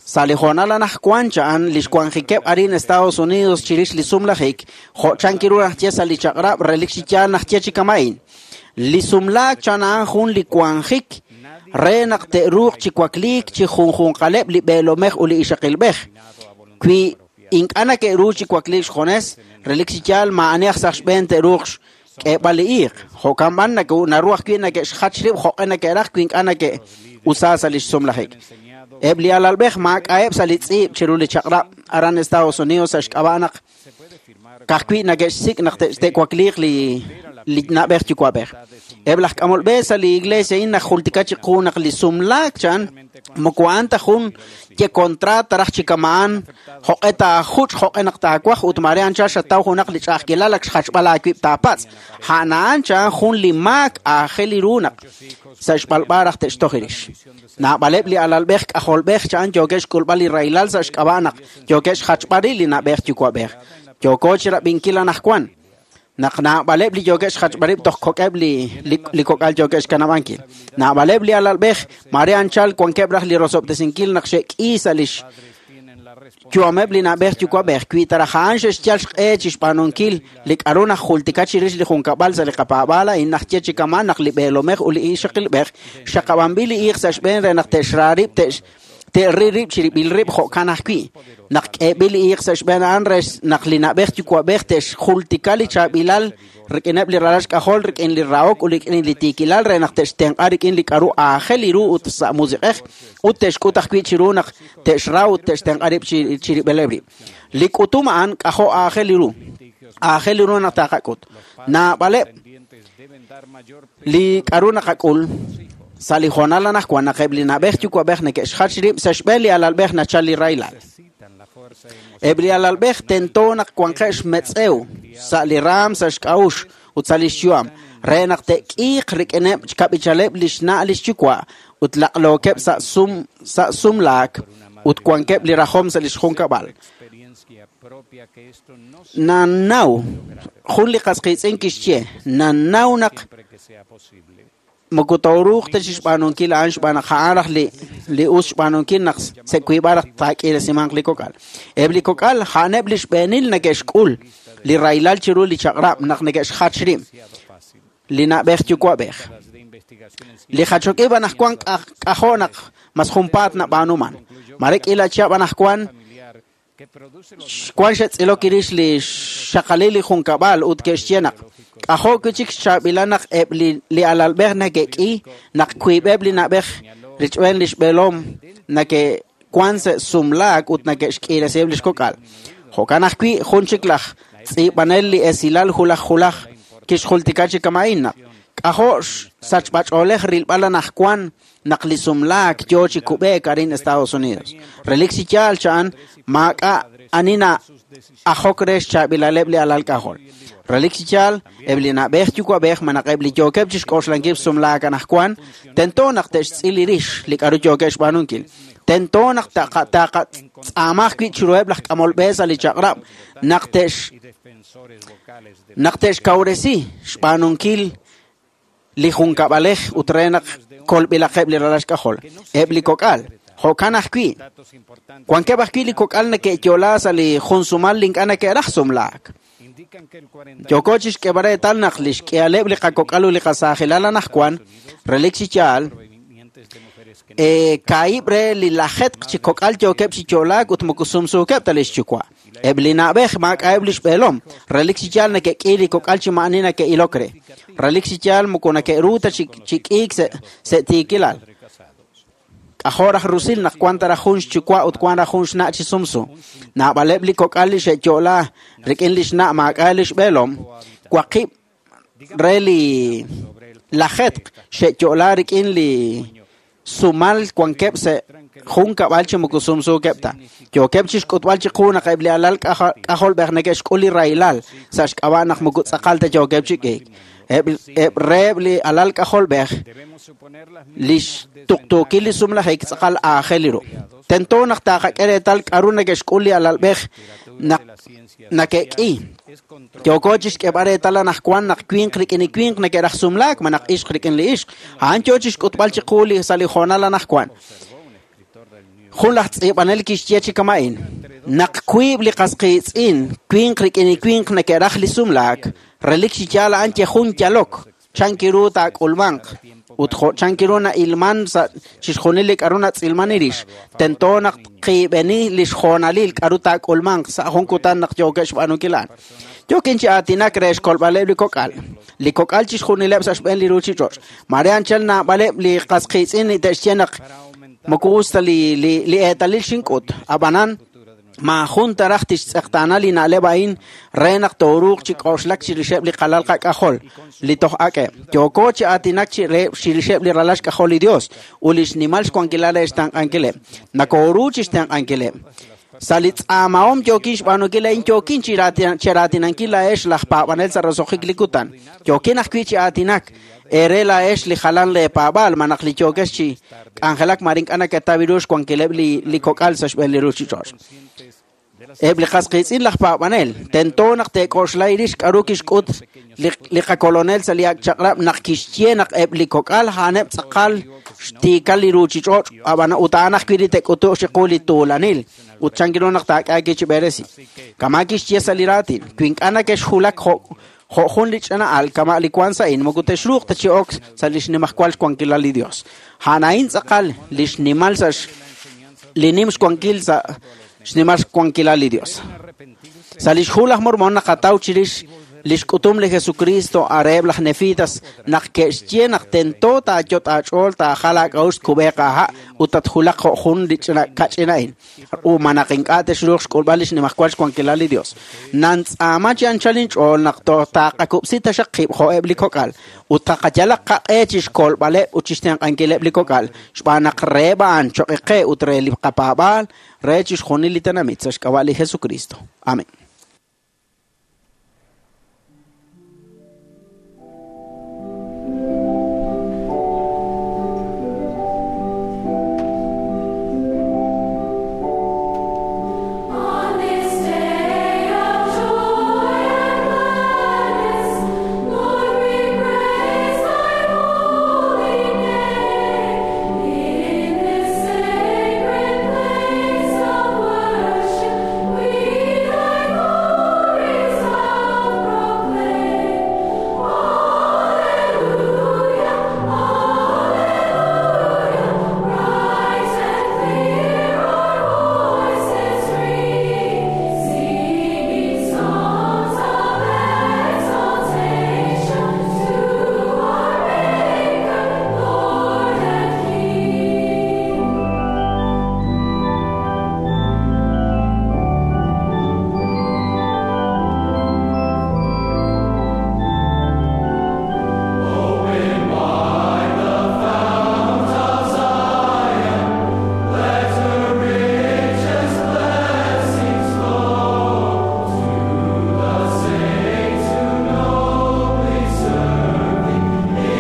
Sa' li hoonal anaqwan cha'an li xwanjikeb' arin Estados Unidos chirix li sumlajik, jo' chankiru najye sa' li chaq'rab' relik chi yaal najye chi kama'in. Li sumlaak chan a'an jun li wanjik re naq te'ruuq chi wakliik chi junjunqaleb' li b'eelomej ut li ixaqilb'ej. Wi ink'a' neke'ru chi wakliik xjunes, relik chi yaal maa'ani aj sa' xb'een te'ruuq xk'eeb'al li iiq. Jo'kan b'an naru ajwi' neke'xjach rib' jo'q'e neke'raj wi ink'a' neke'usa sa' li xsumlajik. Eb' li alalb'ej maak'a'eb' sa' li tz'iib' chiru li chaq'rab' aran Estados Unidos sa' xk'ab'a' naq ka'ajwi' neke'xsik' naq te'wakliiq li na'b'ej yuwa'b'ej. Eb' laj k'amol b'e sa' li iglesia a'in najultika chiqu naq li sumlaak chan moko a'an ta jun ye kontraat raj chi kama'an jo'q'e taajuch' jo'q'e naq taawaj ut mare anchal xataw junaq li ch'a'ajkilal ak xjachb'al aawib' taapatz'. A'an a'an chan jun li maak aajel li ru naq sa' xb'alb'a raj te'xtoj rix. Naab'aleb' li alalb'ej k'ajolb'ej chan yookeb' xk'ulb'al li rahilal sa' xk'ab'a' naq yookeb' xjachb'al rib' li na'b'ej yuwa'b'ej. Yooko chi rab'inkil anaqwan naq naab'aleb' li yookeb' xjachb'al rib' toj kok'eb' li kok'al yookeb' xkanab'ankil. Naab'aleb' li alalb'ej mare anchal wankeb' raj li rosob'tesinkil naq xe'k'i sa' li xyu'ameb' li na'b'ej yuwa'b'ej. Wi ta raj a'an xe'xyal xq'e chi xb'aanunkil li k'a'ru najultika chirix li junkab'al sa' li qapaab'aal a'in najye chi kama'an naq li b'eelomej ut li ixaqilb'ej xaqab'anb'il li iiq sa' xb'een re naq te'xra rib' Te'ril rib' chirib'il rib' jo'kan ajwi'. Naq k'eeb'il li iiq sa' xb'een a'an re naq li na'b'ej yuwa'b'ej te'xjultika li chaab'ilal rik'ineb' li ralal xk'ajol rik'in li rahok ut rik'in li tiikilal re naq te'xtenq'a rik'in li k'aru aajel ru ut sa' musiq'ej ut te'xk'ut ajwi' chiru naq te'xra ut te'xtenq'a rib' chirib'ileb' rib'. Li k'utum a'an k'ajo' aajel ru. Aajel ru naq taqak'ut. Naab'aleb' li k'aru naqak'ul sa' li hoonal anaqwan naq eb' li na'b'ej yuwa'b'ej neke'xjach rib' sa' xb'een li alalb'ej nachal li rahilal. Eb' li alalb'ej tento naq wanqeb' xmetz'ew sa' li raam sa' xk'a'uxl ut sa' li xyu'am re naq te'k'iiq rik'ineb' xkab'ichaleb' li xna' li xyuwa' ut laq'lookeb' sa' sum sa' sumlaak ut wankeb' li rajom sa' li xjunkab'al. Nannaw jun li qas qiitz'in kixye nannaw naq moko tooruuq ta chixb'aanunkil a'an xb'aan naq a'an raj li li us xb'aanunkil naq sa' wiib'al raj taak'iiresimanq li kok'al. Eb' li kok'al a'aneb' li xb'eenil neke'xk'ul li rahilal chiru li chaq'rab' naq neke'xjach rib' li na'b'ej yuwa'b'ej. Li jachok ib' anaqwan k'ajo' naq mas junpaat nab'aanuman. Mare k'iila chihab' anaqwan Xwan xe'tz'ilok rix li xxaqalil li junkab'al ut ke'xye naq k'ajo' wi' chik xchaab'ilal naq eb' li alalb'ej neke'k'i naq wiib'eb' li na'b'ej richb'een li xb'eelom neke'wank sa' sumlaak ut neke'xk'iiresiheb' li xkok'al. Jo'kan ajwi' jun chik laj tz'iib'anel li esilal hulaj hulaj kixjultika chi kama'in naq k'ajo' xsachb'ach'oolej rilb'al anaqwan naq li sumlaak yo chi kub'eek arin Estados Unidos. Relik chi yaal cha'an maak'a' ani na'ajok re xchaab'ilaleb' li alal k'ajol. Relik chi yaal, eb' li na'b'ej yuwa'b'ej malaj eb' li yookeb' chi xk'oxlankil sumlaak anaqwan, tento naq te'xtz'il rix li k'aru yookeb' xb'aanunkil. Tento naq taqatz'aama ajwi' chiruheb' laj k'amol b'e sa' li chaq'rab' naq te'x naq te'xkawresi xb'aanunkil li junkab'alej ut re naq kolb'ilaqeb' li ralal xk'ajol. Eb' li kok'al, jo'kan ajwi', wankeb' ajwi' li kok'al neke'yo'la sa' li jun sumal li ink'a' neke'raj sumlaak. Yooko chixk'eeb'al reetal naq li xk'ihaleb' li qakok'al ut li qasaajilal anaqwan, relik chi yaal, kaahib' re li lajetq chi kok'al yookeb' chi yo'laak ut moko sumsuukeb' ta li xyuwa'. Eb' li na'b'ej maak'a'eb' li xb'eelom, relik chi yaal neke'k'i li kok'al chi maa'ani neke'ilok re. Relik chi yaal moko neke'ru ta chi k'iik sa' tiikilal. K'ajo' raj rusil naq wank ta raj jun xyuwa' ut wank raj jun xna' chi sumsu. Naab'aleb' li kok'al li xe'yo'la rik'in li xna' maak'a' li xb'eelom, waqib' re li lajetq xe'yo'la rik'in li sumal wankeb' sa' jun kab'al chi moko sumsuukeb' ta. Yookeb' chixk'utb'al chiqu naq eb' li alal k'ajolb'ej neke'xk'ul li rahilal sa' xk'ab'a' naq moko tz'aqal ta yookeb' chi k'iik. Eb' reheb' li alal k'ajolb'ej li xtuqtuukil li sumlajik tz'aqal aajel ru. Tento naq taqak'e reetal k'aru neke'xk'ul li alalb'ej naq neke'k'i. Yooko chixk'eeb'al reetal anaqwan naq winq rik'in li winq neke'raj sumlaak malaj ixq rik'in li ixq. A'an yo chixk'utb'al chiqu li sa' li hoonal anaqwan. Jun laj tz'iib'anel kixye chi kama'in: naq wiib' li qas qiitz'in winq rik'in li winq neke'raj li sumlaak, relik chi yaal a'an ye jun yalok, chan ru taak'ulmanq ut jo' chan ru na'ilman sa' chixjunil li k'aru natz'ilman rix, tento naq tqiib'eni li xjoonalil k'aru taak'ulmanq sa' jun kutan naq yookeb' xb'aanunkil a'an. Yookin chi aatinak re xkolb'aleb' li kok'al. Li kok'al chixjunileb' sa' xb'een li ruuchich'och'. Mare anchal naab'aleb' li qas qiitz'in li te'xye naq moko us ta li eetalil xink'ut. Ab'anan, maajun ta raj tixtz'eqtaana li na'leb' a'in re naq tooruuq chi k'oxlak chirixeb' li qalal qak'ajol li toj ak'eb'. Yooko chi aatinak chirixeb' li ralal xk'ajol li Dios ut li xnimal xwankilal re xtenq'ankileb'. Nakooru chi xtenq'ankileb'. Sa' li tz'aamahom yookin xb'aanunkil a'in yookin cheraatinankil laa'ex laj paab'anel sa' roso'jik li kutan. Yookin ajwi' chi aatinak eere laa'ex li jalan leepaab'aal malaj li yookex chi k'anjelak mare ink'a' naketaw ru xwankileb' li kok'al sa' xb'een li ruuchich'och'. Eb' li qas qiitz'in laj paab'anel tento naq te'k'oxla rix k'aru kixk'ut li qakolonel sa' li ak' chaq'rab' naq kixye naq eb' li kok'al a'aneb' tz'aqal xtiikal li ruuchich'och' ab'an ut a'an ajwi' li te'k'utuq chiqu li tuulanil ut chan ru naq taak'e chi b'eresi. Kama' kixye sa' li raatin, wi ink'a' neke'xjulak jo' jun li ch'ina al kama' li wank sa' a'in moko texruuq ta chi ok sa' li xnimajwal xwankilal li Dios. A'an a'in tz'aqal li xnimal sa' li nim xwankil sa' xnimal xwankilal li Dios. Sa' lix hu laj Mormon naqataw chirix lix k'utum li Jesucristo areheb' laj Nefitas naq ke'xye naq tento taayot' aach'ool taajal aak'a'uxl tkub'eeq aaha' ut tatjulaq jo' jun li ch'ina kach'ina'in. Uma naq ink'a' texruuq xk'ulb'al lix nimajwal xwankilal li Dios. Nantz'aama chi anchal inch'ool naq taaqakub'si taxaq qib' jo'eb' li kok'al ut taqayalaq qaq'e chixkolb'aleb' ut chixtenq'ankileb' li kok'al xb'aan naq reheb' a'an choq'i qe ut re li qapaab'aal re chixjunil li tenamit sa' xk'ab'a' li Jesucristo. Amén. On this day of joy and gladness, Lord, we praise Thy holy name. In this sacred place of worship, we Thy glory self-proclaim. Alleluia, Alleluia, bright and clear our voices ring, singing songs of exaltation to our Maker, Lord and King. Open wide the fount of Zion, let her richest blessings flow to the saints who nobly serve Thee. In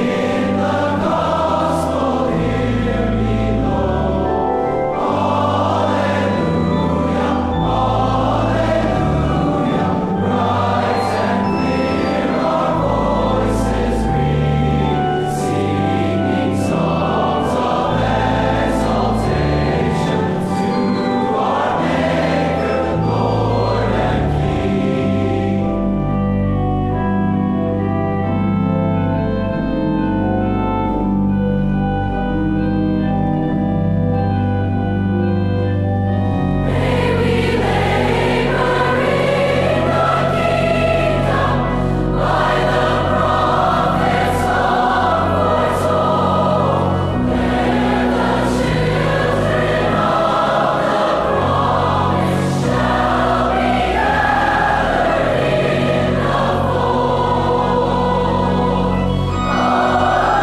the gospel here below. Alleluia, Alleluia, bright and clear our voices ring, singing songs of exaltation to our Maker, Lord and King. May we labor in the kingdom by the prophets of foretold. There the children of the promise shall be gathered in the fold. Alleluia, Alleluia,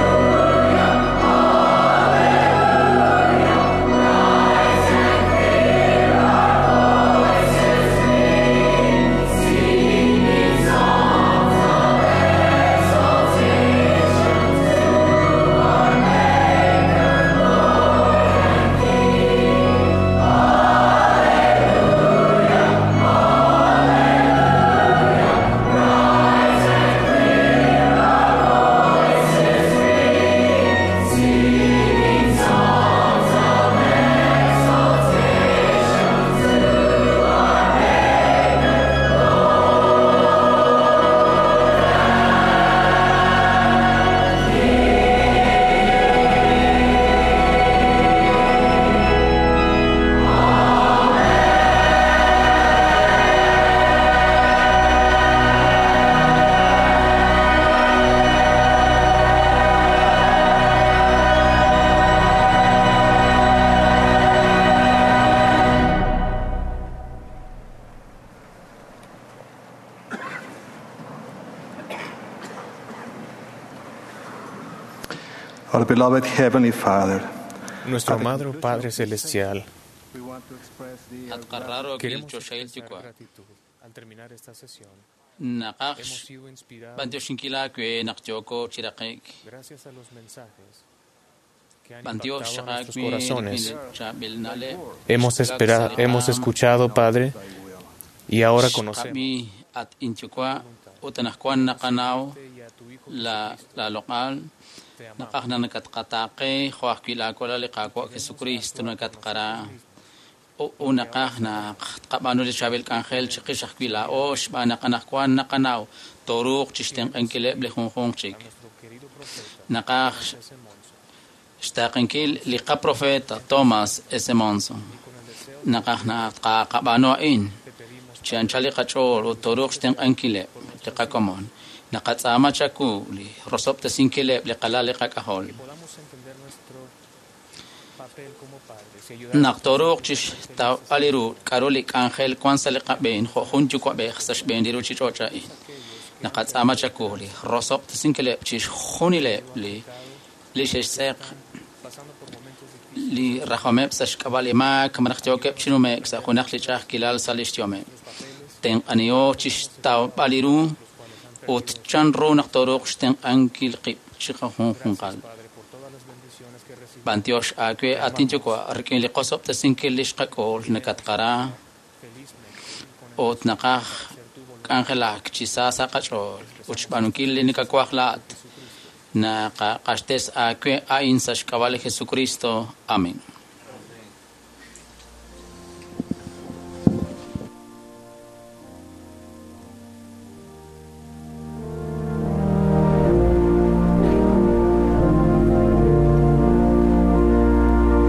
bright and clear our voices ring, singing songs of exaltation to our Maker, Lord and King. Alleluia, Alleluia, bright and clear our voices ring, singing songs of exaltation to our Maker, Lord and King. Our beloved Heavenly Father, Nuestro amado Padre Celestial, At queremos choxahil expresar yuwa'. gratitud al terminar esta sesión. Naqaj Hemos sido inspirados bantioxinkil aawe naq yooko chi raqik. gracias a los mensajes que han Bantiox impactado a nuestros xaqaakwi corazones. rik'in chaab'il na'leb'. Hemos esperado, hemos escuchado, Padre, y ahora conocemos Xqab'i at inyuwa' ut anaqwan naqanaw la la loq'al naqaj na nakatqataaqe jo' ajwi' laawalal li Qaawa' Jesucristo nakatqara unaqaj naq tqab'aanu li chaab'il k'anjel chiqix ajwi' laa'o xb'aan naq anaqwan naqanaw tooruuq chixtenq'ankileb' li junjunq chik. Naqaj Xtaaqenkil li qaprofeta Thomas S. Monson. Naqaj naqab'aanu a'in chi anchal li qach'ool ut tooruuq xtenq'ankileb' li qakomon. Naqatz'aama chawu li rosob'tesinkileb' li qalal li qak'ajol. Naq tooruuq chixtawb'al ru k'a'ru li k'anjel wan sa' li qab'een jo' jun yuwa'b'ej sa' xb'een li ruchich'och' a'in. Naqatz'aama chawu li rosob'tesinkileb' chixjunileb' li xe'xtz'eq li rajomeb' sa' xk'ab'a' li maak malaj yookeb' chi nume'k sa' junaq li ch'a'ajkilal sa' lix yu'ameb'. Tenq'aniho chixtawb'al ru ut chan ru naq tooruuq xtenq'ankil qib' chiqajunjunqal. B'antiox aawe at inyuwa' rik'in li qosob'tesinkil li xqak'ul nakatqara ut naqaj k'anjelak chi sa sa' qach'ool ut xb'aanunkil li nakawaj laa'at. Naqaq'axtes aawe a'in sa' xk'ab'a' li Jesucristo. Amén.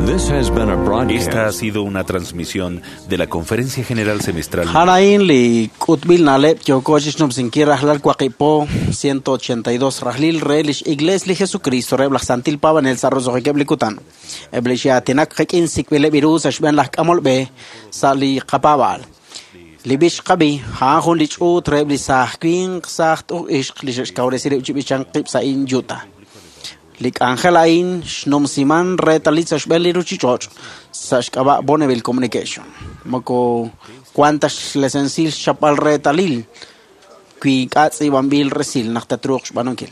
This has been a broadcast. Esta ha sido una transmisión de la Conferencia General Semestral. A'an li k'utb'il na'leb' yooko chixnub'sinkil rajlal waqib' po 182 rajlil re lix Iglesia li Jesucristo reheb' laj Santil Paab'anel sa' roso'jikeb' li kutan. Eb' li xe'aatinak qik'in sik'b'ileb' ru sa' xb'een laj k'amol b'e sa' li qapaab'aal. Li b'ich qab'i a'an jun li ch'uut reheb' li saaj winq saaj ixq li xe'xkawresi rib' chi b'ichank qib' sa' in Utah. Li k'anjel a'in xnumsiman reetalil sa' xb'een li ruchich'och' sa' xk'ab'a' Bonneville Communication. Moko wan ta xlesensil xchapb'al reetalil wi ink'a' tz'iib'anb'il resil naq tatruuq xb'aanunkil.